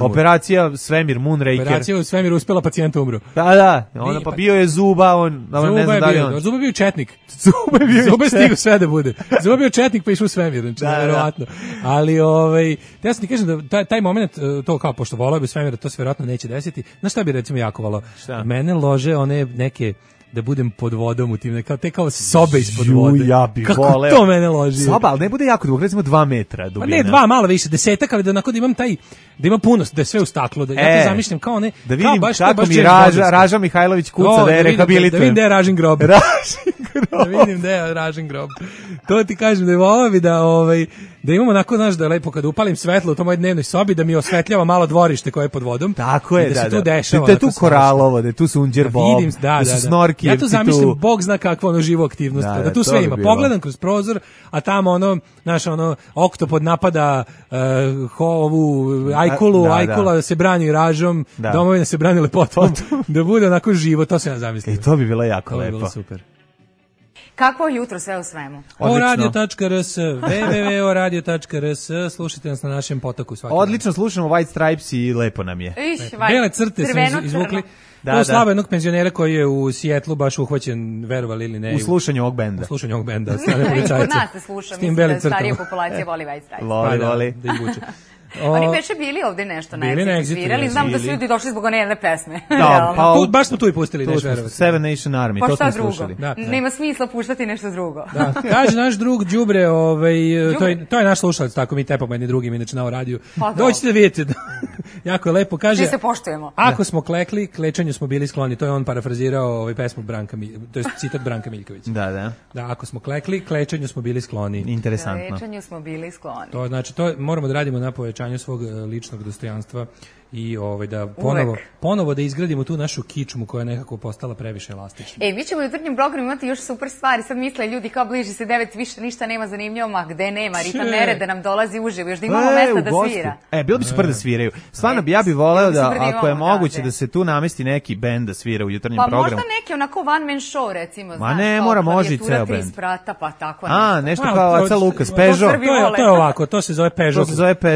Operacija Svemir, Moonraker. Operacija u svemiru uspela, pacijent umro. Da, ona pa bio je Zuba, on ne znam da li on. Zuba je bio četnik. Zuba je stigao sve da bude. Zuba je bio četnik pa išao u svemir, znači verovatno. Ali ja sam ti kažem da taj moment, to kao pošto volao bi svemir, to se verovatno neće desiti. Znaš šta bi recimo jako volao? Mene lože one neke da budem pod vodom u tim, kao sobe ispod vode. Ja bih voleo. Kako to mene loži? Soba, ali ne bude jako dugo, recimo 2 metra dubina. Pa ne, 2, malo više, 10, ali da onako da imam da ima puno, da je sve u staklu, da ja to zamišljam kao ne, da vidim kako mi Raža Mihajlović kuca da je rehabilitujem. Da vidim da je Ražin grob. Da vidim da je Ražin grob. To ti kažem da je volao bi da imamo onako, znaš, da je lepo kada upalim svetlo u toj mojoj dnevnoj sobi, da mi osvetljava malo dvorište koje je pod vodom. Tako je, da se tu dešava. Da je tu koralovo, da je tu sunđer bob, da su snorki. Ja to zamišljam, Bog zna kakva živa aktivnost, da tu sve ima. Pogledam kroz prozor, a tamo oktopod napada ovu ajkula se brani ražom, domovina se brani lepotom, da bude onako živo, to se ja zamislim. I to bi bilo jako lepo. To bi bilo super. Kakvo jutro sve u svemu? Radio.rs, www.radio.rs, slušajte nas na našem potoku svaki dan. Odlično, slušamo White Stripes i lepo nam je. Bele crte su izvukli. To slava jednog penzionera koji je u Sijetlu baš uhvaćen, verovali ili ne. U slušanju ovog benda. U slušanju ovog benda, od strane policajca. Kod nas se sluša, mislim da starija populacija voli White Stripes. Voli. Da ih vuče. Oni beše bili ovde nešto na Exitu svirali, znam da su ljudi došli zbog one jedne pesme. Baš smo tu i pustili nešto verovati. Seven Nation Army, to smo slušali. Nema smisla puštati nešto drugo. Kaže naš drug Đubre, to je naš slušalac, tako mi tepamo jedni drugim, inače na radiju. Dođite da vidite, jako je lepo, kaže. Mi se poštujemo. Ako smo klekli, klečanju smo bili skloni, to je on parafrazirao pesmu Branka Miljkovića, to je citat Branka Miljkovića. Da, ako smo klekli, klečanju smo bili skloni. Interesantno. Klečanju smo bili skloni. To znači, to moramo da radimo na povećanju svog ličnog dostojanstva i da ponovo da izgradimo tu našu kičmu koja je nekako postala previše elastična. Mi ćemo u jutarnjem programu imati još super stvari. Sad misle ljudi kao bliži se 9, više ništa nema zanimljivo, ma gde nema, Rita Nereda nam dolazi uživo, još da imamo mesta da svira. Bilo bi super da sviraju. Stvarno ja bih voleo da, ako je moguće, da se tu namesti neki bend da svira u jutarnjem programu. Pa možda neki onako one man show, recimo. Ma ne, mora, može i ceo bend. Pa tako nešto kao Aca Lukas, Peugeot. To je ovako, to se zove Peugeot.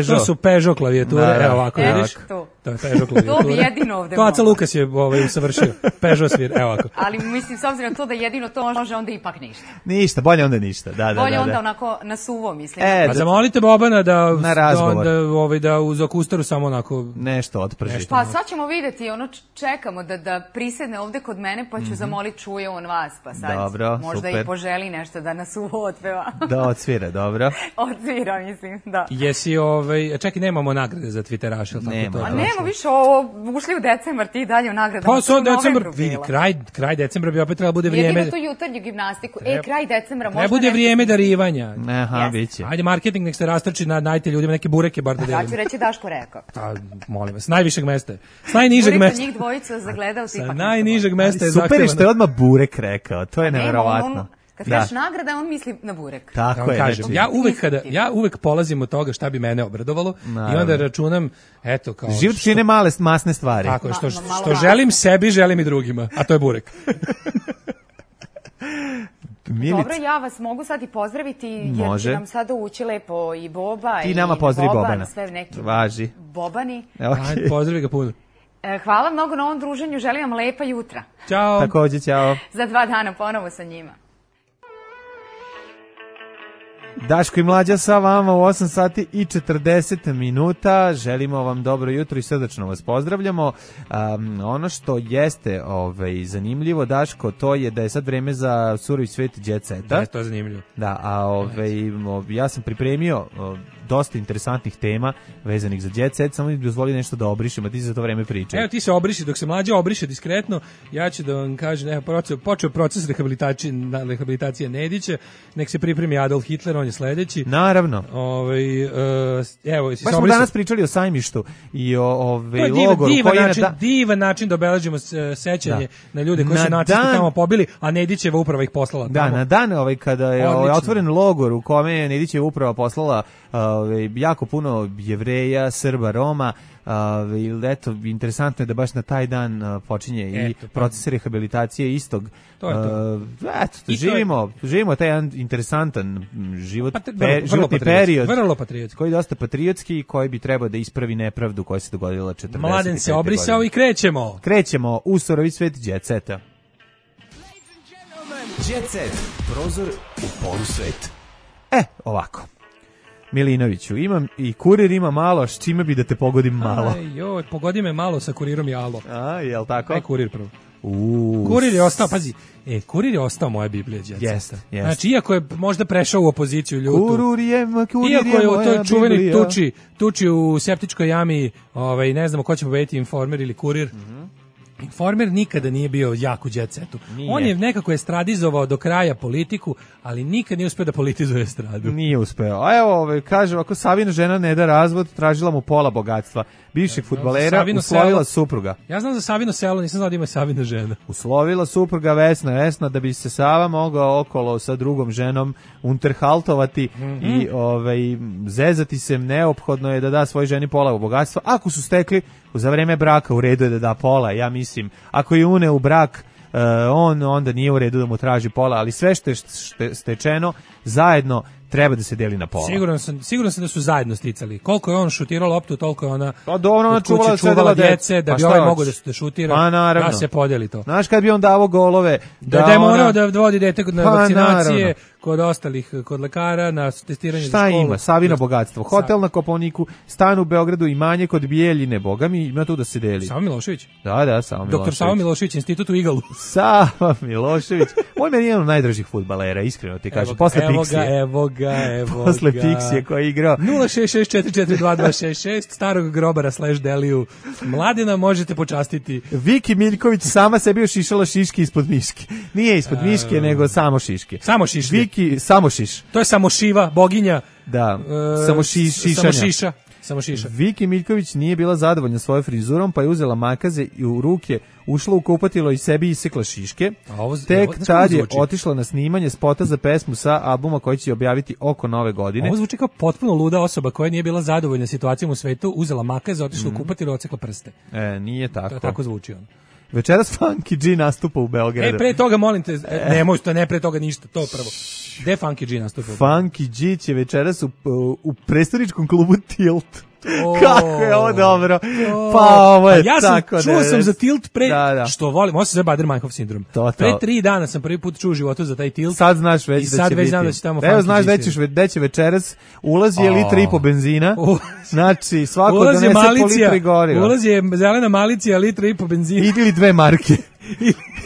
To su Peugeot klavijature, evo ovako, vidiš? To je Peugeot klavijatura. To bi jedino ovde to Aca Lukas je usavršio. Peugeot svir, evo ovako. Ali mislim, s obzirom na to da jedino to može, onda ipak ništa. Ništa, bolje onda ništa. Bolje onda onako na suvo, mislim. Pa zamolite Bobana da uz akustaru samo onako nešto otprži. Pa sad ćemo vidjeti, čekamo da prisedne ovde kod mene, pa ću zamoliti čuje on vas, pa sad možda i poželi nešto da na suvo otpeva. Da odsvira, dobro. Odsvira, mislim, da. Jesi, čekaj, nemamo nagrade za Twitteraš, ili tako to? Nemo više, ušli u decembar, ti dalje u nagradama. Pa sad decembar, vidi, kraj decembra bi opet trebalo bude vrijeme. Jedino tu jutarnju gimnastiku, kraj decembra možda nešto. Ne bude vrijeme darivanja. Aha, biće. Ajde, marketing nek se rastrči, najte ljudima neke bureke bar da delimo. Ja ću reći Daško rekao. Molim vas, najvišeg mesta. S najnižeg mesta. Njih dvojica zagledao ti ipak. Najnižeg mesta je zahtevano. Super je što je odmah burek rekao, to je neverovatno. Kad kažeš nagrada, on misli na burek. Tako je. Kažem, ja uvek polazim od toga šta bi mene obradovalo i onda računam, eto, kao... Život čine male masne stvari. Tako je, što želim sebi, želim i drugima, a to je burek. Milica. Dobro, ja vas mogu sad i pozdraviti, jer će nam sada ući lepo i Boba i nama pozdravi Bobana. Sve neki Važi. Bobani. Okay. Pozdravi ga puno. Hvala mnogo na ovom druženju, želim vam lepa jutra. Ćao. Takođe, ćao. Za 2 dana ponovo sa njima. Daško i Mlađa sa vama u 8 sati i 40 minuta. Želimo vam dobro jutro i srdačno vas pozdravljamo. Ono što jeste zanimljivo, Daško, to je da je sad vreme za surovi svet Jet Seta. Da, to je zanimljivo. Da, ja sam pripremio dosta interesantnih tema vezanih za Jet Set, samo mi dozvoli nešto da obrišem, a ti za to vreme pričaj. Evo ti se obriši, dok se Mlađa obriše diskretno, ja ću da vam kažem, počeo proces rehabilitacije Nedića, nek se pripremi Adolf Hitler, on je sledeći. Naravno. Baš smo danas pričali o Sajmištu i o logoru. Divan način da obeležimo sećanje na ljude koji su nacisti tamo pobili, a Nedićeva uprava ih poslala tamo. Da, na dan kada je otvoren logor u kome je Nedićeva uprava poslala jako puno Jevreja, Srba, Roma, eto, interesantno je da baš na taj dan počinje i proces rehabilitacije istog. Živimo taj jedan interesantan životni period, vrlo patriotski, koji je dosta patriotski i koji bi trebao da ispravi nepravdu koja se dogodila 40. Mladen se obrisao i krećemo u surovi svet Jet Seta. Jet Set, prozor u polusvet. Ovako. Milinoviću, imam i kurir ima malo, s čime bi da te pogodim malo? Pogodi me malo sa kurirom i alo. Jel tako? Kurir prvo. Kurir je ostao, pazi, Kurir je ostao moja Biblija. Jeste. Znači, iako je možda prešao u opoziciju ljutu. Kurir je moja čuveni tuči u septičkoj jami, ne znamo ko će pobediti, Informer ili Kurir. Informer nikada nije bio jak u Jet Setu. On je nekako estradizovao do kraja politiku, ali nikad nije uspeo da politizuje estradu. Nije uspeo. A evo, kaže, ako Savina žena ne da razvod, tražila mu pola bogatstva. Bivšeg fudbalera uslovila supruga. Ja znam za Savino selo, nisam znao da ima Savina žena. Uslovila supruga Vesna, da bi se Sava mogao okolo sa drugom ženom unterhaltovati i zezati se, neophodno je da da svoj ženi pola bogatstva. Ako su stekli za vreme braka, u redu je da da pola, ja mislim. Ako je une u brak, onda nije u redu da mu traži pola, ali sve što je stečeno zajedno treba da se deli na pola. Siguran sam da su zajedno sticali. Koliko je on šutirao loptu, toliko je ona čuvala djece, da bi ovaj mogao da šutira, da se podeli to. Znaš, kad bi on davo golove... Da je morao da vodi dete na vakcinacije, kod ostalih, kod lekara, na testiranje za školu. Šta ima? Savino bogatstvo. Hotel na Kopaoniku, stan u Beogradu, imanje kod Bijeljine, boga mi, ima tu da se deli. Savo Milošević? Da, Savo Milošević. Doktor Savo Milošević, institut u Igalu. Savo Milošević. On meni je jedan od najdražih fudbalera, iskreno ti kažem. Posle Pixije. Evo ga. Posle Pixije koji je igrao. 066442266, starog grobara / Deliju. Mladina možete počastiti. Viki Miljković sama sebi ošišala šiške ispod miške. Nije ispod miške, nego samo šiške. Samo šiš. Viki, samo šiš. To je samošiva, boginja. Da, samo šiša. Viki Miljković nije bila zadovoljna svojom frizurom, pa je uzela makaze i u ruke ušla u kupatilo i sebi isekla šiške. Tek tad je otišla na snimanje spota za pesmu sa albuma koji će objaviti oko nove godine. Ovo zvuči kao potpuno luda osoba koja nije bila zadovoljna situacijom u svetu, uzela makaze, otišla u kupatilo i ocekla prste. Nije tako. To tako zvuči on. Večeras Funky G nastupa u Beogradu. Pre toga, molim te, ne pre toga ništa, to prvo. Gde Funky G nastupa? Funky G će večeras u prestoničkom klubu Tilt. Kako je ovo dobro. Pa ovo je tako. Čuo sam za Tilt pre, što volim, ovo se zove Bader-Meinhof sindrom. Pre 3 dana sam prvi put čuo u životu za taj Tilt. Sad znaš već da će biti. Znam da će tamo Evo znaš da će večeras ulazi je litri i po benzina. Znači svako donese po litri goriva. Ulazi je zelena malicija, litri i po benzina. Ili 2 marke.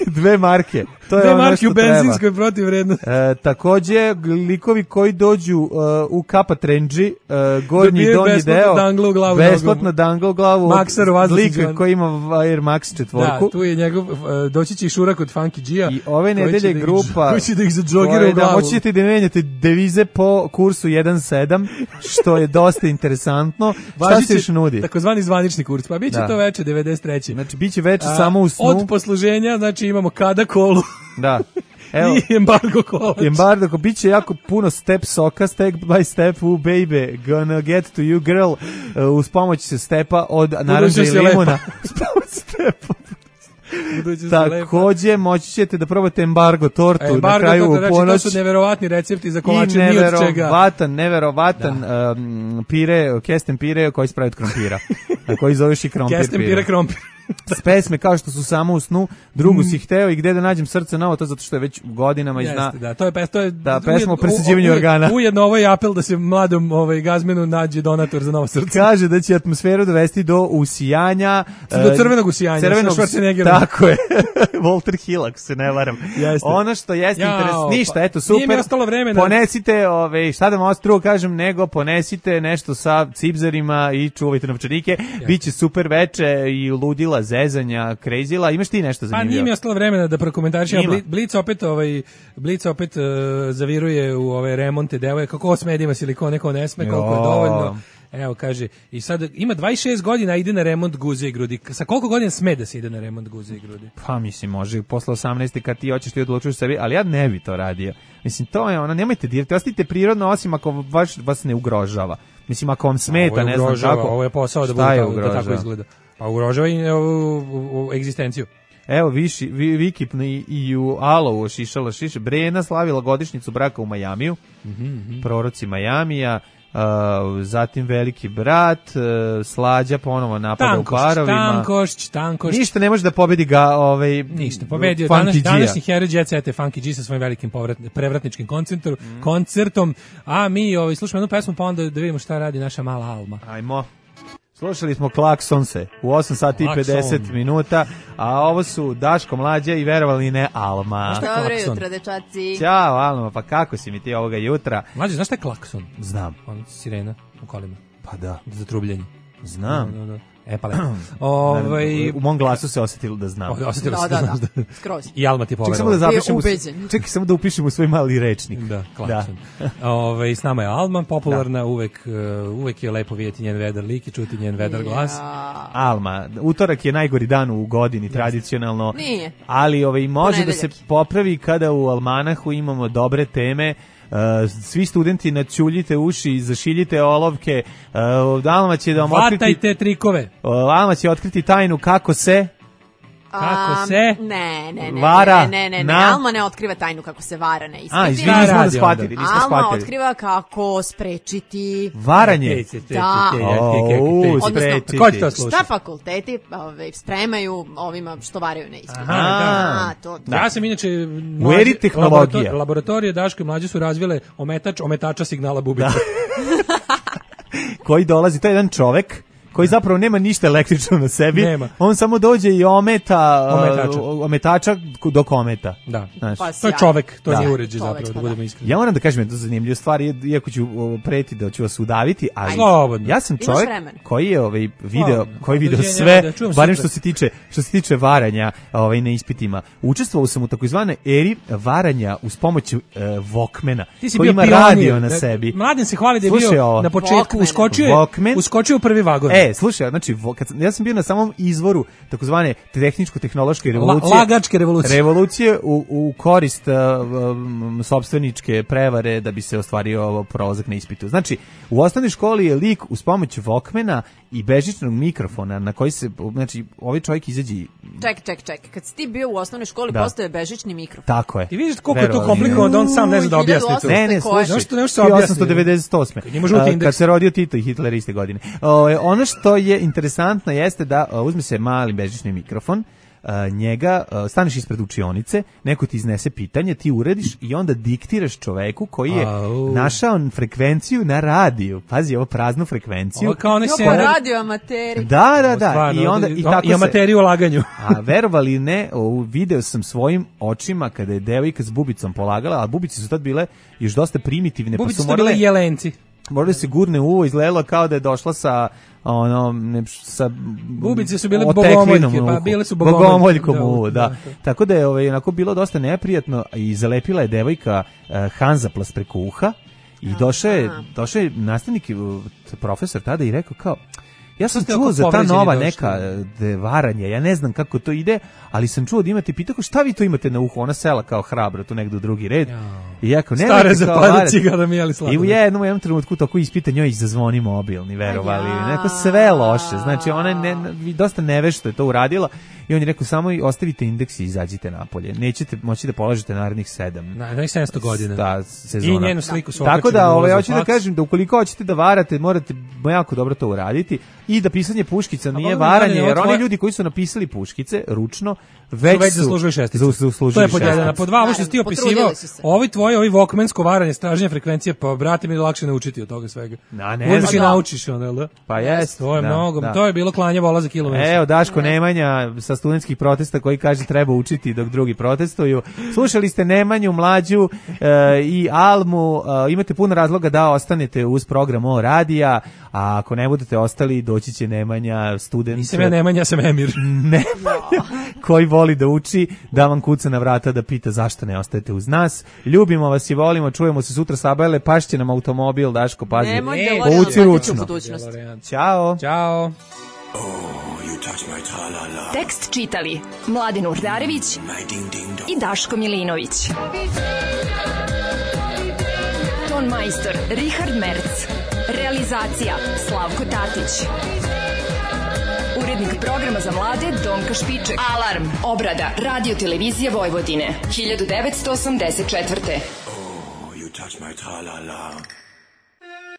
2 marke. To je ono što u benzinskoj protivvrednosti. Takođe, likovi koji dođu u Kapa Trendži, gornji i donji deo, besplatno dangla u glavu od lika koji ima Air Max 4. Da, tu je njegov, doći će i šura kod Funky G-a. I ove nedelje grupa koji će da ih zadžogira u glavu. Moći ćete da menjate devize po kursu 1.7, što je dosta interesantno. Šta se još nudi? Takozvani zvanični kurs, pa bit će to veče 93. Znači, bit će veče samo u snu. Od posluženja, znači imamo kada kolu. Da. I embargo kolač. Embargo, bit će jako puno step soka, step by step, baby, gonna get to you girl, uz pomoć stepa od naranđa i limuna. Uz pomoć stepa. Takođe, moći ćete da probate embargo tortu na kraju u ponoć. Znači, to su neverovatni recepti za kolače, ni od čega. Neverovatan pire, kesten pire koji se pravi od krompira. Na koji zoveš i krompir. Kesten pire krompir. S pesme kao što su Samo u snu, drugu si hteo i Gde da nađem srce novo, to zato što je već godinama i zna. Da, to je pesma o presađivanju organa. Ujedno ovo je apel da se mladom Gazmenu nađe donator za novo srce. Kaže da će atmosferu dovesti do usijanja. Do crvenog usijanja. Tako je. Walter Hill, ako se ne varam. Ono što jeste interesantno, ništa, eto, super. Nije mi ostalo vremena. Ponesite, šta da vam ostro kažem, nego ponesite nešto sa cipzerima i čuvajte novčanike. Biće super veče i ludila, zezanja, krejzila. Imaš ti nešto zanimljivo? Pa nije mi ostalo vremena da prokomentarišem. Blic opet zaviruje u ove remonte devoje. Kako sme da ima silikon, neko ne sme, koliko je dovoljno. Evo, kaže, i sad ima 26 godina, ide na remont guze i grudi. Sa koliko godina sme da se ide na remont guze i grudi? Pa mislim, može posle 18. kad ti hoćeš ti odlučuješ sebi, ali ja ne bi to radio. Mislim, to je ono, nemojte dirati, ostavite prirodno, osim ako vas ne ugrožava. Mislim, ako vam smeta, ne znam kako. Ovo je posao da tako izgleda. Pa ugrožava i ovu egzistenciju. Evo, Vikip i u Alovu šišala šiše. Brena slavila godišnjicu braka u Majamiju, proroci Majamija, zatim Veliki brat, Slađa ponovo napada u parovima. Tankošć. Ništa ne može da pobedi ga ništa, pobedio današnji heroj Jet Set je Funky G sa svojim velikim prevratničkim koncertom, a mi slušamo jednu pesmu pa onda da vidimo šta radi naša mala Alma. Ajmo. Slušali smo Klaksonse u 8 sati i 50 minuta, a ovo su Daško, Mlađa i verovali ne Alma. Dobro jutro, dečaci. Ćao Alma, pa kako si mi ti ovoga jutra? Mlađa, znaš šta je klakson? Znam. Sirena u kolima. Pa da. Za trubljenje. Znam. Pa lepo. U mom glasu se osjetilo da znam. Da, skroz. I Alma ti poverovala. Čekaj samo da upišem u svoj mali rečnik. Da, klakson. S nama je Alma, popularna, uvek je lepo vidjeti njen vedar lik i čuti njen vedar glas. Alma, utorak je najgori dan u godini, tradicionalno. Nije. Ali može da se popravi kada u Almanahu imamo dobre teme. Svi studenti naćuljite uši, zašiljite olovke. Alma će da vam vatajte trikove. Alma će otkriti tajnu kako se Ne. Vara. Alma ne otkriva tajnu kako se vara na ispitima. Izvini, nismo shvatili. Alma otkriva kako sprečiti varanje. Da. Sprečiti. Ko ti to sluša? Šta fakulteti spremaju ovima što varaju na ispitima. Ja sam inače u eri tehnologija. Laboratorije Daško i Mlađe su razvile ometača signala bubica. Koji dolazi, to je jedan čovek koji zapravo nema ništa električno na sebi. Nema. On samo dođe i ometača dok ometa. Da. To je čovek, to nije uređaj zapravo, da budemo iskreni. Ja moram da kažem jednu zanimljivu stvar, iako ću preti da ću vas udaviti, ali ja sam čovjek koji je video sve, barem što se tiče varanja na ispitima. Učestvovao sam u takozvanoj eri varanja uz pomoć Walkmana, koji ima radio na sebi. Mladen se hvali da je bio na početku, uskočio u prvi vagon. Slušaj, znači, ja sam bio na samom izvoru takozvane tehničko-tehnološke revolucije. Lagačke revolucije. Revolucije u korist sopstveničke prevare da bi se ostvario prolazak na ispitu. Znači, u osnovnoj školi je lik uz pomoć Walkmana i bežičnog mikrofona na koji se, znači, ovaj čovjek izađe... Čekaj, kad si ti bio u osnovnoj školi, postoje bežični mikrofon. Tako je. I vidiš koliko je to komplikovano da on sam ne zna da objasni to. Ne, slušaj, 1898. Kad se rodio Tito i Hitler iste godine. Ono što je interesantno jeste da uzme se mali bežični mikrofon, njega staneš ispred učionice, neko ti iznese pitanje, ti urediš i onda diktiraš čoveku koji je našao frekvenciju na radiju. Pazi, ovo praznu frekvenciju. Kao radio amateri. Da. I onda i amateri u laganju. A verovali ne, video sam svojim očima kada je devojka s bubicom polagala, a bubice su tad bile još dosta primitivne. Bubice su bile jelenci. Možda se gurne uvo, izgledalo kao da je došla sa bubice su bile bogomoljke, pa bile su bogomoljkom uvo, da. Tako da je onako bilo dosta neprijatno i zalepila je devojka Hanzaplast preko uha i došao je nastavnik, profesor tada i rekao kao, Ja sam čuo za ta nova neka varanje, ja ne znam kako to ide, ali sam čuo da imate, pitao šta vi to imate na uhu, ona sela kao hrabro, tu negdje u drugi red. I jako, stare zapada cigara mi jeli sladoled. I u jednom trenutku tako ispita njoj zazvoni mobilni, verovali. Neko sve loše, znači ona dosta nevešto je to uradila. I on je rekao, samo ostavite indeks i izađite napolje. Nećete moći da polažete narednih 700 godina. Da, sezona. I njenu sliku su tako da, hoću da kažem da ukoliko hoćete da varate, morate jako dobro to uraditi i da pisanje puškica nije varanje, jer oni ljudi koji su napisali puškice ručno, već zaslužuju šesticu. To je pod jedan. Po dva, ovo što si ti opisivao, ovi Walkmansko varanje, stražnje frekvencije, pa brate mi je lakše naučiti od toga svega. Uzmeš i naučiš, onda, da? Pa jest. To je mnogo, to je bilo klanje vola za kilometar. Evo, Daško Nemanja sa studentskih protesta koji kaže treba učiti dok drugi protestuju. Slušali ste Nemanju, Mlađu i Almu, imate puno razloga da ostanete uz program O radija, a ako ne budete ostali, doći će Nemanja, student. Nisam ja Nemanja, ja sam Emir. Nemanja, koji voli da uči, da vam kuca na vrata da pita zašto ne ostajete uz nas. Ljubimo vas i volimo, čujemo se sutra Sabajle, pašće nam automobil, Daško, pazi. Povuci ručno. Ćao. Ćao. Tekst čitali Mladin Urdarević i Daško Milinović. Ton majstor Richard Merc. Realizacija Slavko Tatić. Urednik programa za mlade Donka Špiček. Alarm. Obrada Radio Televizije Vojvodine 1984. Oh, you touch my tra-la-la.